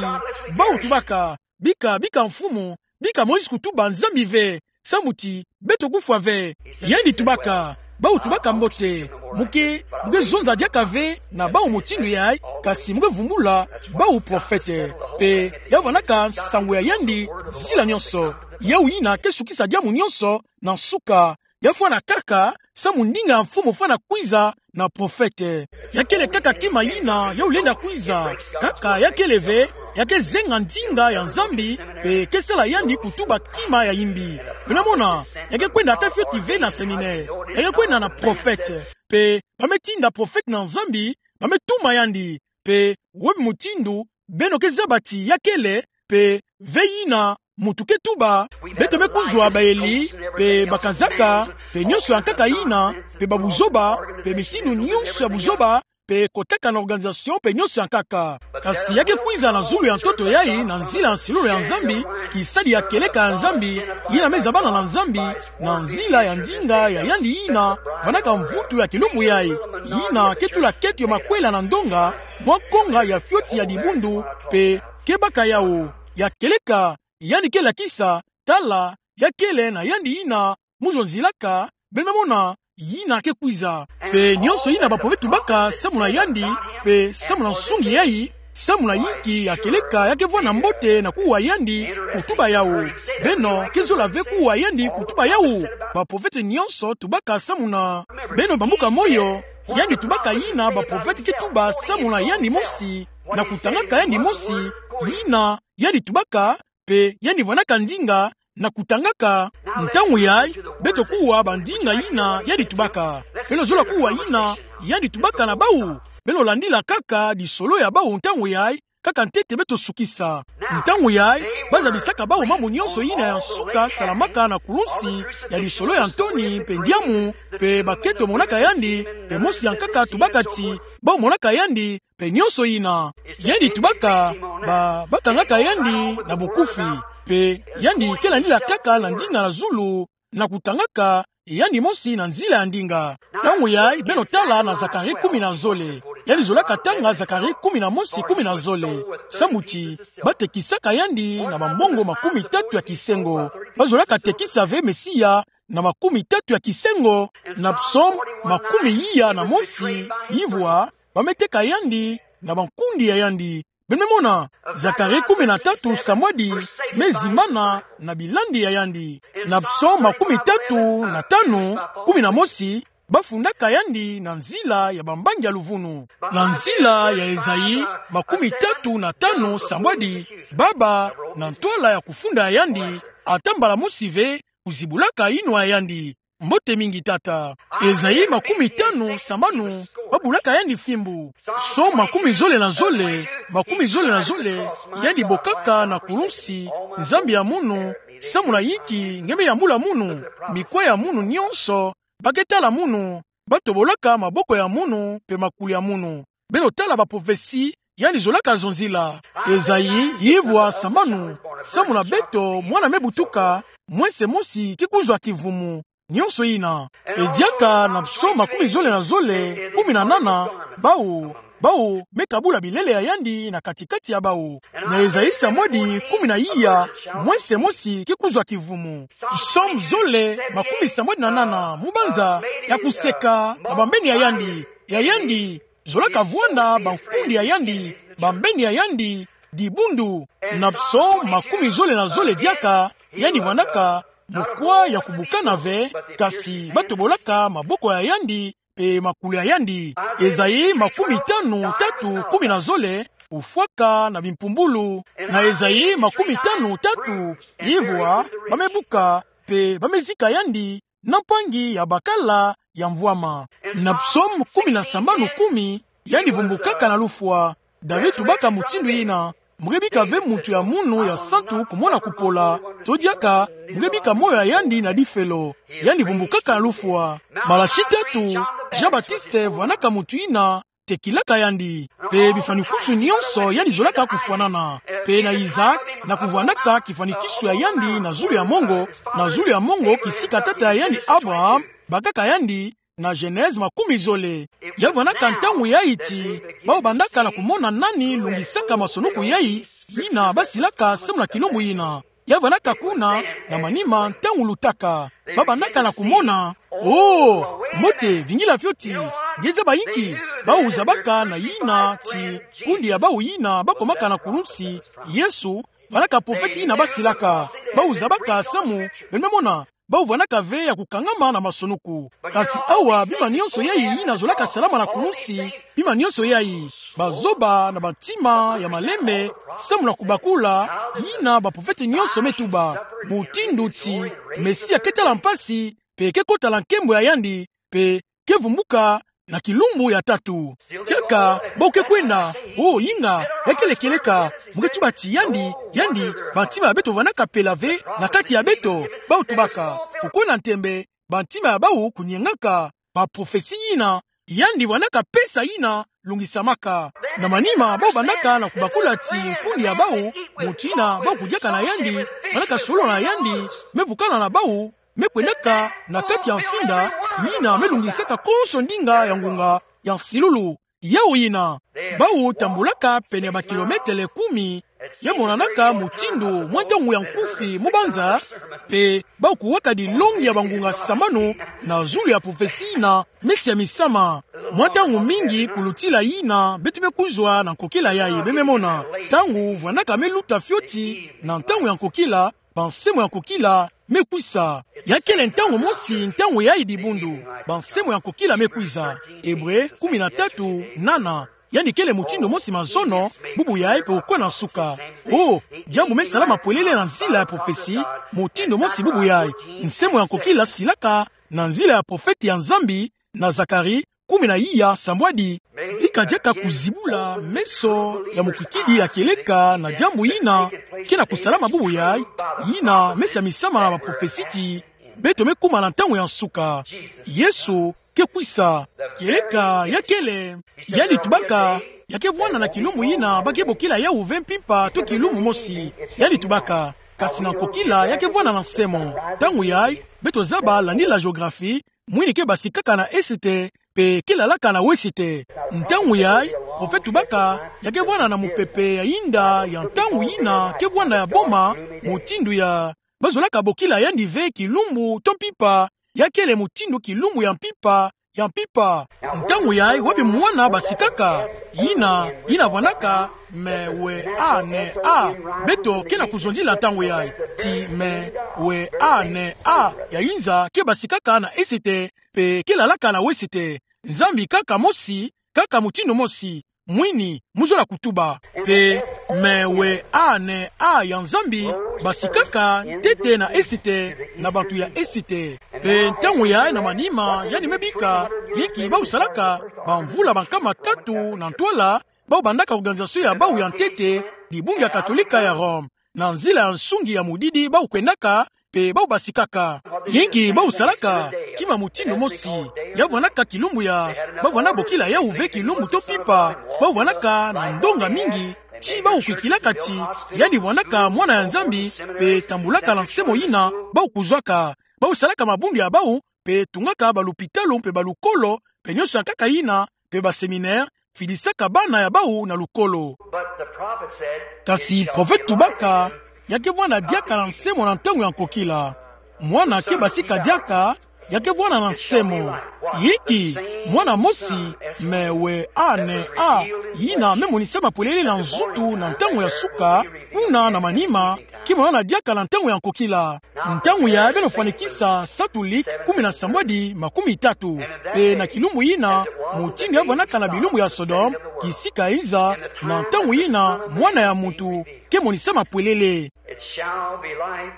bau tubaka, bika, bika Mfumu, bika Moïse kutuba Nzambi ve, samu ti, beto kufwa ve. Yandi tubaka, bau tubaka mbote, muke, muke zonza diaka ve, na bau mutindu yai, kasi muke vumbula, bau profete. Pe, ya vandaka nsangu ya yandi, nzila nyonso. Yau yina ke sukisa diamu nyonso, na nsuka, ya fwana kaka, samu ndinga ya Mfumu fwana kwiza na profete. Ya kele kaka kima yina, yau lenda kwiza. Kaka ya kele ve, ya ke zenga ndinga ya Nzambi, pe ke sala yandi kutuba kima ya yimbi. Beno me mona, ya ke kwenda ata fioti ve na séminaire. Ya ke kwenda na profete. pe ba me tinda profete na Nzambi, ba me tuma yandi, pe webi mutindu beno ke zaba ti ya kele, pe ve yina mutu ke tuba, beto me kuzwa bayeli, pe bakazaka, pe nionso ya nkaka yina, pe babuzoba, pe mitindu nionso ya buzoba, pe kotaka na organisation, pe nionso ya nkaka. Kasi ya ke kwiza na zulu ya ntoto yayi, na nzila ya nsilulu ya Nzambi, kisadi ya kieleka ya Nzambi, yina me zabana na Nzambi, na nzila ya ndinga ya yandi yina vandaka mvutu ya kilumbu yayi, yina ke tula keto ya makwela na ndonga, mwa konga ya fioti ya dibundu, pe ke baka yawu, ya kieleka, yandi ke lakisa, tala, ya kele na yandi yina mu zonzilaka, beno me mona, yina ke kwiza. Pe nionso yina baprofete tubaka samu na yandi, pe samu na nsungi yayi, samu na yinki ya kieleka ya ke vwanda mbote na kuwa yandi kutuba yawu. Beno ke zola ve kuwa yandi kutuba yawu. Baprofete nionso tubaka samu na beno bambuka moyo, yandi tubaka yina baprofete ke tuba samu na yandi mosi, na kutangaka yandi mosi, yina yandi tubaka, pe yandi vandaka ndinga na kutangaka. Ntangu yayi, beto kuwa bandinga yina yandi tubaka. Beno zola kuwa yina yandi tubaka na bawu. Beno landila kaka lisolo ya bawu ntangu yayi, kaka ntete beto sukisa. Ntangu yayi, ba zabisaka bawu mambu nionso yina ya nsuka salamaka na kulunsi ya lisolo ya ntoni, pe ndiamu, pe ba keto monaka yandi, pe mosi ya nkaka tubaka ti bawu monaka yandi, pe nionso yina. Yandi tubaka, ba, ba kangaka yandi na bukufi, pe yandi ke landila kaka na ndinga na zulu, na kutangaka yandi mosi na nzila ya ndinga. Ntangu yayi, beno tala na Zacharie kumi na zole. Yandi zolaka tanga Zacharie kumi na mosi, kumi na zole. Samu ti ba tekisaka yandi na bambongo makumi tatu ya kisengo. Ba zolaka tekisa ve Mesia na makumi tatu ya kisengo, na psaume makumi iya na mosi, yivwa ba me teka yandi na bankundi ya yandi. Beno me mona, Zacharie kumi na tatu sambwadi me zimbana na bilandi ya yandi. Na psaume makumi tatu na tanu, kumi na mosi, ba fundaka yandi na nzila ya bambangi ya luvunu. Na nzila ya Esaïe makumi tatu na tanu sambwadi, baba, na ntwala ya kufunda ya yandi, ata mbala mosi ve kuzibulaka yinwa ya yandi. Mbote mingi tata. Esaïe makumi tanu sambanu, ba bulaka yandi fimbu. Psaume makumi zole na zole, makumi zole na zole, yandi bokaka na kulunsi, Nzambi ya munu, samu na yinki nge me yambula munu, mikwa ya munu nionso, ba ke tala munu, ba tobolaka maboko ya munu, pe makuli ya munu. Beno tala baprofesi yandi zolaka zonzila. Esaïe, yivwa sambanu, samu na beto mwana me butuka, mwese mosi ke kuzwa kivumu, nionso yina. E diaka na psaume makumi zole na zole, kumi na nana, bawu, bawu me kabula bilele ya yandi na kati-kati ya bawu. Na Esaïe sambwadi kumi na iya, mwese mosi ke kuzwa kivumu. Psaume zole, makumi sambwadi na nana, mubanza ya kuseka na bambeni ya yandi, ya yandi zolaka vwanda bankundi ya yandi, bambeni ya yandi, dibundu. Na psaume makumi zole na zole diaka, yandi vwandaka mukwa ya kubukana ve, kasi ba tobolaka maboko ya yandi, pe makuli ya yandi. Esaïe makumi tanu tatu, kumi na zole, ufwaka na bimpumbulu. Na Esaïe makumi tanu tatu, yivwa ba me buka, pe ba me zika yandi na mpangi ya bakala ya mvwama. Na psaume kumi na sambanu kumi, yandi vumbukaka na lufwa. David tubaka mutindu yina: Mu ke bika ve mutu ya munu ya santu kumona kupola, to diaka mu ke bika moyo ya yandi na difelo. Yandi vumbukaka na lufwa. Malachie tatu, Jean-Baptiste vwandaka mutu yina tekilaka yandi. Pe bifwanikisu nionso yandi zolaka kufwanana. Pe na Isaac, na kuvwandaka kifwanikisu ya yandi na zulu ya mongo, na zulu ya mongo kisika tata ya yandi Abraham bakaka yandi, na Genèse makumi zole. Ya vwandaka ntangu yayi ti bawu bandaka na kumona nani lungisaka masonoko yayi, yina ba silaka samu na kilumbu yina. Ya vwandaka kuna, na manima ntangu lutaka. Ba bandaka na kumona, oh, mbote, vingila fioti, nge zaba inki? Bawu zabaka na yina ti kundi ya bawu yina ba komaka na kulunsi, Yesu, vwandaka profete yina ba silaka. Bawu zabaka samu, beno me mona, bawu vwandaka ve ya kukangama na masonoko. Kasi awa, bima nionso yayi yina zolaka salama na kulunsi, bima nionso yayi, bazoba na bantima ya malembe, samu na kubakula yina baprofete nionso me tuba, mutindu ti Mesia ke tala mpasi, pe ke kota na nkembo ya yandi, pe ke vumbuka na kilumbu ya tatu. Kiaka, bau ke kwenda, o, inga, ya kele kieleka, mu ke tuba ti yandi, yandi, bantima ya beto vwanaka pela ve na kati ya beto, bau tubaka, kukwenda ntembe, bantima ya bau kunyengaka, baprofesi yina, yandi vwanaka pesa yina, lungisamaka. Na manima, bau bandaka na kubakula ti nkundi ya bau, mutu yina, bau kudiaka na yandi, vwanaka solo na yandi, me vukana na bau, me kwendaka na kati ya mfinda, yina me lungisaka konso ndinga ya ngunga ya nsilulu. Yau yina, bau tambulaka pene ya bakilometele kumi, ya monanaka mutindu mwa ntangu ya nkufi mu banza, mpe bau kuwaka dilongi ya bangunga sambanu na zulu ya profesi yina, Mesi ya Misamu. Mwa ntangu mingi kulutila yina beto me kuzwa na nkokila yayi, beno me mona. Ntangu vwanaka me luta fioti na ntangu ya nkokila, bansemo ya nkokila me kwisa. Ya kele ntangu mosi, ntangu yayi dibundu, bansemo ya nkokila me kwisa. Ebre kumi na tatu, nana. Yandi kele mutindu mosi mazono, bubu yayi mpe kukwe na nsuka. O, diambu me salama polele na nzila ya profesi, mutindu mosi bubu yayi. Nsemo ya nkokila silaka na nzila ya profete ya Nzambi, na Zakari, kumi na iya, sambwadi. Bika diaka kuzibula meso ya mukwikidi ya kieleka na diambu yina ke na kusalama bubu yayi, yina Mesi ya Misamu na baprofesi ti beto me kuma na ntangu ya nsuka. Yesu ke kwisa. Kieleka ya kele, yandi tubaka, ya ke vwanda na kilumbu yina ba ke bokila yawu ve mpimpa to kilumbu mosi. Yandi tubaka, kasi na nkokila ya ke vwanda na nsemo. Ntangu yayi, beto zaba landila géographie, mwini ke basikaka na esete, mpe ke lalaka na wesete. Ntangu yayi, profete tubaka, ya ke vwanda na mupepe ya inda ya ntangu yina ke vwanda ya boma, mutindu ya, bazolaka bokila yandi ve kilumbu to mpimpa, ya kele mutindu kilumbu ya mpimpa, ya mpimpa. Ntangu yayi wapi mwana basikaka, yina, yina vwandaka, me, we, a, ne, a. Beto ke na kuzonzila ntangu yayi. Ti, me, we, a, ne, a. Ya inza ke basikaka na esete, mpe ke lalaka na wesete. Nzambi kaka mosi, kaka mutindu mosi. Mwini, mu zola kutuba. Mpe, me, we, a, ne, a ya Nzambi, basikaka ntete na esete, na bantu ya esete. Mpe ntangu yayi na manima, yandi me bika, yinki bau salaka, bamvula bankama tatu na ntwala, bau bandaka organisation ya bau ya ntete, dibundu ya Katolika ya Rome. Na nzila ya nsungi ya mudidi bau kwendaka, mpe bau basikaka. Yinki bau salaka, kima mutindu mosi, ya vwandaka kilumbu ya, bau vwanda bokila yawu ve kilumbu to mpimpa, bau vwandaka na ndonga mingi, ti bau kwikilaka ti, yandi vwandaka mwana ya Nzambi, mpe tambulaka na nsemo yina, bau kuzwaka, bau salaka mabundu ya bau, mpe tungaka balupitalu mpe balukolo, mpe nionso ya nkaka yina, mpe baséminaire, fidisaka bana ya bau na lukolo. But the prophet said, kasi profete tubaka, ya ke vwanda diaka na nsemo na ntangu ya nkokila. Mwana ke basika diaka, ya ke vwanda na nsemo. Yinki, mwana mosi, me, we, a, ne, a, yina me monisama polele na nzutu na ntangu ya suka, kuna na manima, ke monana diaka na ntangu ya nkokila. Ntangu yayi beno fwanikisa Satulik kumi na sambwadi makumi tatu. Mpe na kilumbu yina, mutindu ya vwandaka na bilumbu ya Sodome, kisika inza, na ntangu yina, mwana ya muntu, ke monisama polele. It shall be light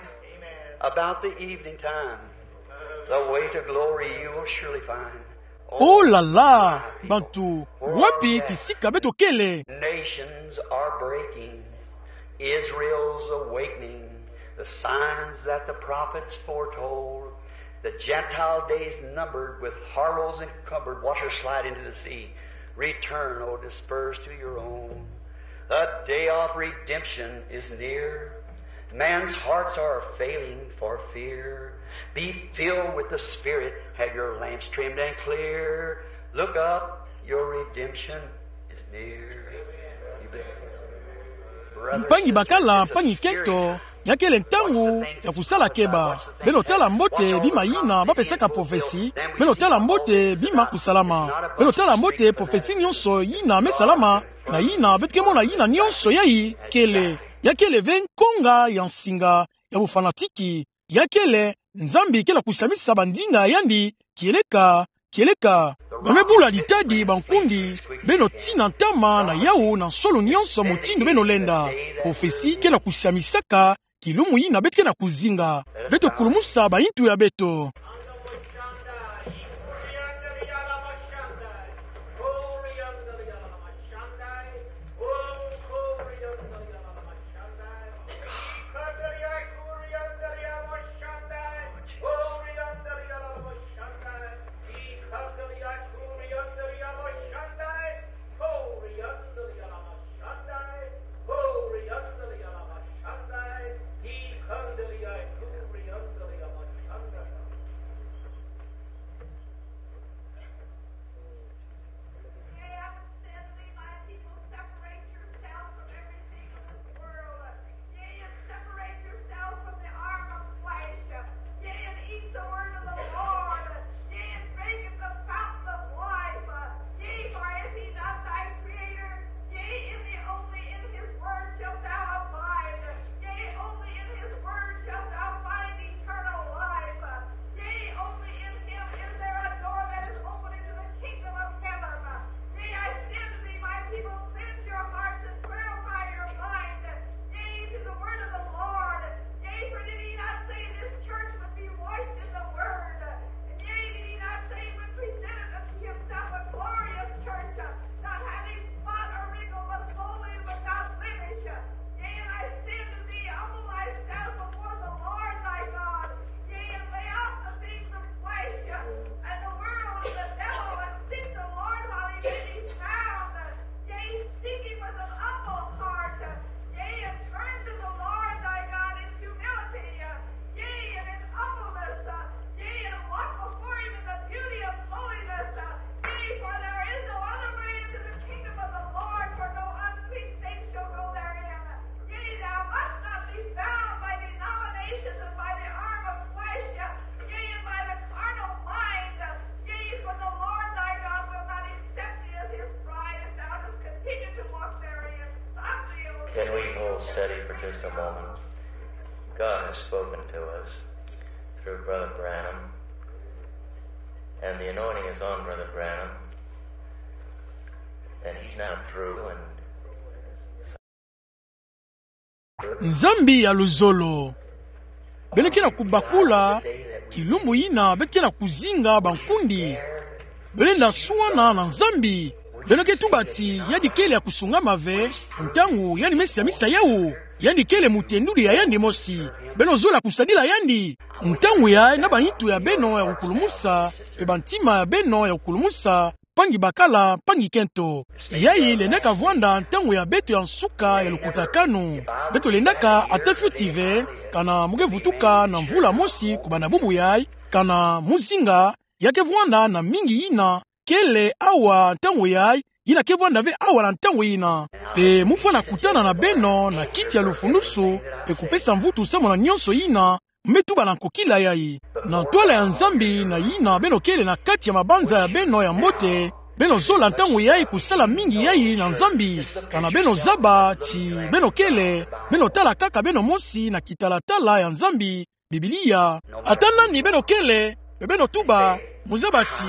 about the evening time. The way to glory you will surely find. Oh la la, bantu, wapi kisika beto kele? Nations are breaking. Israel's awakening. The signs that the prophets foretold. The Gentile days numbered with horrors encumbered. Watch her slide into the sea. Return, O dispersed to your own. The day of redemption is near. Man's hearts are failing for fear. Be filled with the Spirit. Have your lamps trimmed and clear. Look up, your redemption is near. Mpangi bakala, mpangi keto, ya kele ntangu ya kusala keba. Beno tala mbote bima yina bapesaka profesi. Beno tala mbote bima kusalama. Beno tala mbote profesi nionso yina me salama, na yina beto ke mona yina nionso yayi kele. Ya kele ve nkonga ya nsinga ya bofanatiki. Ya kele, Nzambi ke na kusamisa bandinga ya yandi, kieleka, kieleka. Ba me bula ditadi, bankundi, beno tina ntama na yawu na nsolo nionso mutindu beno lenda. Profesi ke na kusamisaka, kilumbu yina beto ke na kuzinga. Beto kulumusa bayintu ya beto. Can we hold steady for just a moment? God has spoken to us through Brother Branham, and the anointing is on Brother Branham, and he's now through, and Nzambi ya luzolo. Beno ke na kubakula kilumbu yina beno ke na kuzinga bankundi. Beno lenda suana na Nzambi. Beno ke tuba ti yandi kele ya kusungama ve ntangu yandi mesi amisa yawu. Yandi kele mutendudi ya yandi mosi. Beno zola kusadila yandi. Ntangu yayi na banitu ya beno ya kukulumusa, mpe bantima ya beno ya kukulumusa, mpangi bakala, mpangi kento. Yayi lendaka vwanda ntangu ya beto ya nsuka ya lukutakanu. Beto lendaka ata fioti ve, kana mu ke vutuka na mvula mosi kubanda bubu yayi, kana muzinga, ya ke vwanda na mingi yina kele awa ntangu yayi, yina ke vwanda ve awa na ntangu yina. Mpe mu fwana kutana na beno na kiti ya lufundusu, mpe kupesa mvutu samu na nyonso yina mu me tuba na nkokila yayi. Na ntwala ya Nzambi na yina beno kele na kati ya mabanza ya beno ya mbote, beno zola ntangu yayi kusala mingi yayi na Nzambi. Kana beno zaba ti beno kele, beno tala kaka beno mosi na kitalatala ya Nzambi, Biblia. Ata nani beno kele, mpe beno tuba, mu zaba ti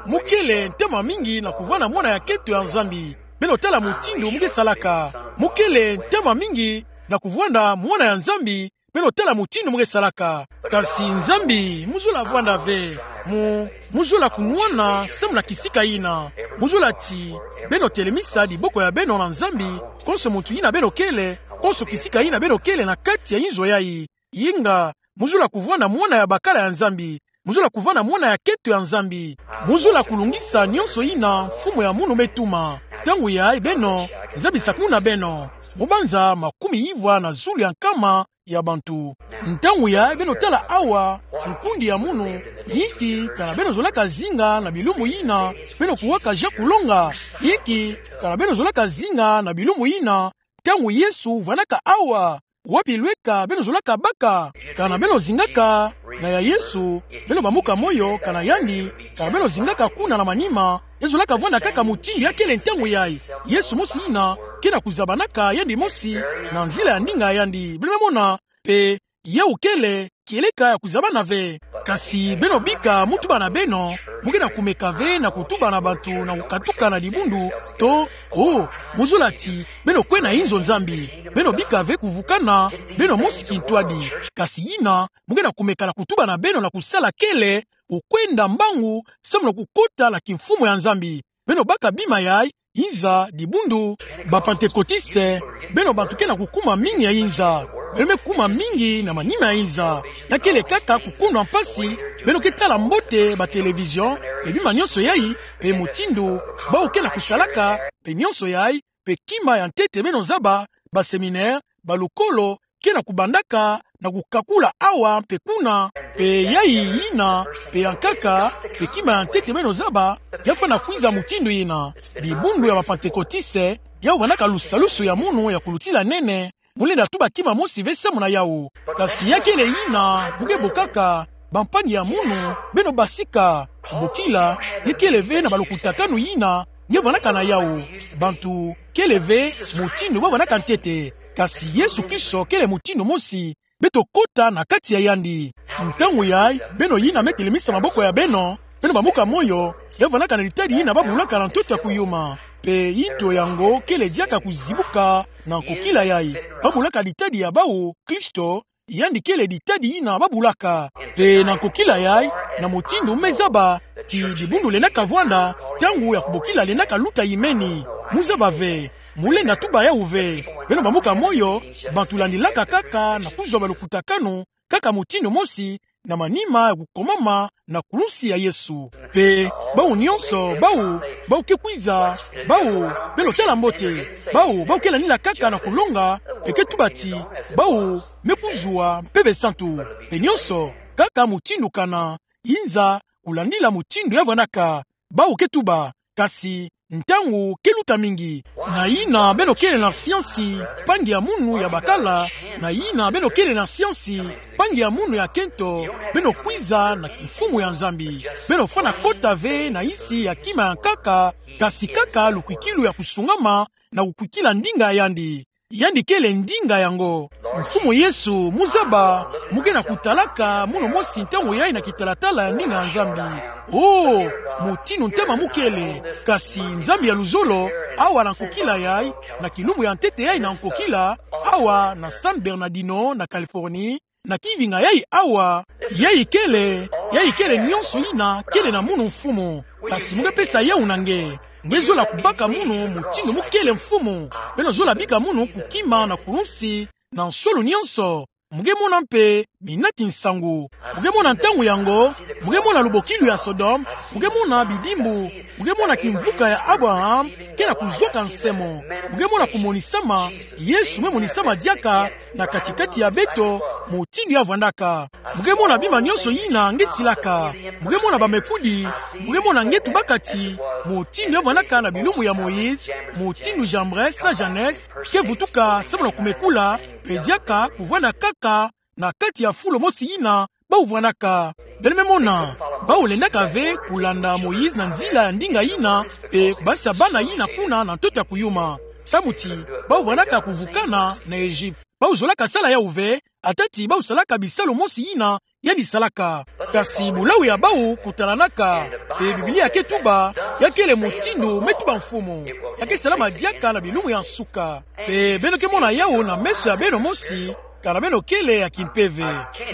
mu kele ntama mingi na kuvwanda mwana ya kento ya Nzambi. Beno tala mutindu mu ke salaka. Mu kele ntama mingi na kuvwanda mwana ya Nzambi, beno tala mutindu mu ke salaka. Kasi Nzambi, mu zola vwanda ve. Mu, mu zola kunwana samu na kisika yina. Mu zola ti beno telemisa diboko ya beno na Nzambi, konso muntu yina beno kele, konso kisika yina beno kele na kati ya inzo yayi. Yinga, mu zola kuvwanda mwana ya bakala ya Nzambi. Mu zola kuvwanda mwana ya kento ya Nzambi. Mu zola kulungisa nyonso yina mfumu ya munu me tuma. Ntangu yayi beno, Nzambi sakuna beno. Mu banza makumi ivwa na zulu ya nkama ya bantu. Ntangu yayi beno tala awa, nkundi ya munu, inki, kana beno zolaka zinga na bilumbu yina beno kuwaka ja kulonga? Inki, kana beno zolaka zinga na bilumbu yina ntangu Yesu vwandaka awa? Wapi lweka beno zolaka baka? Kana beno zingaka na ya Yesu, beno bambuka moyo, kana yandi, kana beno zingaka kuna na manima, ya zolaka vwanda kaka mutindu ya kele ntangu yayi? Yesu mosi yina ke na kuzabanaka yandi mosi na nzila ya ndinga ya yandi. Beno me mona, mpe yawu kele kieleka ya kuzabana ve. Kasi beno bika mu tuba na beno, mu ke na kumeka ve na kutuba na bantu na kukatuka na dibundu, to, oh, mu zola ti beno kwe na inzo Nzambi. Beno bika ve kuvukana beno mosi kintwadi. Kasi yina mu ke na kumeka na kutuba na beno na kusala kele kukwenda mbangu samu na kukota na kimfumu ya Nzambi. Beno baka bima yayi, inza, dibundu, ba Pantekotiste, beno bantu ke na kukuma mingi ya inza. Beno me kuma mingi na manima ya inza. Ya kele kaka kukundwa mpasi, beno ke tala mbote ba télévision, mpe bima nyonso yayi, mpe mutindu bawu ke na kusalaka, mpe nyonso yayi, mpe kima ya ntete beno zaba, ba séminaire, ba lukolo, ke na kubandaka na kukakula awa mpe kuna, mpe yayi yina, mpe ya nkaka, mpe kima ya ntete beno zaba, ya fwana kwiza mutindu yina. Dibundu ya ba Pantekotiste, yawu vwandaka lusalusu ya munu ya kulutila nene, mu lenda tuba kima mosi ve samu na yawu. Kasi ya kele yina mu ke bokaka, bampangi ya munu, beno basika, bokila, ya kele ve na balukutakanu yina ya vwandaka na yawu. Bantu kele ve mutindu ba vwandaka ntete. Kasi Yesu Kristo kele mutindu mosi. Beto kota na kati ya yandi. Ntangu yayi, beno yina me telemisa maboko ya beno, beno bambuka moyo, ya vwandaka na ditadi yina ba bulaka na ntoto ya kuyuma. Mpe yinto yango kele diaka kuzibuka na nkokila yayi. Ba bulaka ditadi ya bawu, Kristo, yandi kele ditadi yina ba bulaka. Mpe na nkokila yayi, na mutindu mu me zaba ti dibundu lendaka vwanda, ntangu ya kubokila lendaka luta yimeni. Mu zaba ve, mu lenda tuba yawu ve. Beno bambuka moyo, bantu landilaka kaka na kuzwa balukutakanu, kaka mutindu mosi, na manima ya kukomama na kulusi ya Yesu. Mpe bawu nyonso, bawu, bawu ke kwiza, bawu, beno tala mbote, bawu, bawu ke landila kaka na kulonga, mpe ke tuba ti, bawu me kuzwa Mpeve Santu. Mpe nyonso, kaka mutindu kana, inza, kulandila mutindu ya vwandaka. Bawu ke tuba, kasi ntangu ke luta mingi. Na yina beno kele na siansi, mpangi ya munu ya bakala, na yina beno kele na siansi, mpangi ya munu ya kento, beno kwiza na kimfumu ya Nzambi. Beno fwana kota ve na insi ya kima ya nkaka, kasi kaka lukwikilu ya kusungama, na kukwikila ndinga ya yandi. Yandi kele ndinga yango. Mfumu Yesu, mu zaba, mu ke na kutalaka munu mosi ntangu yayi na kitalatala ya ndinga ya Nzambi. Oh, mutindu ntema mu kele, kasi Nzambi ya luzolo, awa na nkokila yayi, na kilumbu ya ntete yayi na nkokila, awa na San Bernardino, na Californie, na kivinga yayi awa, yayi kele, yayi kele nionso yina kele na munu mfumu. Kasi mu ke pesa yawu na nge. Nge zola kubaka munu mutindu mu kele mfumu. Beno zola bika munu kukima na kulunsi, na nsolu nionso. Mu ke mona mpe minati nsangu. Mu ke mona ntangu yango, mu ke mona lubokilu ya Sodome, mu ke mona bidimbu, mu ke mona kimvuka ya Abraham ke na kuzwaka nsemo. Mu ke mona kumonisama, Yesu me monisama diaka na kati-kati ya beto, mutindu ya vwandaka. Mu ke mona bima nionso yina nge silaka. Mu ke mona bamekudi, mu ke mona nge tubaka ti, mutindu ya vwandaka na bilumbu ya Moïse, mutindu Jambres na Jannes ke vutuka samu na kumekula, mpe diaka kuvwanda kaka na kati ya fulu mosi yina bawu vwandaka. Beno me mona, bawu lendaka ve kulanda Moïse na nzila ya ndinga yina, mpe basa bana yina kuna na ntoto ya kuyuma. Samu ti, bawu vwandaka kuvukana na Egypte. Bawu zolaka sala yawu ve, ata ti bawu salaka bisalu mosi yina yandi salaka. Kasi bulawu ya bawu kutalanaka, mpe Biblia ke tuba, ya kele mutindu me tuba mfumu. Ya ke salama diaka na bilumbu ya nsuka. Mpe beno ke mona yawu na meso ya beno mosi, kana beno kele ya kimpeve.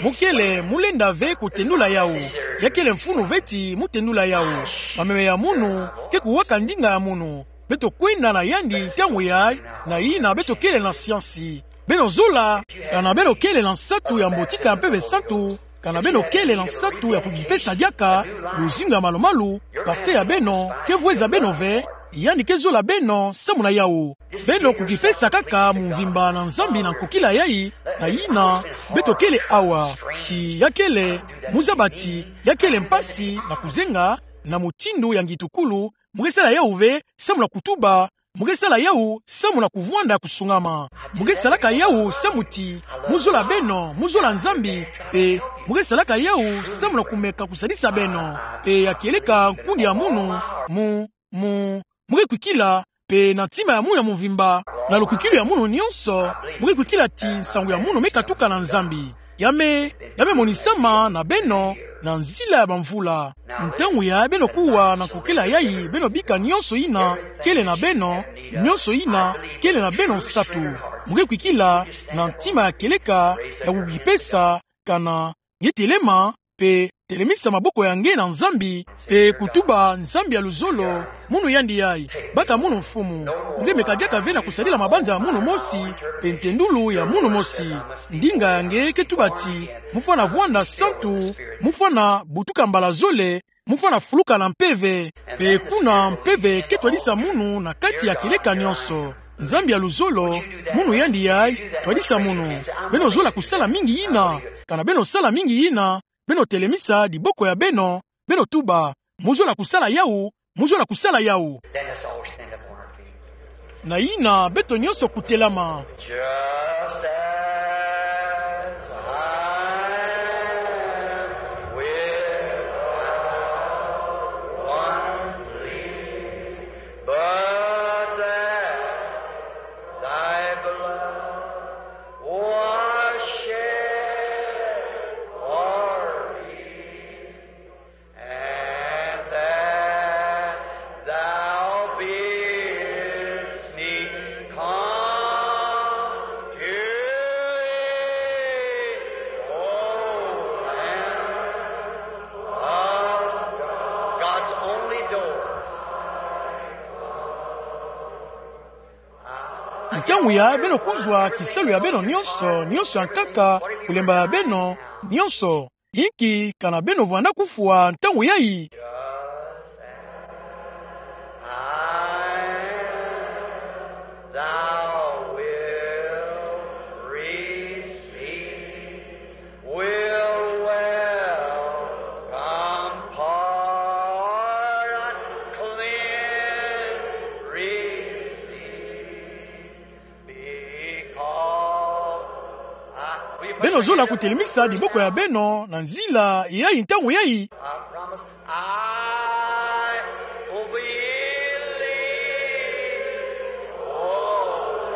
Mu kele, mu lenda ve kutendula yawu. Ya kele mfunu ve ti mu tendula yawu. Mameme ya munu ke kuwaka ndinga ya munu. Beto kwenda na yandi ntangu yayi, na yina beto kele na siansi. Beno zola, kana beno kele na nsatu ya mbotika ya Mpeve Santu, kana beno kele na nsatu ya kukipesa diaka, luzingu ya malu-malu, pasteur ya beno ke vweza beno ve, yandi ke zola beno samu na yawu. Beno kukipesa kaka mumvimba na Nzambi na nkokila yayi, na yina beto kele awa. Ti ya kele, mu zaba ti, ya kele mpasi na kuzenga, na mutindu ya ngitukulu, mu ke sala yawu ve samu na kutuba, mu ke sala yawu samu na kuvwanda kusungama. Mu ke salaka yawu samu ti, mu zola beno, mu zola Nzambi, mpe mu ke salaka yawu samu na kumeka kusadisa beno. Mpe ya kieleka nkundi ya munu, mu, mu, mu ke kwikila, mpe na ntima ya munu ya mumvimba, na lukwikilu ya munu nionso, mu ke kwikila ti nsangu ya munu me katuka na Nzambi. Ya me, ya me monisama na beno, na nzila ya bamvula. Ntangu yayi beno kuwa na nkokila yayi, beno bika nionso yina kele na beno, nionso yina kele na beno nsatu. Mu ke kwikila na ntima ya kieleka, ya kukipesa, kana nge telema, mpe telemisa maboko ya nge na Nzambi, mpe kutuba: Nzambi ya luzolo, munu yandi yayi, baka munu mfumu. Nge meka diaka ve na kusadila mabanza ya munu mosi, mpe ntendulu ya munu mosi. Ndinga ya nge ke tuba ti, mu fwana vwanda santu, mu fwana butuka mbala zole, mu fwana fuluka na mpeve. Mpe kuna mpeve ke twadisa munu na kati ya kieleka nionso. Nzambi ya luzolo, munu yandi yayi, twadisa munu. Beno zola kusala mingi yina, kana beno sala mingi yina, beno telemisa diboko ya beno, beno tuba: Mu zola kusala yawu, mu zola kusala yawu. Then let's all stand up on our feet. Na yina beto nionso kutelama. Just as I am without one plea, but that thy blood was shed for me, and that thou bidst me come to thee, O Lamb of God. God's only door. Ntangu yayi beno kuzwa kisalu ya beno nionso, nionso ya nkaka, kulemba ya beno nionso. Inki kana beno vwanda kufwa ntangu yayi? Thou wilt receive, will welcome pardon, clean receive. Beno zola kutelemisa diboko ya beno na nzila yayi ntangu yayi. I promise I will believe. Oh,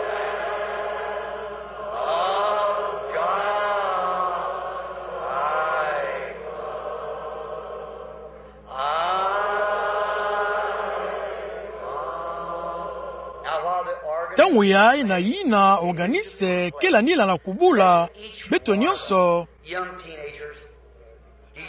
Ntangu yayi na yina organise kele anila na kubula beto nyonso.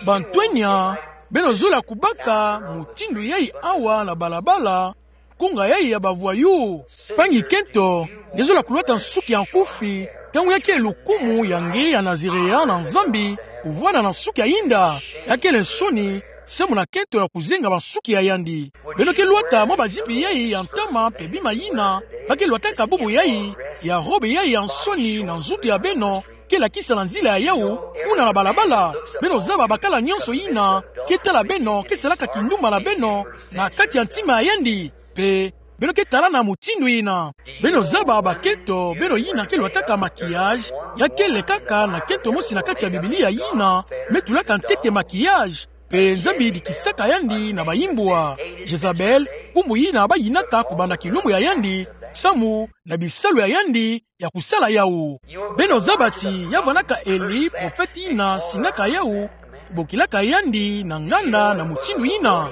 Bantwenya, beno zola kubaka mutindu yayi awa na balabala, nkunga yayi ya bavoyous? Mpangi kento, nge zola kulwata nsuki ya nkufi, ntangu ya kele lukumu ya nge ya Nazireyen na Nzambi, kuvwanda na nsuki ya yinda? Ya kele nsoni, samu na kento ya kuzenga bansuki ya yandi. Beno ke lwata mwa bazipi yayi ya ntama mpe bima yina ba ke lwataka bubu yayi, ya robe yayi ya nsoni na nzutu ya beno, ke lakisa na nzila ya yawu, kuna na balabala? Beno zaba bakala nyonso yina ke tala beno ke salaka kindumba na beno na kati ya ntima ya yandi? Mpe beno ke talana mutindu yina? Beno zaba bakento, beno yina ke lwataka maquillage, ya kele kaka na kento mosi na kati ya Biblia yina me tulaka ntete maquillage, mpe Nzambi dikisaka yandi na bayimbwa, Jezabel, nkumbu yina ba yinaka kubanda kilumbu ya yandi, samu na bisalu ya yandi ya kusala yawu. Beno zaba ti ya vwandaka Eli, profete yina singaka yawu, bokilaka yandi na nganda na mutindu yina?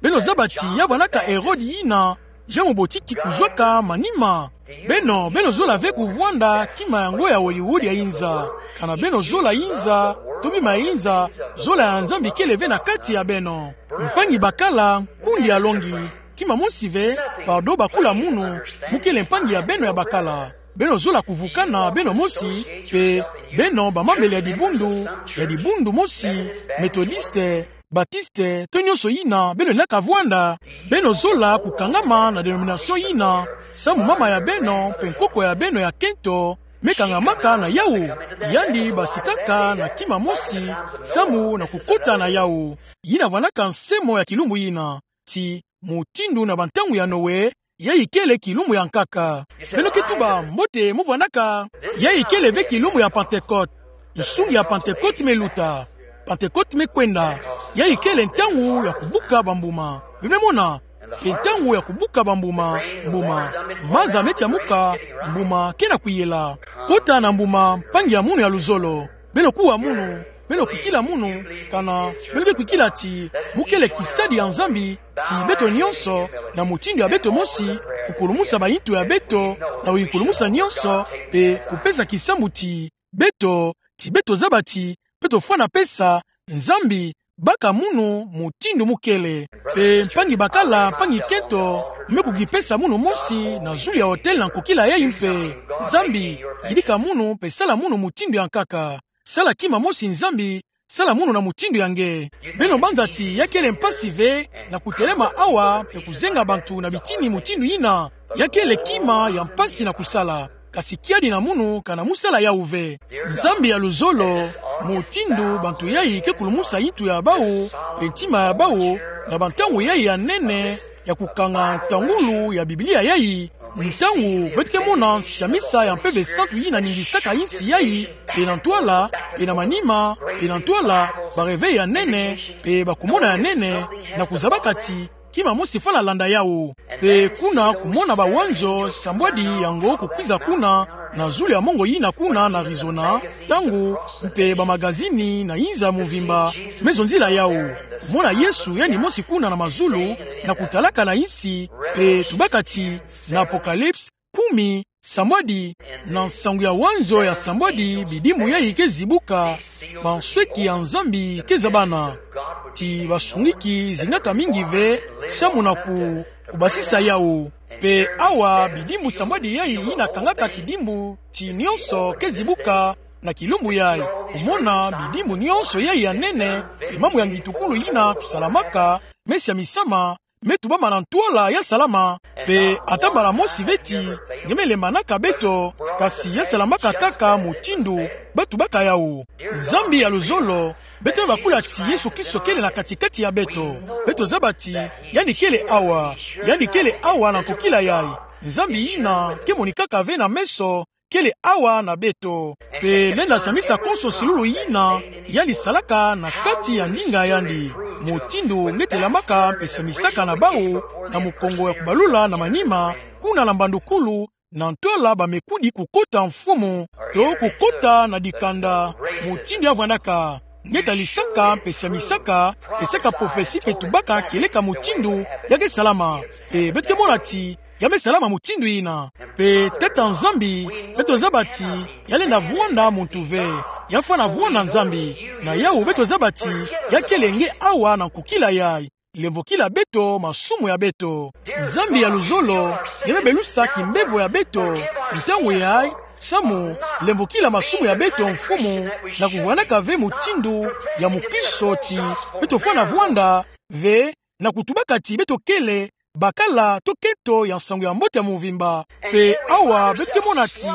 Beno zaba ti ya vwandaka Herode yina Jean mubotiki kuzwaka manima? Beno, beno zola ve kuvwanda kima yango ya Hollywood ya yinza. Kana beno zola yinza, to bima ya yinza, zola ya Nzambi kele ve na kati ya beno. Mpangi bakala, nkundi alongi. Kima mosi ve, pardon bakula munu, mu kele mpangi ya beno ya bakala. Beno zola kuvukana beno mosi, mpe beno bamembele ya dibundu, ya dibundu mosi, Methodiste, Baptiste, to nyonso yina beno lingaka vwanda. Beno zola kukangama na dénomination yina, samu mama ya beno mpe nkoko ya beno ya kento me kangamaka na yawu. Yandi basikaka na kima mosi, samu na kukota na yawu. Yina vwandaka nsemo ya kilumbu yina, ti mutindu na bantangu ya Noe, yayi kele kilumbu ya nkaka. Beno ke tuba mbote mu vwandaka, yayi kele ve kilumbu ya Pentecôte. Nsungi ya Pentecôte me luta. Pentecôte me kwenda. Yayi kele ntangu ya kubuka bambuma. Beno me mona? Mpe ntangu ya kubuka bambuma, mbuma. Maza me tiamuka, mbuma ke na kuyela. Kota na mbuma, mpangi ya munu ya luzolo. Beno kuwa munu, beno kwikila munu, kana beno ke kwikila ti mu kele kisadi ya Nzambi, ti beto nyonso, na mutindu ya beto mosi, kukulumusa bayintu ya beto, na kuyikulumusa nyonso, mpe kupesa kisambu ti beto, ti beto zaba ti beto fwana pesa Nzambi, baka munu mutindu mu kele. Mpe mpangi bakala, mpangi kento, me kukipesa munu mosi na zulu ya autel na nkokila yayi mpe. Nzambi, yidika munu mpe sala munu mutindu ya nkaka. Sala kima mosi Nzambi, sala munu na mutindu ya nge. Beno banza ti ya kele mpasi ve na kutelema awa mpe kuzenga bantu na bitini mutindu yina. Ya kele kima ya mpasi na kusala. Kasi kiadi na munu kana mu sala yawu ve. Nzambi ya luzolo, mutindu bantu yayi ke kulumusa yintu ya bawu, mpe ntima ya bawu, na bantangu yayi ya nene, ya kukanga ntangulu ya Biblia yayi, ntangu beto ke mona nsiamisa ya Mpeve Santu yina ningisaka insi yayi, mpe na ntwala, mpe na manima, mpe na ntwala, ba réveil ya nene, mpe bakumona ya nene, na kuzabaka ti kima mosi fwana landa yawu. Mpe kuna kumona bawanzo sambwadi yango kukwiza kuna, na zulu ya mongo yina kuna na Arizona, ntangu, mpe bamagazini na inza muvimba me zonzila yawu. Kumona Yesu yandi mosi kuna na mazulu, na kutalaka na insi, mpe tubaka ti, na Apocalypse kumi, sambwadi, na nsangu ya wanzo ya sambwadi, bidimbu yayi ke zibuka, bansweki ya Nzambi ke zabana. Ti basungiki zingaka mingi ve, samu na ku, kubasisa yawu. Mpe awa, bidimbu sambwadi yayi yina kangaka kidimbu, ti nyonso ke zibuka, na kilumbu yayi. Kumona, bidimbu nyonso yayi ya nene, mpe mambu ya ngitukulu yina tusalamaka, me siamisama, me tubama na ntwala ya salama, mpe ata mbala mosi ve ti, nge me lembanaka beto, kasi ya salamaka kaka mutindu ba tubaka yawu. Nzambi ya luzolo, beto me bakula ti Yesu Kristo kele na kati-kati ya beto. Beto zaba ti, yandi kele awa, yandi kele awa na nkokila yayi. Nzambi yina ke monikaka ve na meso, kele awa na beto. Mpe lenda siamisa konso silulu yina yandi salaka na kati ya ndinga yandi. Mutindu nge telamaka mpe siamisaka na bawu na mukongo ya kubalula na manima, kuna na mbandukulu, na ntwala bamekudi kukota mfumu, to kukota na dikanda. Mutindu ya vwandaka. Nge talisaka mpe siamisaka, mpe saka prophetie mpe tubaka kieleka mutindu ya ke salama. Mpe beto ke mona ti, ya me salama mutindu yina. Mpe Tata Nzambi, beto zaba ti ya lenda vwanda muntu ve. Ya fwana vwanda Nzambi. Na yawu beto zaba ti ya kele nge awa na nkukila yayi. Lemvokila beto masumu ya beto. Nzambi ya luzolo, nge me belusa kimbevo ya beto. Ntangu yayi, samu, lemvokila masumu ya beto Mfumu, na kuvwanaka ve mutindu ya mukristo ti beto fwana vwanda ve, na kutubaka ti beto kele bakala to keto ya nsangu ya mbote ya muvimba. Mpe awa beto ke mona ti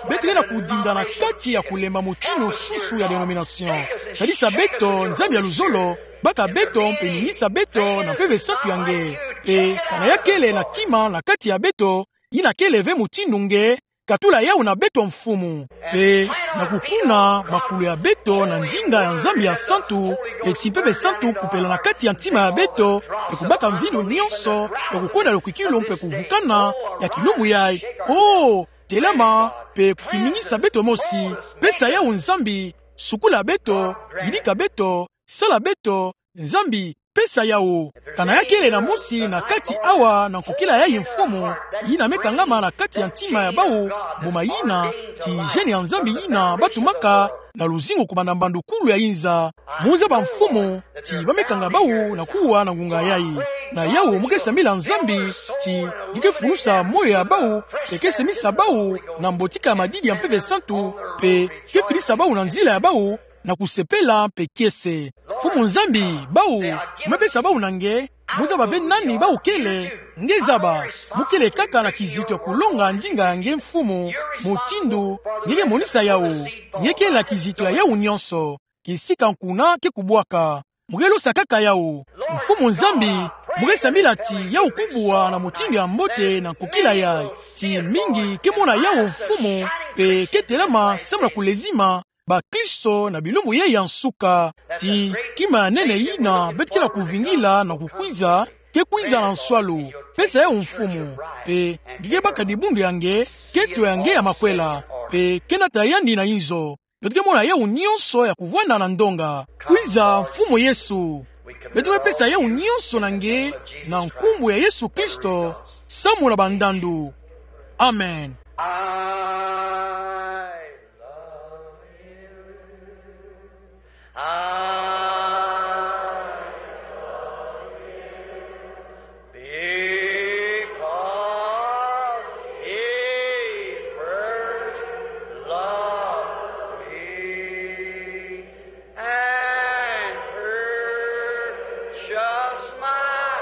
beto ke na kudinda na kati ya kulemba mutindu nsusu ya dénomination. Sadisa beto, Nzambi ya luzolo, baka beto mpe ningisa beto na Mpeve Santu ya nge. Mpe kana ya kele na kima na kati ya beto, yina kele ve mutindu nge, katula yawu na beto Mfumu. Mpe na kukuna makulu ya beto na ndinga ya Nzambi ya santu, mpe ti Mpeve Santu kupela na kati ya ntima ya beto, mpe kubaka mvindu nyonso ya kukonda lokwikilu mpe kuvukana ya kilumbu yayi. Oh, telama, mpe kiningisa beto mosi, pesa yawu Nzambi, sukula beto, yidika beto, sala beto, Nzambi, pesa yawu. Kana ya kele na mosi na kati awa na nkukila yayi Mfumu, yina me kangama na kati ya ntima ya bawu, mbuma yina, ti gène ya Nzambi yina batumaka na luzingu kubanda mbandukulu ya inza. Mu zaba Mfumu, ti ba me kanga bawu na kuwa na ngunga yayi. Na yawu mu ke sambila Nzambi, ti nge ke fulusa moyo ya bawu, mpe ke semisa bawu na mbotika ya madidi ya Mpeve Santu, mpe ke filisa bawu na nzila ya bawu, na kusepela mpe kiese. Mfumu Nzambi, bawu, mu me pesa bawu na nge, mu zaba ve nani bawu kele, nge zaba, mu kele kaka na kizito ya kulonga ndinga ya nge Mfumu, mutindu nge ke monisa yawu, nge kele na kizito ya yawu nyonso, kisika nkuna ke kubwaka. Mu ke losa kaka yawu. Mfumu Nzambi, mu ke sambila ti yawu kubwa na mutindu ya mbote na nkukila yayi. Ti mingi ke mona yawu Mfumu, mpe ke telama samu na kulezima bakristo na bilumbu yayi ya nsuka. Ti kima ya nene yina beto ke na kuvingila na kukwiza, ke kwiza na nswalu. Pesa yawu Mfumu, mpe nge ke baka dibundu ya nge, keto ya nge ya makwela, mpe ke nata yandi na inzo. Beto ke mona yawu nyonso ya kuvwanda na ndonga. Kwiza, Mfumu Yesu. Beto me pesa yawu nyonso na nge, na nkumbu ya Yesu Kristo, samu na bandandu. Amen. I love you. I love you. Because he first loved me and purchased my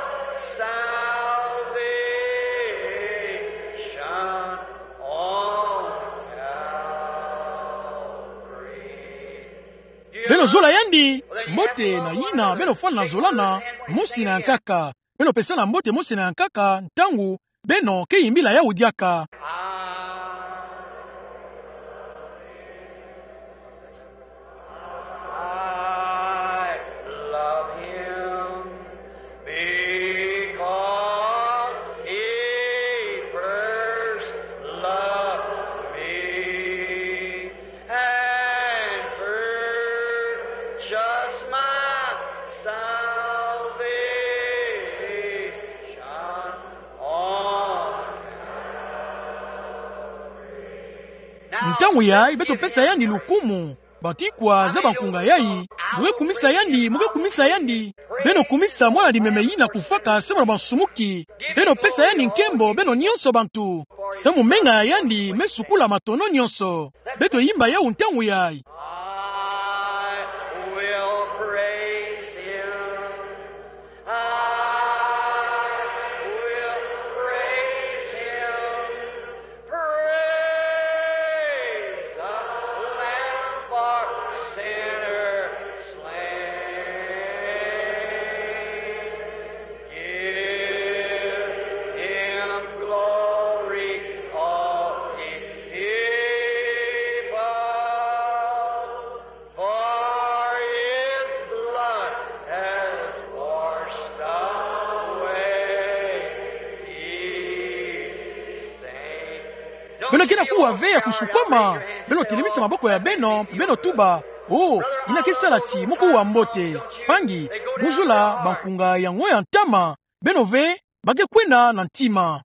salvation on Calvary. Beno zola yandi, mbote na yina beno fwana zolana, mosi na yankaka. Beno pesana mbote mosi na yankaka, ntangu beno ke yimbila yawu diaka. I love him because he first loved me and purchased my salvation on Calvary. Ntangu yayi, beto pesa yandi lukumu. Bantu ikwa zaba nkunga yayi, mu ke kumisa yandi, mu ke kumisa yandi. Beno kumisa mwana limemie yina kufaka samu na bansumuki. Beno pesa yandi nkembo, beno nyonso bantu. Samu menga ya yandi me sukula matono nyonso. Beto yimba yawu ntangu yayi. I will praise him. I will praise him. Praise the Lamb for sinners slain. Give him glory, all ye people, for his blood has washed away his stain. Beno ke na kuwa ve ya kusukwama, beno telemisa maboko ya beno, beno tuba: Oh, yina ke sala ti mu kuwa mbote. Mpangi, mu zola bankunga yango ya ntama. Beno ve, ba ke kwenda na ntima.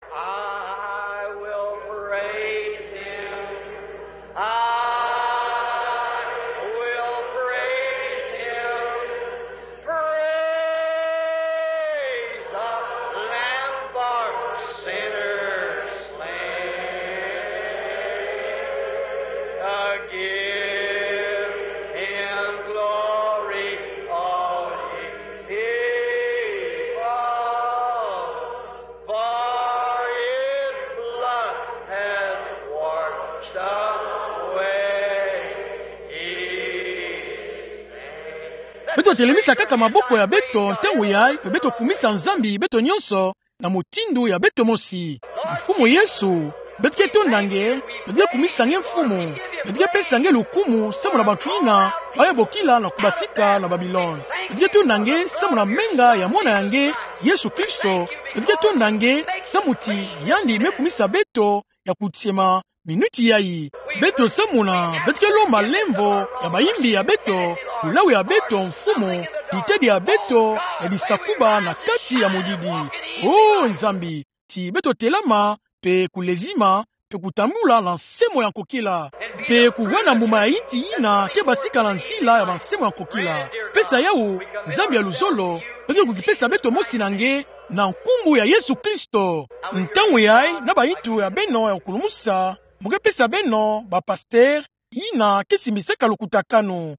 Beto telemisa kaka maboko ya beto ntangu yayi, mpe beto kumisa Nzambi beto nyonso na mutindu ya beto mosi. Mfumu Yesu, beto ke tonda nge, beto ke kumisa nge Mfumu, beto ke pesa nge lukumu samu na bantu yina baye bokila na kubasika na Babilone. Beto ke tonda nge samu na menga ya Mwana ya nge, Yesu Kristo, beto ke tonda nge samu ti yandi me kumisa beto ya kutiema minuti yayi. Beto samuna, beto ke lomba lemvo ya bayimbi ya beto, lulawu ya beto Mfumu, ditedi ya beto ya disakuba na kati ya modidi. O Nzambi, ti beto telama, mpe kulezima, mpe kutambula na nse mo ya nkokila, mpe kuvwanda mbuma ya inti yina ke basika na nzila ya banse mo ya nkokila. Pesa yawu, Nzambi ya luzolo, beto ke kukipesa beto mosi na nge, na nkumbu ya Yesu Kristo. Ntangu yayi, na bayitu ya beno ya kukulumusa, mo ke pesa beno bapastere yina ke simbisaka lukutakanu.